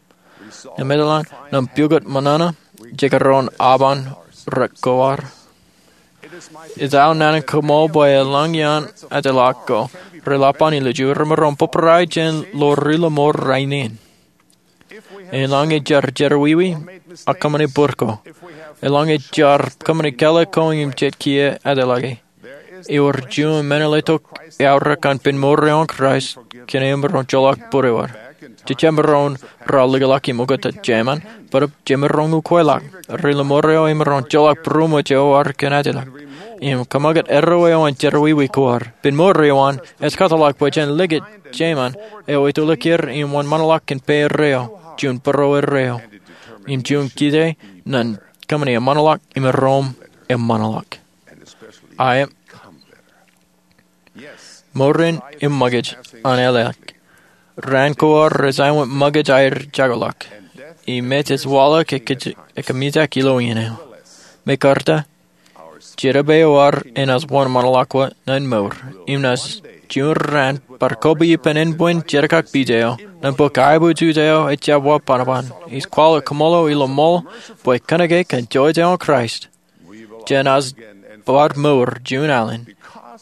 Ñan meḷeḷe ñan pukot ṃōṇōṇō jekdọọn aban rek ko ad. Ej aō naan in koṃṃool bwe eḷaññe an ajlak ko reḷap an ilju, remaroñ bōbrae jān ḷoor ri ḷōṃaro rainin. Eḷaññe jaar jerọwiwi ak kōṃṃane bōd ko, eḷaññe jaar kōṃṃane kāālōt ko im jet kiiō ajlake, ewōr juon men eo tok eaorōk an pen mour eo an Kraist kōn emaroñ joḷọk bōd eo ad. Jejjab maroñ ralitōkḷọk im oktak jeṃaan, bōtab jemaroñ ukweḷọk. Ri ḷōṃaro emaroñ joḷọk būroṃōj eo ad kōn ajlak im kōṃṃakūt erreo eo an jerọwiwi ko ad. Pen mour eo an ej kōtḷọk bwe jen likūt jeṃaan eo ettoḷọk er im wōnṃaanḷọk kōn pā erreo, juon būruo erreo, im juon kite ñan kōṃṃane eṃṃanḷọk im erom eṃṃanḷọk. Aet. Mour in eṃṃakūt an āliktata. Raan ko ad rej aikuj ṃakūt aer jokḷọk. Im mej ej waḷọk ekkejel, ekkejel ilo iien eo. Mekarta, jerbal eo ad enaaj wōnṃaanḷọk wōt ñan mour. Im naaj juon raan bar koba ippān ānbwin jerkakpij eo, ñan bōk aiboojoj eo ejjab wōt bōnbōn. Ij kwaḷọk kōṃṃool ilo ṃool bwe kōnke kōn jouj eo an Kraist, jenaaj bar mour juon alen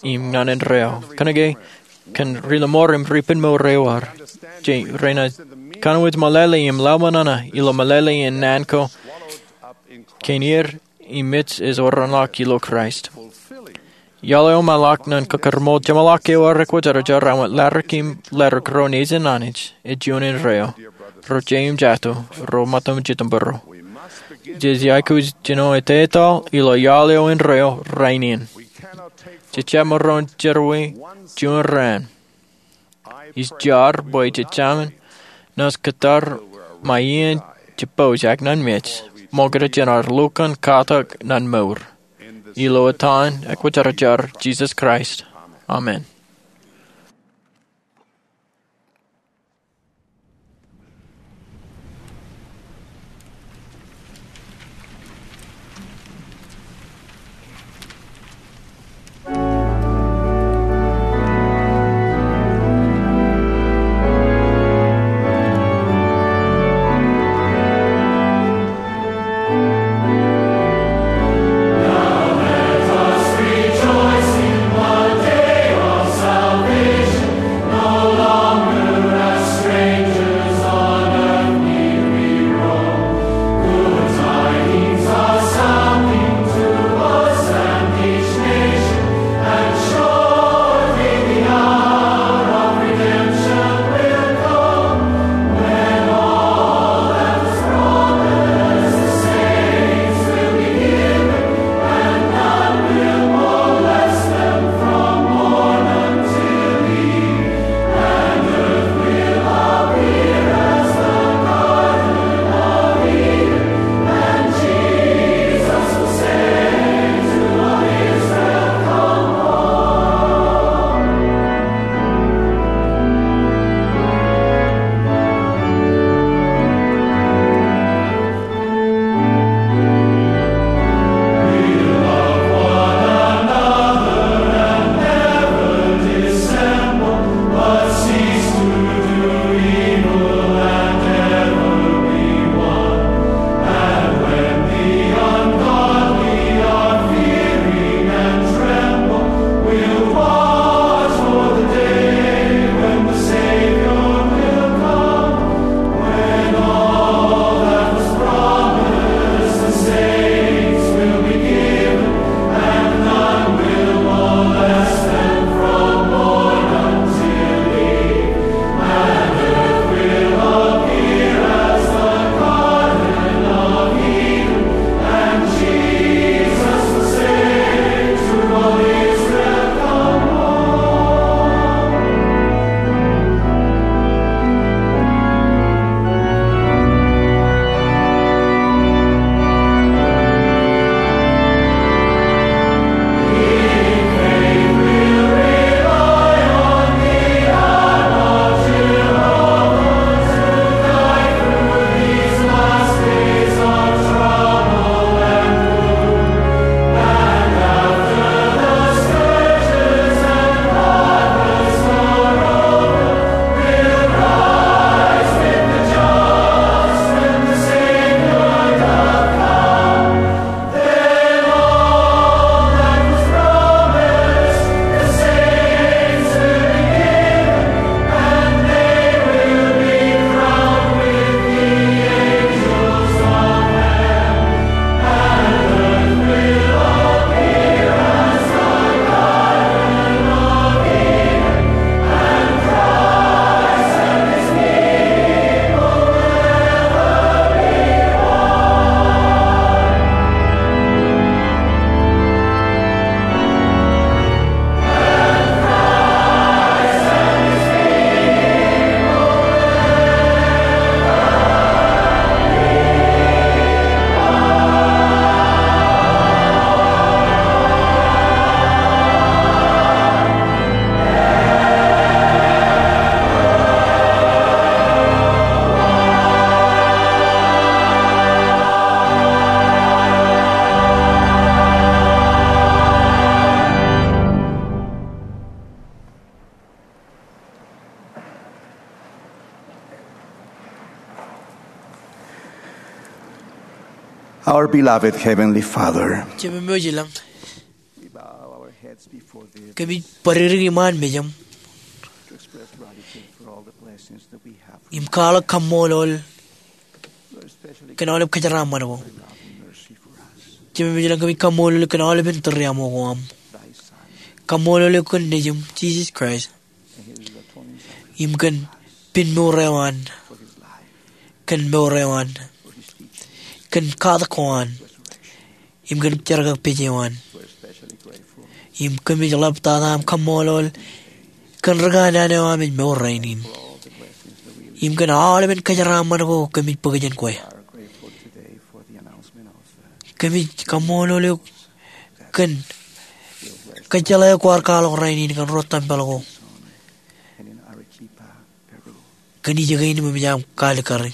im ñan indeeo. Kōnke kōn ri ḷōṃaro im ri pen mour eo ad, je renaaj kōnwōj meḷeḷe im lale ṃōṇōṇō ilo meḷeḷe in naan ko kein iien im mej ej oranḷọk ilo Kraist. Iọḷ eo ṃaḷọk ñan kōkōrṃool jeṃḷọk eo an ekwōjarjar, āinwōt ḷadik im ḷadik ro nejin Anij ej juon indeeo, ro jeiū im jatū, ro ṃōttan jitōnbōro. Jej aikuj jino etetal ilo iọḷ eo indeeo rainin. Jej jab maroñ jerọwiwi juon raan. Ij jar bwe jej jaṃin naaj kōttar ṃae iien jibboojak ñan mej ṃokta jān ad lukkuun katak ñan mour. Ilo etan ekwōjarjar Jisōs Kraist, amen. Our beloved Heavenly Father, Jemem eo ej ilañ, we bow our heads before thee kōmij bōd dik iṃaan mejaṃ to express gratitude for all the blessings that we have. Im kwaḷọk kaṃṃoolol kōn aolep kōjeraaṃṃan ko. Jemem eo ej ilañ, kōmij kaṃṃoolol kōn aolepen tūriaṃo ko aṃ. kaṃṃoolol eok kōn Nejiṃ Jisōs Kraist im kōn pen mour eo an, kōn mour eo an, kōn katak ko an, im kōn jerkakpeje eo an. Im kōmij ḷaptata aṃ kaṃṃoolol kōn rūkanaan eo aṃ ej mour rainin, im kōn aolepān kōjeraaṃṃan ko kōmij bōk jān kwe. Kōmij kaṃṃoolol eok kōn kōjjeḷā eo kwaar kwaḷọk rainin kōn ro tempel ko kōn ijoko in im eṃōj aṃ kaalikkari.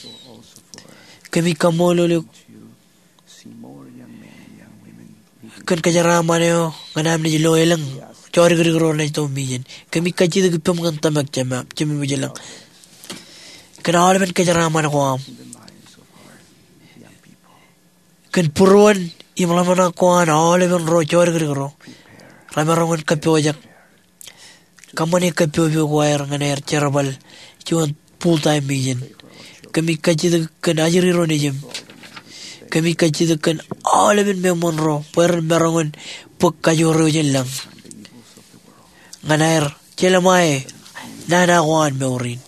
Kōmij kaṃṃoolol eok kōn kōjeraaṃṃan eo ñan aṃ naaj lo elōñ jodikdik ro naaj itok mejān. Kōmij kajjitōk ippaṃ kōn tōmak, Jemem wōj ilañ, kōn aolepān kōjeraaṃṃan ko aṃ, kōn būruon im ḷōmṇak ko an aolepān ro jodikdik ro remaroñ in kappojak. Kōṃṃane kappojak ko aer ñan aer jerbal juon full time mission. Kōmij kajjitōk kōn ajri ro nejiṃ. Kōmij kajjitōk kōn aolepān meṃṃan ro bwe ren maroñ in bōk kajoor eo jān lañ ñan aer jelṃae nana ko an mour in,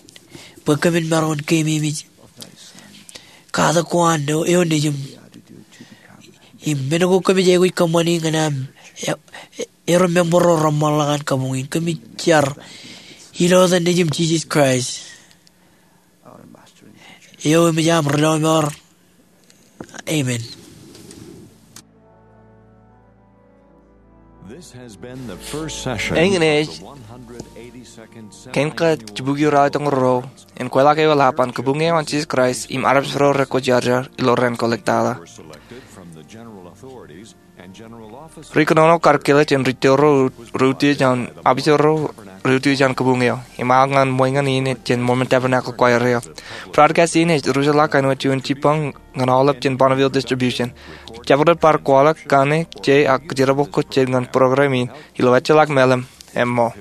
bwe kōmin maroñ in keememej katak ko an eo nejiṃ im men ko kōmij aikuj kōṃṃani ñan aṃ e- e- ero member ro reṃṃanḷọk an kabuñ in. Kōmij jar ilo etan Nejiṃ Jisōs Kraist eo eṃōj aṃ Ri Lọmọọr. Amen. Eñin ej kein kajjitōk ruo in kweilọk ewi lap an kabuñ eo an Jisōs Kraist im armej ro rekwōjarjar ilo raan kōlōk tata. Ri kōnono kar kilōk jān ri tōl ro reutiej an, apiso ro reutiej an kabuñ eo, im aō ñan ṃweeṇ in jān Mormon Tabernacle Choir eo. Broadcast in ej ruj ḷọk āinwōt juon jibboñ ñan aolep jān Bonneville Distribution. Jabdewōt bar kwaḷọk kaṇe, je, ak kōjerbal ko jet ñan program in ilo ejjeḷọk mālim, emṃool.